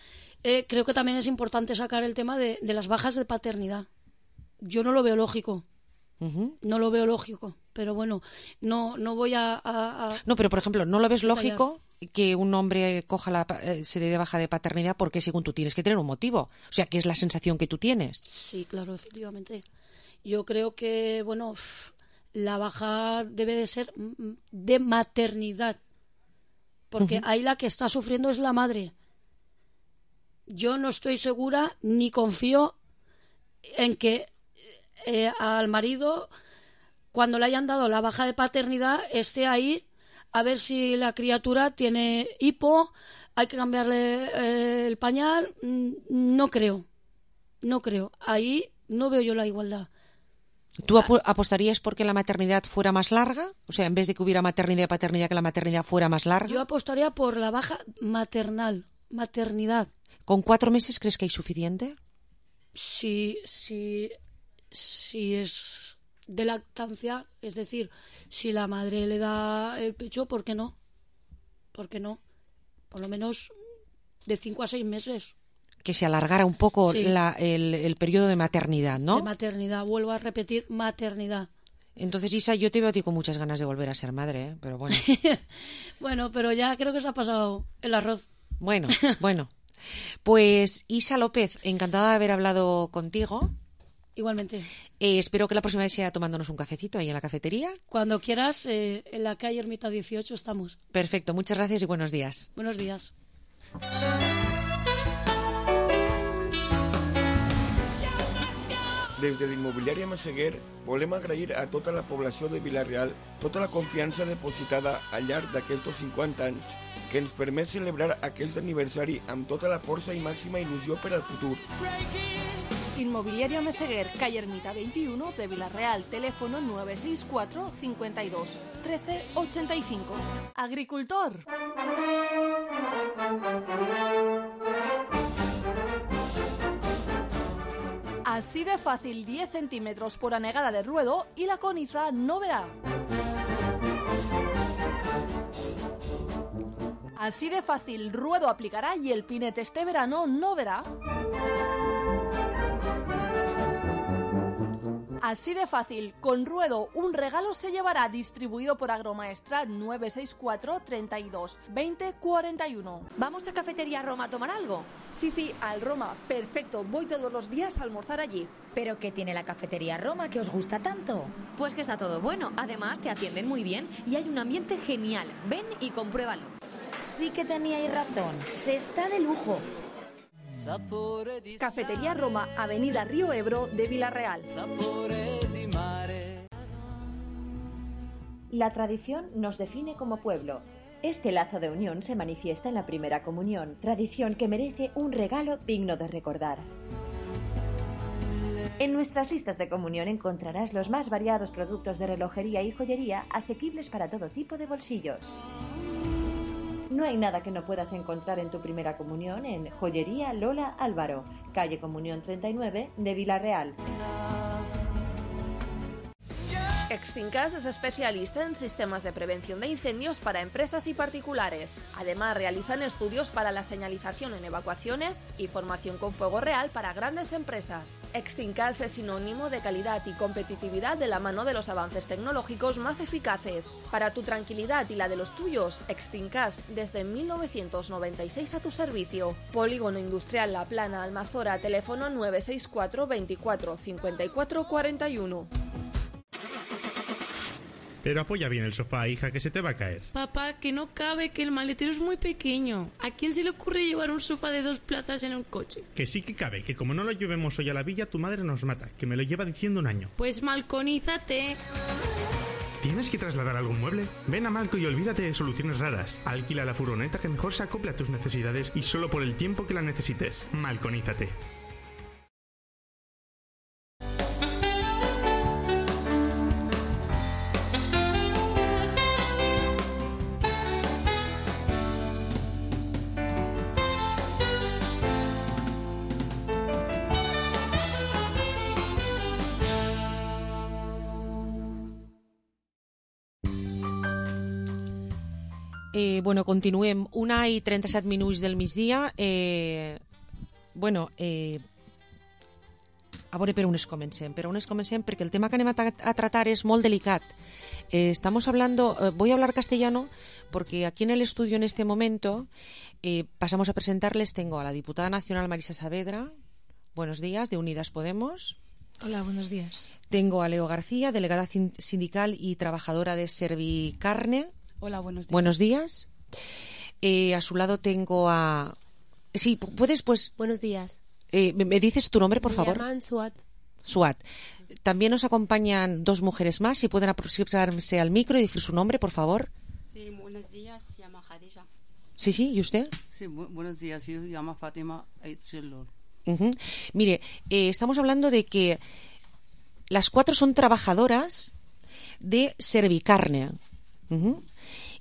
W: eh, creo que también es importante sacar el tema de, de las bajas de paternidad. Yo no lo veo lógico. Uh-huh. No lo veo lógico, pero bueno, no no voy a, a, a...
K: No, pero por ejemplo, ¿no lo ves lógico que un hombre coja la, eh, se dé de baja de paternidad? Porque según tú tienes que tener un motivo, o sea, ¿qué es la sensación que tú tienes?
W: Sí, claro, efectivamente. Yo creo que, bueno, la baja debe de ser de maternidad, porque uh-huh. ahí la que está sufriendo es la madre. Yo no estoy segura ni confío en que Eh, al marido, cuando le hayan dado la baja de paternidad, esté ahí a ver si la criatura tiene hipo, hay que cambiarle eh, el pañal. No creo, no creo. Ahí no veo yo la igualdad.
K: ¿Tú ap- apostarías porque la maternidad fuera más larga? O sea, en vez de que hubiera maternidad y paternidad, que la maternidad fuera más larga.
W: Yo apostaría por la baja maternal, maternidad.
K: ¿Con cuatro meses crees que hay suficiente?
W: Sí, sí. Si es de lactancia, es decir, si la madre le da el pecho, ¿por qué no? ¿Por qué no? Por lo menos de cinco a seis meses.
K: Que se alargara un poco
W: sí.
K: la, el, el periodo de maternidad, ¿no?
W: De maternidad, vuelvo a repetir, maternidad.
K: Entonces, Isa, yo te veo a ti con muchas ganas de volver a ser madre, ¿eh? Pero bueno.
W: Bueno, pero ya creo que se ha pasado el arroz.
K: Bueno, bueno. Pues Isa López, encantada de haber hablado contigo.
W: Igualmente.
K: Eh, espero que la próxima vez sea tomándonos un cafecito ahí en la cafetería.
W: Cuando quieras, eh, en la calle Ermita dieciocho estamos.
K: Perfecto, muchas gracias y buenos días.
W: Buenos días.
B: Des de l'immobiliària Massaguer volem agrair a tota la població de Vila-real tota la confiança depositada al llarg d'aquests cinquanta anys que ens permet celebrar aquest aniversari amb tota la força i màxima il·lusió per al futur.
T: Inmobiliaria Meseguer, calle Ermita veintiuno de Vila-real, teléfono nueve seis cuatro, cincuenta y dos, trece ochenta y cinco. Agricultor. Así de fácil, diez centímetros por anegada de ruedo y la coniza no verá. Así de fácil, ruedo aplicará y el pinete este verano no verá. Así de fácil, con Ruedo, un regalo se llevará, distribuido por Agromaestra nueve seis cuatro, treinta y dos, veinte, cuarenta y uno.
O: ¿Vamos a Cafetería Roma a tomar algo?
T: Sí, sí, al Roma, perfecto, voy todos los días a almorzar allí.
O: ¿Pero qué tiene la Cafetería Roma que os gusta tanto? Pues que está todo bueno, además te atienden muy bien y hay un ambiente genial. Ven y compruébalo. Sí que teníais razón, se está de lujo.
T: Cafetería Roma, Avenida Río Ebro de Villarreal.
D: La tradición nos define como pueblo. Este lazo de unión se manifiesta en la primera comunión, tradición que merece un regalo digno de recordar. En nuestras listas de comunión encontrarás los más variados productos de relojería y joyería asequibles para todo tipo de bolsillos. No hay nada que no puedas encontrar en tu primera comunión en Joyería Lola Álvaro, calle Comunión treinta y nueve de Villarreal.
E: Extincas es especialista en sistemas de prevención de incendios para empresas y particulares. Además, realizan estudios para la señalización en evacuaciones y formación con fuego real para grandes empresas. Extincas es sinónimo de calidad y competitividad de la mano de los avances tecnológicos más eficaces. Para tu tranquilidad y la de los tuyos, Extincas desde mil novecientos noventa y seis a tu servicio. Polígono Industrial La Plana, Almazora, teléfono nueve seis cuatro, veinticuatro, cincuenta y cuatro, cuarenta y uno.
J: Pero apoya bien el sofá, hija, que se te va a caer.
F: Papá, que no cabe, que el maletero es muy pequeño. ¿A quién se le ocurre llevar un sofá de dos plazas en un coche?
J: Que sí que cabe, que como no lo llevemos hoy a la villa, tu madre nos mata, que me lo lleva diciendo un año.
F: Pues malconízate.
J: ¿Tienes que trasladar algún mueble? Ven a Malco y olvídate de soluciones raras. Alquila la furgoneta que mejor se acople a tus necesidades y solo por el tiempo que la necesites. Malconízate.
K: Eh, bueno, continuem. Una i trenta-set minuts del migdia. Eh, bueno, eh, a veure per on es comencem. Per on es comencem perquè el tema que anem a, a tratar és molt delicat. Eh, estamos hablando, eh, voy a hablar castellano porque aquí en el estudio en este momento eh, pasamos a presentarles, tengo a la diputada nacional Marisa Saavedra, buenos días, de Unidas Podemos.
L: Hola, buenos días.
K: Tengo a Leo García, delegada sindical y trabajadora de Servicarne.
G: Hola, buenos días.
K: Buenos días. Eh, a su lado tengo a... Sí, puedes, pues...
G: Buenos días.
K: Eh, ¿Me dices tu nombre, por
G: Me
K: favor?
G: llaman Suat.
K: Suat. También nos acompañan dos mujeres más. Si pueden aproximarse al micro y decir su nombre, por favor.
G: Sí, buenos días. Se llama Khadija.
K: Sí, sí. ¿Y usted?
X: Sí, bu buenos días. Yo me llamo Fátima Aitzellor.
K: Uh-huh. Mire, eh, estamos hablando de que las cuatro son trabajadoras de Servicarne. Uh-huh.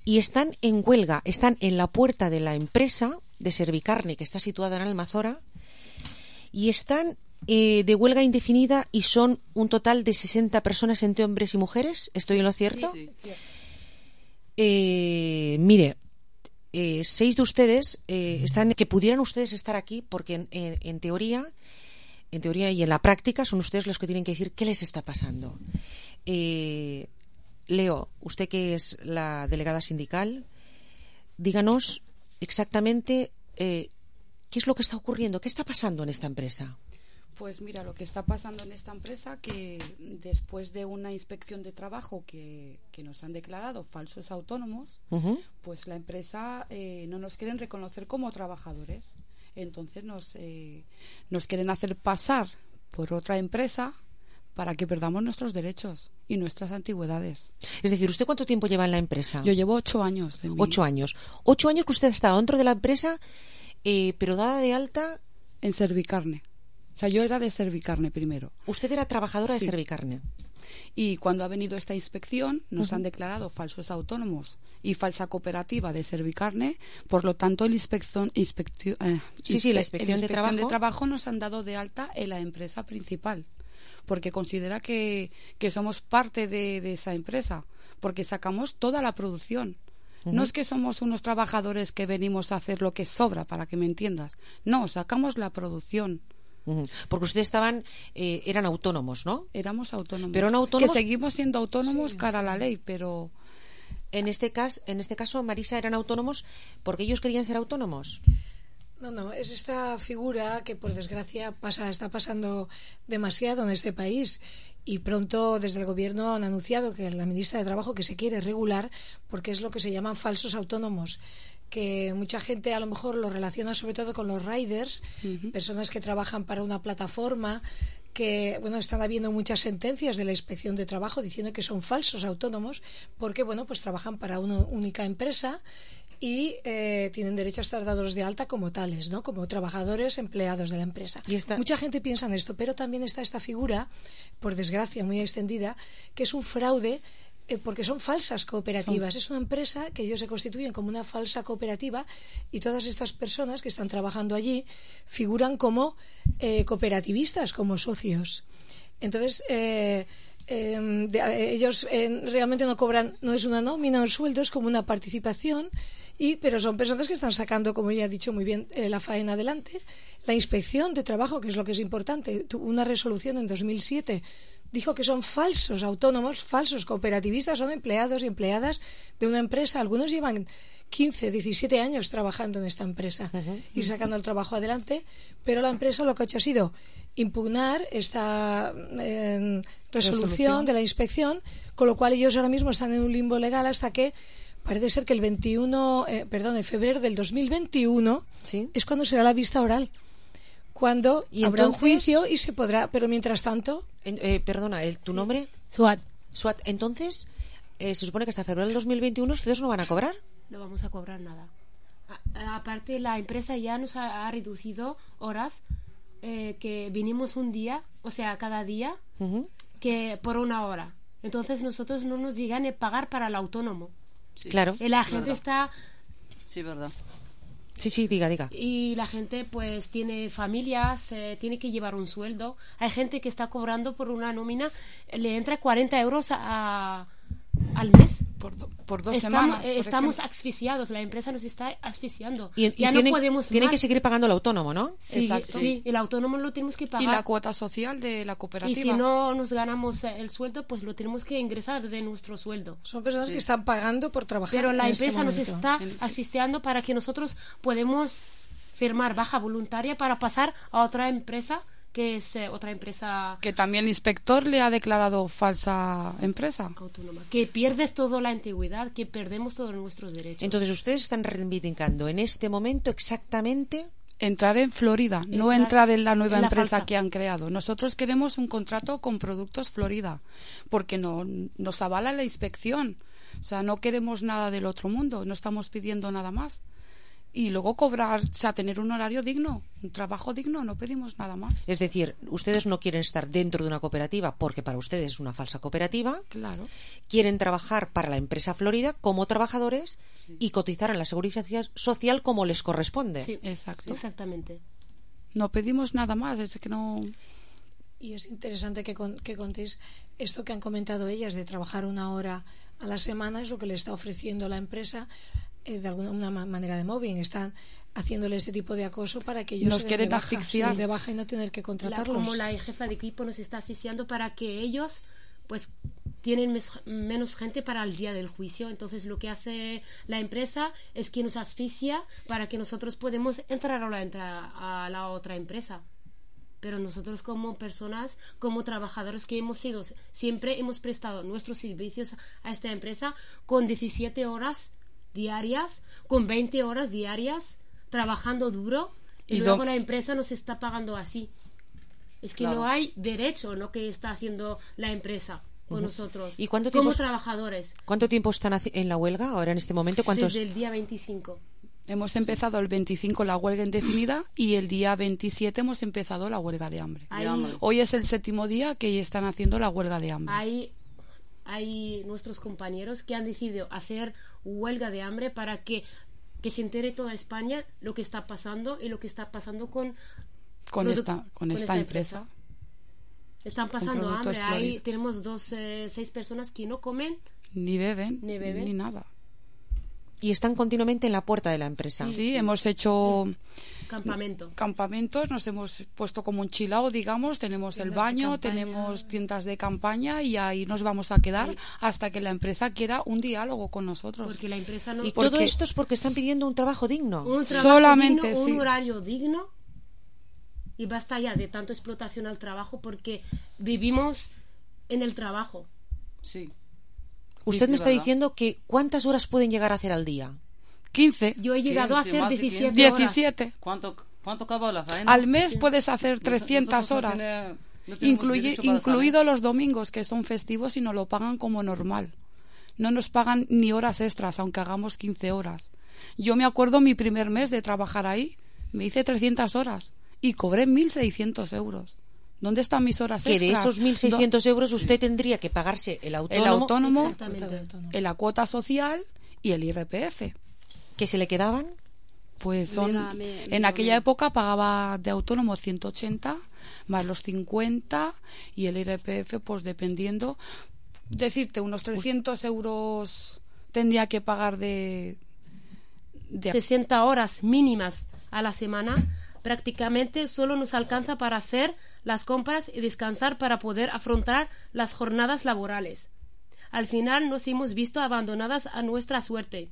K: Y están en huelga, están en la puerta de la empresa de Servicarne que está situada en Almazora y están eh, de huelga indefinida y son un total de sesenta personas entre hombres y mujeres. ¿Estoy en lo cierto?
X: Sí, sí.
K: Eh, mire, eh, seis de ustedes eh, están que pudieran ustedes estar aquí porque en, en, en teoría, en teoría y en la práctica son ustedes los que tienen que decir qué les está pasando. Eh, Leo, usted que es la delegada sindical, díganos exactamente eh, qué es lo que está ocurriendo, qué está pasando en esta empresa.
G: Pues mira, lo que está pasando en esta empresa, que después de una inspección de trabajo que, que nos han declarado falsos autónomos, uh-huh. pues la empresa eh, no nos quieren reconocer como trabajadores. Entonces nos, eh, nos quieren hacer pasar por otra empresa para que perdamos nuestros derechos y nuestras antigüedades.
K: Es decir, ¿usted cuánto tiempo lleva en la empresa?
G: Yo llevo ocho años. De mi...
K: Ocho años. Ocho años que usted ha estado dentro de la empresa, eh, pero dada de alta...
G: En Servicarne. O sea, yo era de Servicarne primero.
K: Usted era trabajadora
G: sí.
K: de Servicarne.
G: Y cuando ha venido esta inspección, nos uh-huh. han declarado falsos autónomos y falsa cooperativa de Servicarne. Por lo tanto, el inspección, inspección, eh,
K: sí, sí, la inspección,
G: de,
K: de, trabajo.
G: de trabajo nos han dado de alta en la empresa principal, porque considera que, que somos parte de, de esa empresa, porque sacamos toda la producción. Uh-huh. No es que somos unos trabajadores que venimos a hacer lo que sobra, para que me entiendas. No, sacamos la producción.
K: Uh-huh. Porque ustedes estaban, eh, eran autónomos, ¿no?
G: Éramos autónomos.
K: Pero no autónomos.
G: Que seguimos siendo autónomos
K: Sí,
G: cara
K: sí.
G: a la ley, pero
K: En este caso, en este caso, Marisa, eran autónomos porque ellos querían ser autónomos.
L: No, no, es esta figura que por desgracia pasa, está pasando demasiado en este país y pronto desde el gobierno han anunciado que la ministra de Trabajo que se quiere regular porque es lo que se llaman falsos autónomos, que mucha gente a lo mejor lo relaciona sobre todo con los riders, uh-huh. personas que trabajan para una plataforma, que bueno, están habiendo muchas sentencias de la Inspección de Trabajo diciendo que son falsos autónomos porque bueno, pues trabajan para una única empresa y eh, tienen derecho a estar dados de alta como tales, ¿no? Como trabajadores empleados de la empresa. ¿Y esta... Mucha gente piensa en esto, pero también está esta figura, por desgracia muy extendida, que es un fraude eh, porque son falsas cooperativas. Son... Es una empresa que ellos se constituyen como una falsa cooperativa y todas estas personas que están trabajando allí figuran como eh, cooperativistas, como socios. Entonces... Eh, Eh, de, eh, ellos eh, realmente no cobran, no es una nómina o el sueldo, es como una participación, y pero son personas que están sacando, como ya ha dicho muy bien, eh, la faena adelante. La Inspección de Trabajo, que es lo que es importante, tuvo una resolución en dos mil siete, dijo que son falsos autónomos, falsos cooperativistas, son empleados y empleadas de una empresa. Algunos llevan quince, diecisiete años trabajando en esta empresa uh-huh. y sacando el trabajo adelante, pero la empresa lo que ha hecho ha sido impugnar esta eh, resolución, resolución de la inspección, con lo cual ellos ahora mismo están en un limbo legal hasta que parece ser que el veintiuno, eh, perdón, de febrero del dos mil veintiuno ¿Sí? es cuando será la vista oral, cuando ¿Y habrá entonces, un juicio y se podrá, pero mientras tanto
K: en, eh, perdona, el, ¿tu sí. nombre?
H: Suat.
K: Suat, entonces eh, se supone que hasta febrero del dos mil veintiuno ustedes no van a cobrar.
H: No vamos a cobrar nada. A, aparte la empresa ya nos ha, ha reducido horas. Eh, que vinimos un día, o sea, cada día, uh-huh. que por una hora. Entonces nosotros no nos llegan a pagar para el autónomo.
K: Sí, claro.
H: Y la gente verdad. está...
X: Sí, verdad.
K: Sí, sí, diga, diga.
H: Y la gente pues tiene familias, eh, tiene que llevar un sueldo. Hay gente que está cobrando por una nómina, le entra cuarenta euros a, a, al mes.
G: Por, do, por dos
H: estamos,
G: semanas. Por
H: estamos asfixiados, la empresa nos está asfixiando.
K: Y, y
H: ya
K: tienen,
H: no podemos
K: tienen
H: más.
K: que seguir pagando el autónomo, ¿no?
H: Sí, Exacto. sí, el autónomo lo tenemos que pagar.
G: Y la cuota social de la cooperativa.
H: Y si no nos ganamos el sueldo, pues lo tenemos que ingresar de nuestro sueldo.
L: Son personas sí. que están pagando por trabajar.
H: Pero la
L: en
H: empresa
L: este
H: nos está
L: este...
H: asfixiando para que nosotros podemos firmar baja voluntaria para pasar a otra empresa que es eh, otra empresa
G: que también el inspector le ha declarado falsa empresa
H: autónoma, que pierdes toda la antigüedad, que perdemos todos nuestros derechos.
K: Entonces ustedes están reivindicando en este momento exactamente
G: entrar en Florida, entrar, no entrar en la nueva
H: en la
G: empresa
H: falsa.
G: que han creado. Nosotros queremos un contrato con Productos Florida porque no nos avala la inspección, o sea, no queremos nada del otro mundo, no estamos pidiendo nada más. Y luego cobrar, o sea, tener un horario digno, un trabajo digno, no pedimos nada más.
K: Es decir, ustedes no quieren estar dentro de una cooperativa porque para ustedes es una falsa cooperativa.
G: Claro.
K: Quieren trabajar para la empresa Florida como trabajadores sí. y cotizar en la seguridad social como les corresponde.
H: Sí,
G: exacto.
H: Exactamente.
G: No pedimos nada más, es que no...
L: Y es interesante que, con, que contéis esto que han comentado ellas de trabajar una hora a la semana, es lo que le está ofreciendo la empresa. Eh, de alguna una manera de mobbing, están haciéndole este tipo de acoso para que ellos
G: nos
L: se
G: quieren
L: den de baja,
G: asfixiar
L: se den de baja y no tener que contratarlos.
H: La, como la jefa de equipo nos está asfixiando para que ellos pues tienen mes, menos gente para el día del juicio. Entonces lo que hace la empresa es que nos asfixia para que nosotros podemos entrar a la, a la otra empresa. Pero nosotros como personas, como trabajadores que hemos sido, siempre hemos prestado nuestros servicios a esta empresa con diecisiete horas diarias, con veinte horas diarias, trabajando duro, y, y luego do... la empresa nos está pagando así. Es que claro. no hay derecho lo que está haciendo la empresa con uh-huh. nosotros,
K: ¿Y cuánto
H: como
K: tiempo,
H: trabajadores.
K: ¿Cuánto tiempo están en la huelga ahora en este momento? ¿Cuántos?
H: Desde el día veinticinco.
G: Hemos empezado el veinticinco la huelga indefinida y el día veintisiete hemos empezado la huelga de hambre.
H: Ahí...
G: Hoy es el séptimo día que están haciendo la huelga de hambre.
H: Hay, hay nuestros compañeros que han decidido hacer huelga de hambre para que, que se entere toda España lo que está pasando y lo que está pasando con
G: con esta con, con esta, esta empresa. empresa.
H: Están pasando hambre. Ahí tenemos dos, eh, seis personas que no comen
G: ni beben
H: ni beben
G: ni nada.
K: Y están continuamente en la puerta de la empresa.
G: Sí, sí. Hemos hecho
H: campamento.
G: campamentos, nos hemos puesto como un chilao, digamos, tenemos tiendas el baño, tenemos tiendas de campaña y ahí nos vamos a quedar sí. hasta que la empresa quiera un diálogo con nosotros.
H: Porque la empresa no...
K: Y porque... todo esto es porque están pidiendo un trabajo digno.
H: Un trabajo
G: Solamente,
H: digno,
G: sí.
H: un horario digno, y basta ya de tanto explotación al trabajo porque vivimos en el trabajo.
G: Sí.
K: Usted
G: sí,
K: me está
G: ¿verdad?
K: diciendo que ¿cuántas horas pueden llegar a hacer al día?
G: quince.
H: Yo he llegado
G: quince,
H: a hacer diecisiete horas.
G: diecisiete.
X: ¿Cuánto, cuánto cada la faena?
G: Al mes
X: sí.
G: puedes hacer trescientas
X: Nosotros
G: horas.
X: No tiene, no
G: Incluye, incluido los domingos, que son festivos y nos lo pagan como normal. No nos pagan ni horas extras, aunque hagamos quince horas. Yo me acuerdo mi primer mes de trabajar ahí, me hice trescientas horas y cobré mil seiscientos euros. ¿Dónde están mis horas
K: que
G: extras?
K: Que de esos mil seiscientos euros usted tendría que pagarse el autónomo,
G: el autónomo, en la cuota social y el I R P F.
K: ¿Que se le quedaban?
G: Pues son,
H: mira, me,
G: en
H: mira,
G: aquella
H: mira.
G: época pagaba de autónomo ciento ochenta más los cincuenta y el I R P F, pues dependiendo, decirte, unos trescientos euros tendría que pagar de, de...
H: sesenta horas mínimas a la semana. Prácticamente solo nos alcanza para hacer las compras y descansar para poder afrontar las jornadas laborales. Al final nos hemos visto abandonadas a nuestra suerte.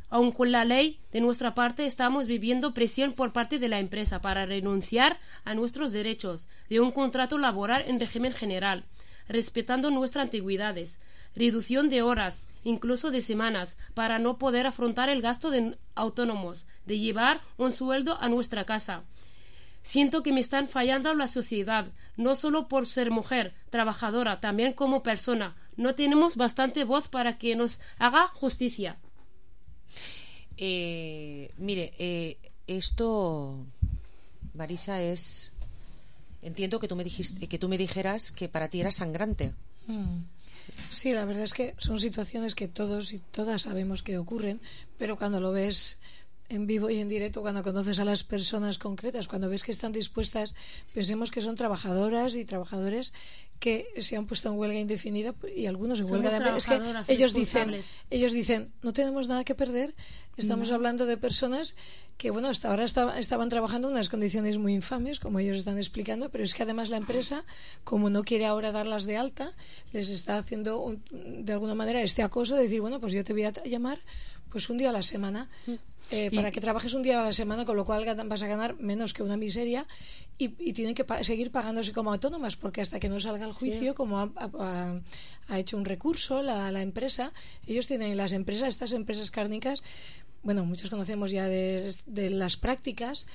H: Aun con la ley, de nuestra parte estamos viviendo presión por parte de la empresa para renunciar a nuestros derechos de un contrato laboral en régimen general, respetando nuestras antigüedades, reducción de horas, incluso de semanas, para no poder afrontar el gasto de autónomos, de llevar un sueldo a nuestra casa. Siento que me están fallando la sociedad, no solo por ser mujer, trabajadora, también como persona. No tenemos bastante voz para que nos haga justicia.
K: Eh, mire, eh, esto, Marisa, es... Entiendo que tú me dijiste, que tú me dijeras que para ti era sangrante.
I: Mm. Sí, la verdad es que son situaciones que todos y todas sabemos que ocurren, pero cuando lo ves en vivo y en directo, cuando conoces a las personas concretas, cuando ves que están dispuestas, pensemos que son trabajadoras y trabajadores que se han puesto en huelga indefinida y algunos en
H: Somos
I: huelga de hambre. Es que ellos dicen, ellos dicen, no tenemos nada que perder. Estamos no. hablando de personas que, bueno, hasta ahora estaba, estaban trabajando en unas condiciones muy infames, como ellos están explicando, pero es que además la empresa, como no quiere ahora darlas de alta, les está haciendo un, de alguna manera este acoso de decir, bueno, pues yo te voy a llamar pues un día a la semana eh, para que trabajes un día a la semana, con lo cual vas a ganar menos que una miseria y, y tienen que pa seguir pagándose como autónomas, porque hasta que no salga el juicio, sí. como ha, ha, ha hecho un recurso la, la empresa, ellos tienen, las empresas, estas empresas cárnicas, bueno, muchos conocemos ya de, de las prácticas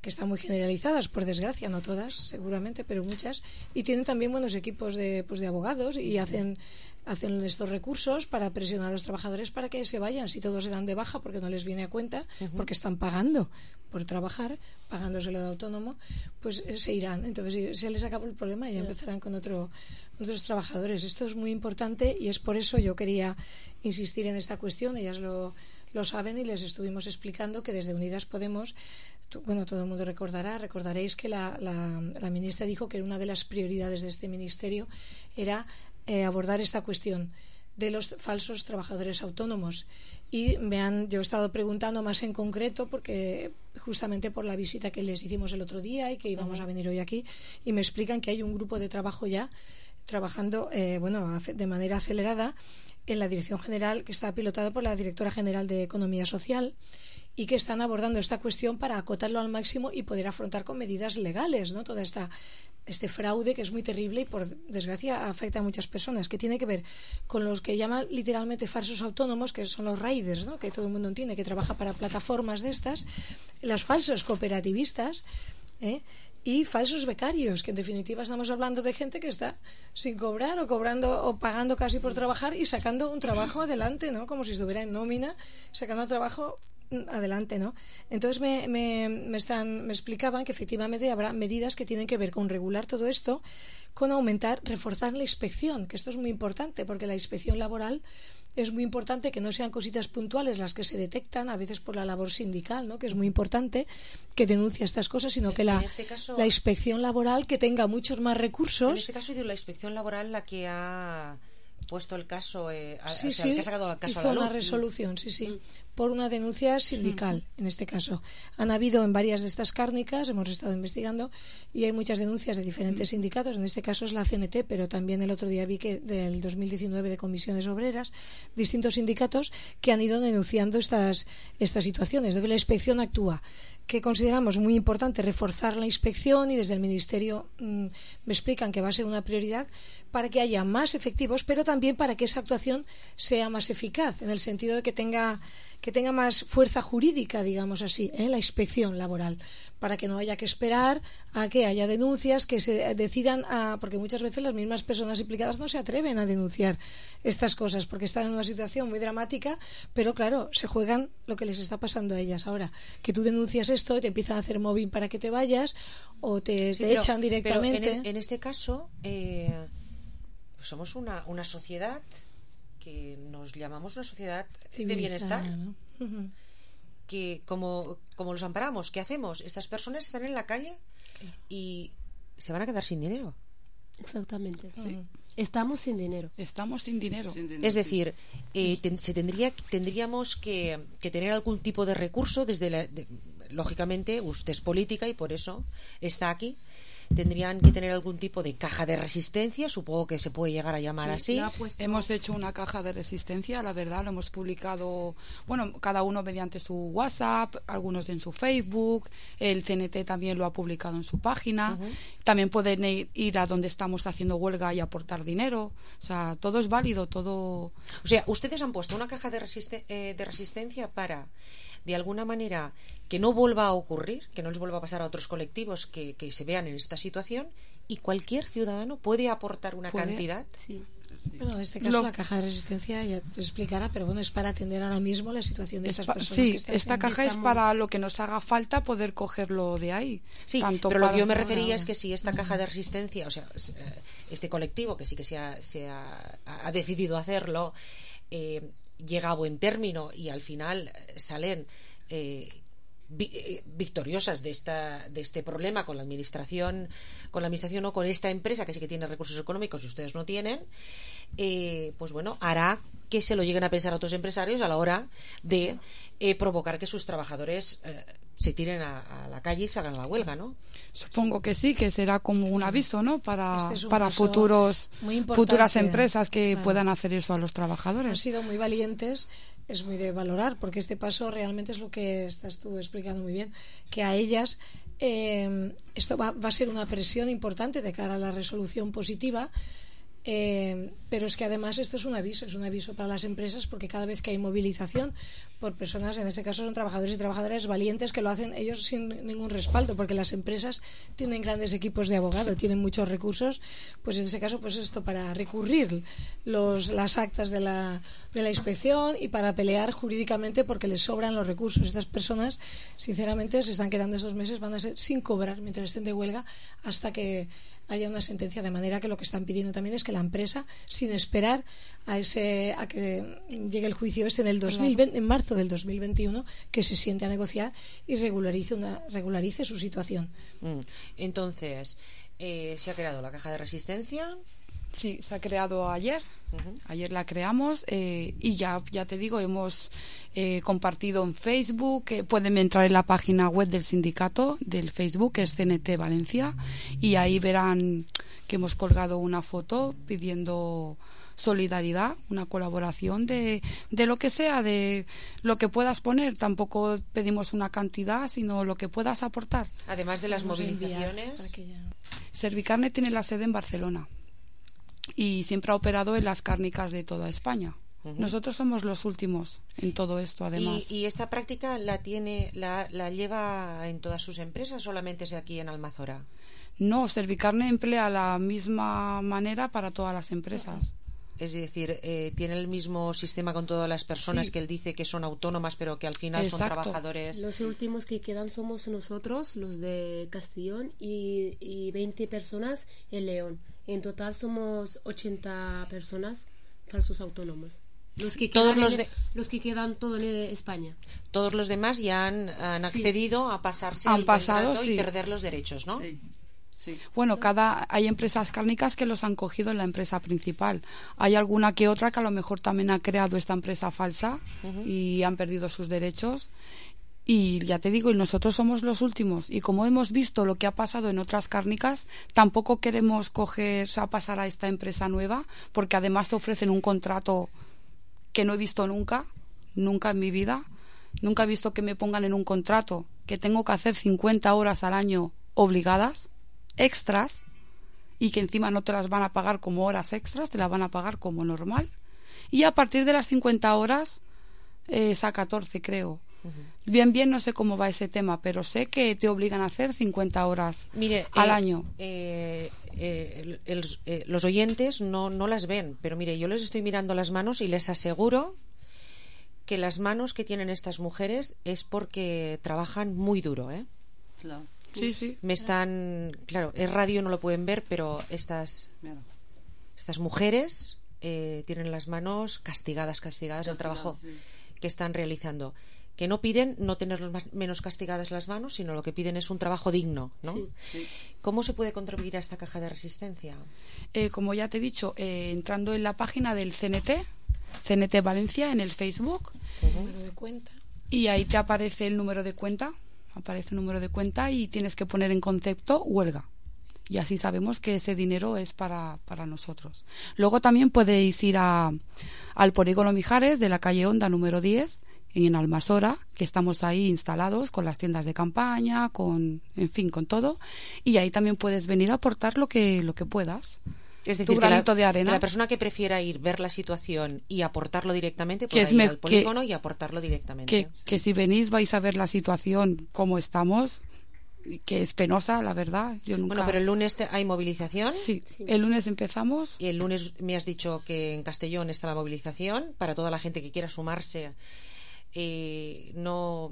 I: que están muy generalizadas, por desgracia, no todas, seguramente, pero muchas, y tienen también buenos equipos de, pues, de abogados y hacen hacen estos recursos para presionar a los trabajadores para que se vayan, si todos se dan de baja porque no les viene a cuenta, uh-huh. porque están pagando por trabajar, pagándoselo de autónomo, pues eh, se irán. Entonces se les acabó el problema y ya empezarán con otro, otros trabajadores. Esto es muy importante y es por eso yo quería insistir en esta cuestión. Ellas lo, lo saben y les estuvimos explicando que desde Unidas Podemos, bueno, todo el mundo recordará, recordaréis que la, la, la ministra dijo que una de las prioridades de este ministerio era Eh, abordar esta cuestión de los falsos trabajadores autónomos y me han, yo he estado preguntando más en concreto porque justamente por la visita que les hicimos el otro día y que íbamos uh-huh. a venir hoy aquí y me explican que hay un grupo de trabajo ya trabajando eh, bueno, de manera acelerada en la dirección general que está pilotado por la directora general de Economía Social y que están abordando esta cuestión para acotarlo al máximo y poder afrontar con medidas legales, ¿no? Toda esta este fraude que es muy terrible y por desgracia afecta a muchas personas, que tiene que ver con los que llaman literalmente falsos autónomos, que son los riders, ¿no? Que todo el mundo entiende, que trabaja para plataformas de estas, los falsos cooperativistas, ¿eh? Y falsos becarios, que en definitiva estamos hablando de gente que está sin cobrar o cobrando o pagando casi por trabajar y sacando un trabajo adelante, ¿no? Como si estuviera en nómina, sacando el trabajo adelante, ¿no? Entonces me, me, me, están, me explicaban que efectivamente habrá medidas que tienen que ver con regular todo esto, con aumentar, reforzar la inspección, que esto es muy importante porque la inspección laboral es muy importante, que no sean cositas puntuales las que se detectan a veces por la labor sindical, ¿no? Que es muy importante que denuncie estas cosas, sino que la, este caso, la inspección laboral que tenga muchos más recursos.
K: En este caso ha sido la inspección laboral la que ha puesto el caso, eh, a,
I: sí,
K: o sea,
I: sí,
K: el que ha sacado el caso
I: hizo
K: a la luz.
I: una resolución, sí, sí. por una denuncia sindical, uh-huh. en este caso. Han habido en varias de estas cárnicas, hemos estado investigando, y hay muchas denuncias de diferentes uh-huh. sindicatos, en este caso es la C N T, pero también el otro día vi que del dos mil diecinueve de comisiones obreras, distintos sindicatos que han ido denunciando estas, estas situaciones, de que la inspección actúa, que consideramos muy importante reforzar la inspección, y desde el Ministerio mmm, me explican que va a ser una prioridad para que haya más efectivos, pero también para que esa actuación sea más eficaz, en el sentido de que tenga, que tenga más fuerza jurídica, digamos así, en ¿eh? la inspección laboral, para que no haya que esperar a que haya denuncias, que se decidan a, porque muchas veces las mismas personas implicadas no se atreven a denunciar estas cosas porque están en una situación muy dramática, pero claro, se juegan lo que les está pasando a ellas ahora, que tú denuncias esto y te empiezan a hacer mobbing para que te vayas o te, sí, te pero, echan directamente.
K: Pero en, en este caso eh, pues somos una, una sociedad que nos llamamos una sociedad de bienestar, ¿no? Uh-huh. Que como, como los amparamos, ¿qué hacemos? Estas personas están en la calle y se van a quedar sin dinero.
H: Exactamente. Sí. Estamos sin dinero.
G: Estamos sin dinero. Sin dinero
K: es decir, eh, ten, se tendría, tendríamos que, que tener algún tipo de recurso desde la, de, lógicamente usted es política y por eso está aquí. Tendrían que tener algún tipo de caja de resistencia, supongo que se puede llegar a llamar sí, así.
G: Puesto... Hemos hecho una caja de resistencia, la verdad, lo hemos publicado, bueno, cada uno mediante su WhatsApp, algunos en su Facebook, el C N T también lo ha publicado en su página, uh-huh. También pueden ir, ir a donde estamos haciendo huelga y aportar dinero, o sea, todo es válido, todo...
K: O sea, ustedes han puesto una caja de, resiste- eh, de resistencia para... de alguna manera que no vuelva a ocurrir, que no les vuelva a pasar a otros colectivos que, que se vean en esta situación, y cualquier ciudadano puede aportar una
G: ¿Puede?
K: cantidad.
G: Sí.
I: Bueno, en este caso Lo... la caja de resistencia ya explicará, pero bueno, es para atender ahora mismo la situación de estas
G: pa-
I: personas.
G: Sí,
I: que están
G: esta caja estamos... es para lo que nos haga falta poder cogerlo de ahí.
K: Sí,
G: Tanto
K: pero lo que yo me
G: para...
K: refería es que si esta caja de resistencia, o sea, este colectivo que sí que se ha, se ha, ha decidido hacerlo, eh, llega a buen término y al final salen Eh, vi, eh, victoriosas de esta de este problema con la administración con la administración o con esta empresa que sí que tiene recursos económicos y ustedes no tienen, eh, pues bueno, hará que se lo lleguen a pensar a otros empresarios a la hora de eh, provocar que sus trabajadores eh, se tiren a, a la calle y salgan a la huelga, ¿no?
G: Supongo que sí, que será como un aviso, ¿no? Para,
I: este
G: para futuros futuras empresas que
I: claro.
G: puedan hacer eso a los trabajadores.
I: Han sido muy valientes. Es muy de valorar, porque este paso realmente es lo que estás tú explicando muy bien, que a ellas eh, esto va, va a ser una presión importante de cara a la resolución positiva, eh, pero es que además esto es un aviso, es un aviso para las empresas, porque cada vez que hay movilización por personas, en este caso son trabajadores y trabajadoras valientes que lo hacen ellos sin ningún respaldo, porque las empresas tienen grandes equipos de abogado, tienen muchos recursos, pues en ese caso pues esto para recurrir los, las actas de la, de la inspección y para pelear jurídicamente porque les sobran los recursos. Estas personas sinceramente se están quedando estos meses, van a ser sin cobrar mientras estén de huelga hasta que haya una sentencia, de manera que lo que están pidiendo también es que la empresa, sin esperar a ese a que llegue el juicio este en el dos mil veinte, en marzo del dos mil veintiuno, que se siente a negociar y regularice una regularice su situación.
K: Mm. Entonces, eh, se ha creado la caja de resistencia.
G: Sí, se ha creado ayer. Uh-huh. Ayer la creamos eh, y ya ya te digo, hemos eh, compartido en Facebook. Eh, pueden entrar en la página web del sindicato del Facebook, que es C N T Valencia, y ahí verán que hemos colgado una foto pidiendo solidaridad, una colaboración de, de lo que sea, de lo que puedas poner. Tampoco pedimos una cantidad, sino lo que puedas aportar.
K: Además de las movilizaciones.
G: Ya... Servicarne tiene la sede en Barcelona y siempre ha operado en las cárnicas de toda España. Uh-huh. Nosotros somos los últimos en todo esto, además.
K: ¿Y, y esta práctica la tiene, la, la lleva en todas sus empresas, solamente es aquí en Almazora?
G: No, Servicarne emplea la misma manera para todas las empresas. Uh-huh.
K: Es decir, eh, tiene el mismo sistema con todas las personas, sí, que él dice que son autónomas, pero que al final Exacto. son trabajadores.
H: Los últimos que quedan somos nosotros, los de Castellón, y, y veinte personas en León. En total somos ochenta personas falsos autónomos. Los que quedan,
K: todos los,
H: en,
K: de...
H: los que quedan todo en España.
K: Todos los demás ya han, han accedido sí. a pasarse
G: han
K: el
G: pasado,
K: contrato
G: sí.
K: y perder los derechos, ¿no?
G: Sí.
X: Sí.
G: Bueno, cada hay empresas cárnicas que los han cogido en la empresa principal. Hay alguna que otra que a lo mejor también ha creado esta empresa falsa uh-huh. y han perdido sus derechos. Y ya te digo, y nosotros somos los últimos. Y como hemos visto lo que ha pasado en otras cárnicas, tampoco queremos coger, o sea, pasar a esta empresa nueva, porque además te ofrecen un contrato que no he visto nunca, nunca en mi vida. Nunca he visto que me pongan en un contrato que tengo que hacer cincuenta horas al año obligadas, extras, y que encima no te las van a pagar como horas extras, te las van a pagar como normal. Y a partir de las cincuenta horas eh, es a catorce, creo. Uh-huh. Bien, bien, no sé cómo va ese tema, pero sé que te obligan a hacer cincuenta horas
K: mire,
G: al
K: eh,
G: año.
K: Eh, eh, el, el, eh, los oyentes no, no las ven, pero mire, yo les estoy mirando las manos y les aseguro que las manos que tienen estas mujeres es porque trabajan muy duro, ¿eh?
X: Claro.
G: Sí, sí.
K: Me están, claro, es radio, no lo pueden ver, pero estas, estas mujeres eh, tienen las manos castigadas, castigadas del trabajo sí. que están realizando. Que no piden no tener más, menos castigadas las manos, sino lo que piden es un trabajo digno, ¿no?
X: Sí, sí.
K: ¿Cómo se puede contribuir a esta caja de resistencia?
G: Eh, como ya te he dicho, eh, entrando en la página del C N T, C N T Valencia, en el Facebook,
I: uh-huh. número de cuenta.
G: Y ahí te aparece el número de cuenta, aparece el número de cuenta y tienes que poner en concepto huelga. Y así sabemos que ese dinero es para, para nosotros. Luego también podéis ir a, al Polígono Mijares de la calle Honda número diez, en Almasora, que estamos ahí instalados con las tiendas de campaña, con, en fin, con todo. Y ahí también puedes venir a aportar lo que, lo que puedas.
K: Es decir,
G: tu
K: que
G: granito
K: la,
G: de arena.
K: Que la persona que prefiera ir, ver la situación y aportarlo directamente,
G: que
K: puede
G: es
K: ir
G: me,
K: al polígono
G: que,
K: y aportarlo directamente.
G: Que,
K: sí.
G: que si venís vais a ver la situación como estamos, que es penosa, la verdad. Yo nunca...
K: Bueno, pero el lunes te, hay movilización.
G: Sí, sí, el lunes empezamos.
K: Y el lunes me has dicho que en Castellón está la movilización para toda la gente que quiera sumarse. Eh, no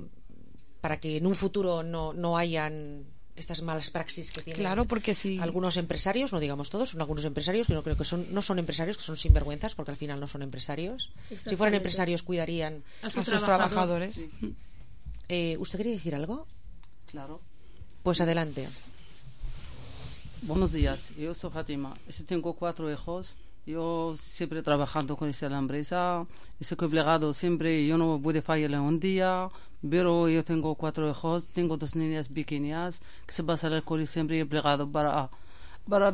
K: para que en un futuro no, no hayan estas malas praxis que tienen
G: claro, porque si...
K: algunos empresarios, no digamos todos, son algunos empresarios que no creo que son, no son empresarios, que son sinvergüenzas, porque al final no son empresarios. Si fueran empresarios cuidarían
G: a, su a sus trabajadores.
X: Sí.
K: Eh, ¿Usted quería decir algo?
X: Claro.
K: Pues adelante.
X: Buenos días, yo soy Fátima. Tengo cuatro hijos. Yo siempre trabajando con esta empresa, estoy obligado siempre, yo no puedo fallar un día, pero yo tengo cuatro hijos, tengo dos niñas pequeñas que se pasan al colegio siempre obligado para para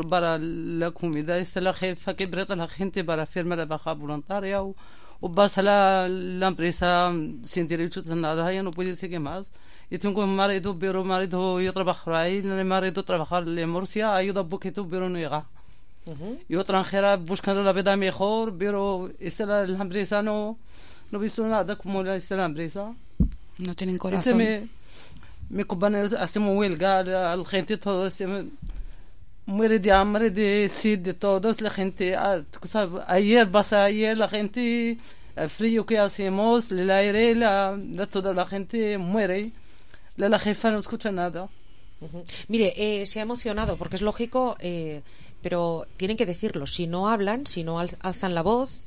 X: para la comida. Es la jefa que presta a la gente para firmar la baja voluntaria o, o pasa la, la empresa sin derechos a nada, ya no puede seguir más. Yo tengo un marido, pero marido yo trabajo ahí, el marido trabaja en Murcia, ayuda un poquito, pero no llega. Uh-huh. Yo extranjera buscando la vida mejor, pero esta la, la empresa no no he visto nada como la, esta la empresa.
G: No tienen corazón.
X: Me, mi compañeros hacemos huelga, la, la gente todo se me, muere de hambre, de sed, de todos, la gente, ah, ayer pasa ayer la gente, el frío que hacemos, el aire, la, la toda la gente muere. La, la jefa no escucha nada.
K: Uh-huh. Mire, eh, se ha emocionado porque es lógico, eh, pero tienen que decirlo. Si no hablan, si no al- alzan la voz,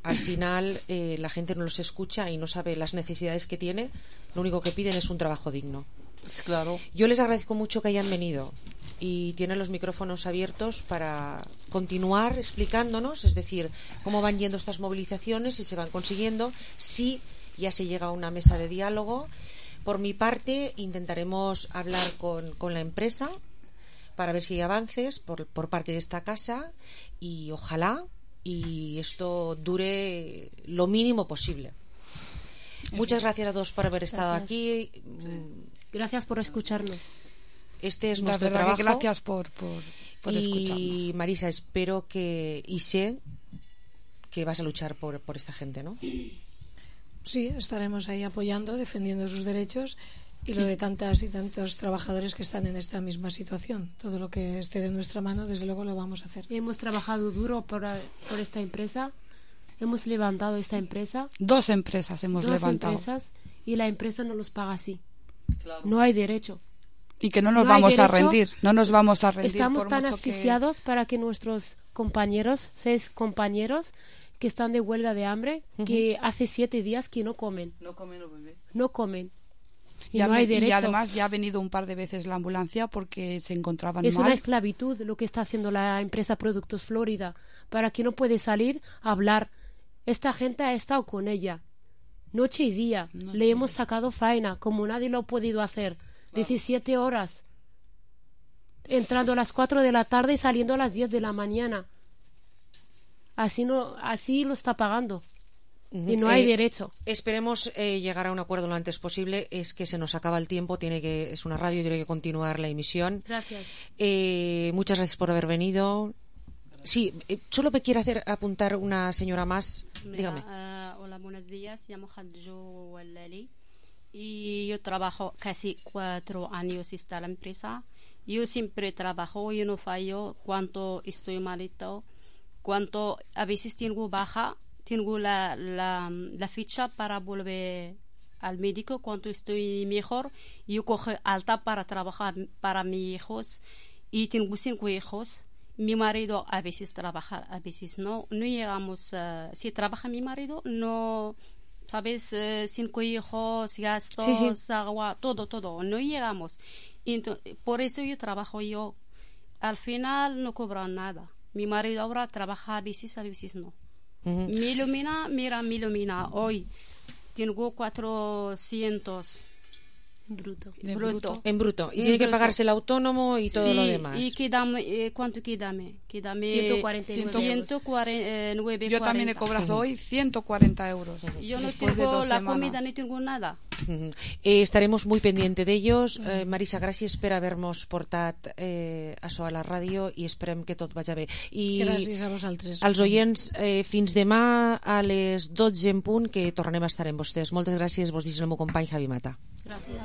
K: al final eh, la gente no los escucha y no sabe las necesidades que tiene. Lo único que piden es un trabajo digno.
X: Claro.
K: Yo les agradezco mucho que hayan venido y tienen los micrófonos abiertos para continuar explicándonos, es decir, cómo van yendo estas movilizaciones, si se van consiguiendo, si ya se llega a una mesa de diálogo. Por mi parte, intentaremos hablar con, con la empresa para ver si hay avances por, por parte de esta casa y ojalá y esto dure lo mínimo posible. Muchas gracias a todos por haber estado
H: gracias.
K: aquí.
H: Gracias por escucharnos.
K: Este es
G: La
K: nuestro
G: verdad
K: trabajo.
G: que gracias por, por, por
K: y
G: escucharnos.
K: Marisa, espero que y sé que vas a luchar por, por esta gente, ¿no?
I: Sí, estaremos ahí apoyando, defendiendo sus derechos y lo de tantas y tantos trabajadores que están en esta misma situación. Todo lo que esté de nuestra mano, desde luego lo vamos a hacer.
H: Hemos trabajado duro por, por esta empresa, hemos levantado esta empresa.
G: Dos empresas hemos
H: dos
G: levantado.
H: Empresas, y la empresa no los paga así. Claro. No hay derecho.
G: Y que no nos
H: no
G: vamos
H: derecho,
G: a rendir, no nos vamos a rendir.
H: Estamos
G: por
H: tan
G: mucho
H: asfixiados
G: que...
H: para que nuestros compañeros, seis compañeros, que están de huelga de hambre, uh-huh. que hace siete días que no comen.
X: No comen, no bebé.
H: No comen.
G: Y, no hay derecho. Y además ya ha venido un par de veces la ambulancia porque se encontraban
H: es
G: mal.
H: Es una esclavitud lo que está haciendo la empresa Productos Florida, para que no puede salir a hablar. Esta gente ha estado con ella noche y día. Noche. Le hemos sacado faena como nadie lo ha podido hacer. diecisiete horas. Entrando a las cuatro de la tarde y saliendo a las diez de la mañana. Así no, así lo está pagando. Y no hay
K: eh,
H: derecho.
K: Esperemos eh, llegar a un acuerdo lo antes posible. Es que se nos acaba el tiempo, tiene que es una radio, tiene que continuar la emisión.
H: Gracias.
K: Eh, muchas gracias por haber venido. Sí, eh, solo me quiere hacer apuntar una señora más.
M: Mira,
K: dígame.
M: Uh, hola, buenos días. Llamo Hadjo Walali y yo trabajo casi cuatro años en esta empresa. Yo siempre trabajo, yo no fallo. Cuando estoy malito, cuando a veces tengo baja, tengo la, la, la ficha para volver al médico. Cuando estoy mejor, yo cojo alta para trabajar para mis hijos. Y tengo cinco hijos. Mi marido a veces trabaja, a veces no. No llegamos, uh, si trabaja mi marido, no, ¿sabes? Uh, cinco hijos, gastos, sí, sí. agua, todo, todo. No llegamos. Entonces, por eso yo trabajo yo. Al final no cobro nada. Mi marido ahora trabaja a veces, a veces no. Uh-huh. Me ilumina, mira, me ilumina. Hoy tengo cuatrocientos bruto.
K: De
M: bruto.
K: bruto. En bruto. Y en tiene bruto. Que pagarse el autónomo y todo
M: sí,
K: lo demás.
M: ¿Y quedame, eh, cuánto quedame? Quedame
H: ciento cuarenta y
M: nueve.
G: Yo también he cobrado uh-huh. hoy ciento cuarenta euros.
M: Uh-huh. Yo no tengo la semanas. comida, no tengo nada.
K: Uh-huh. Eh, estaremos muy pendientes d'ells. Uh-huh. Eh, Marisa, gràcies per haver-nos portat eh, això a la ràdio i esperem que tot vagi bé. I
I: gràcies a vosaltres.
K: Als oients, eh, fins demà a les dotze en punt, que tornarem a estar amb vostès. Moltes gràcies, vos dic el meu company Javi Mata.
M: Gràcies.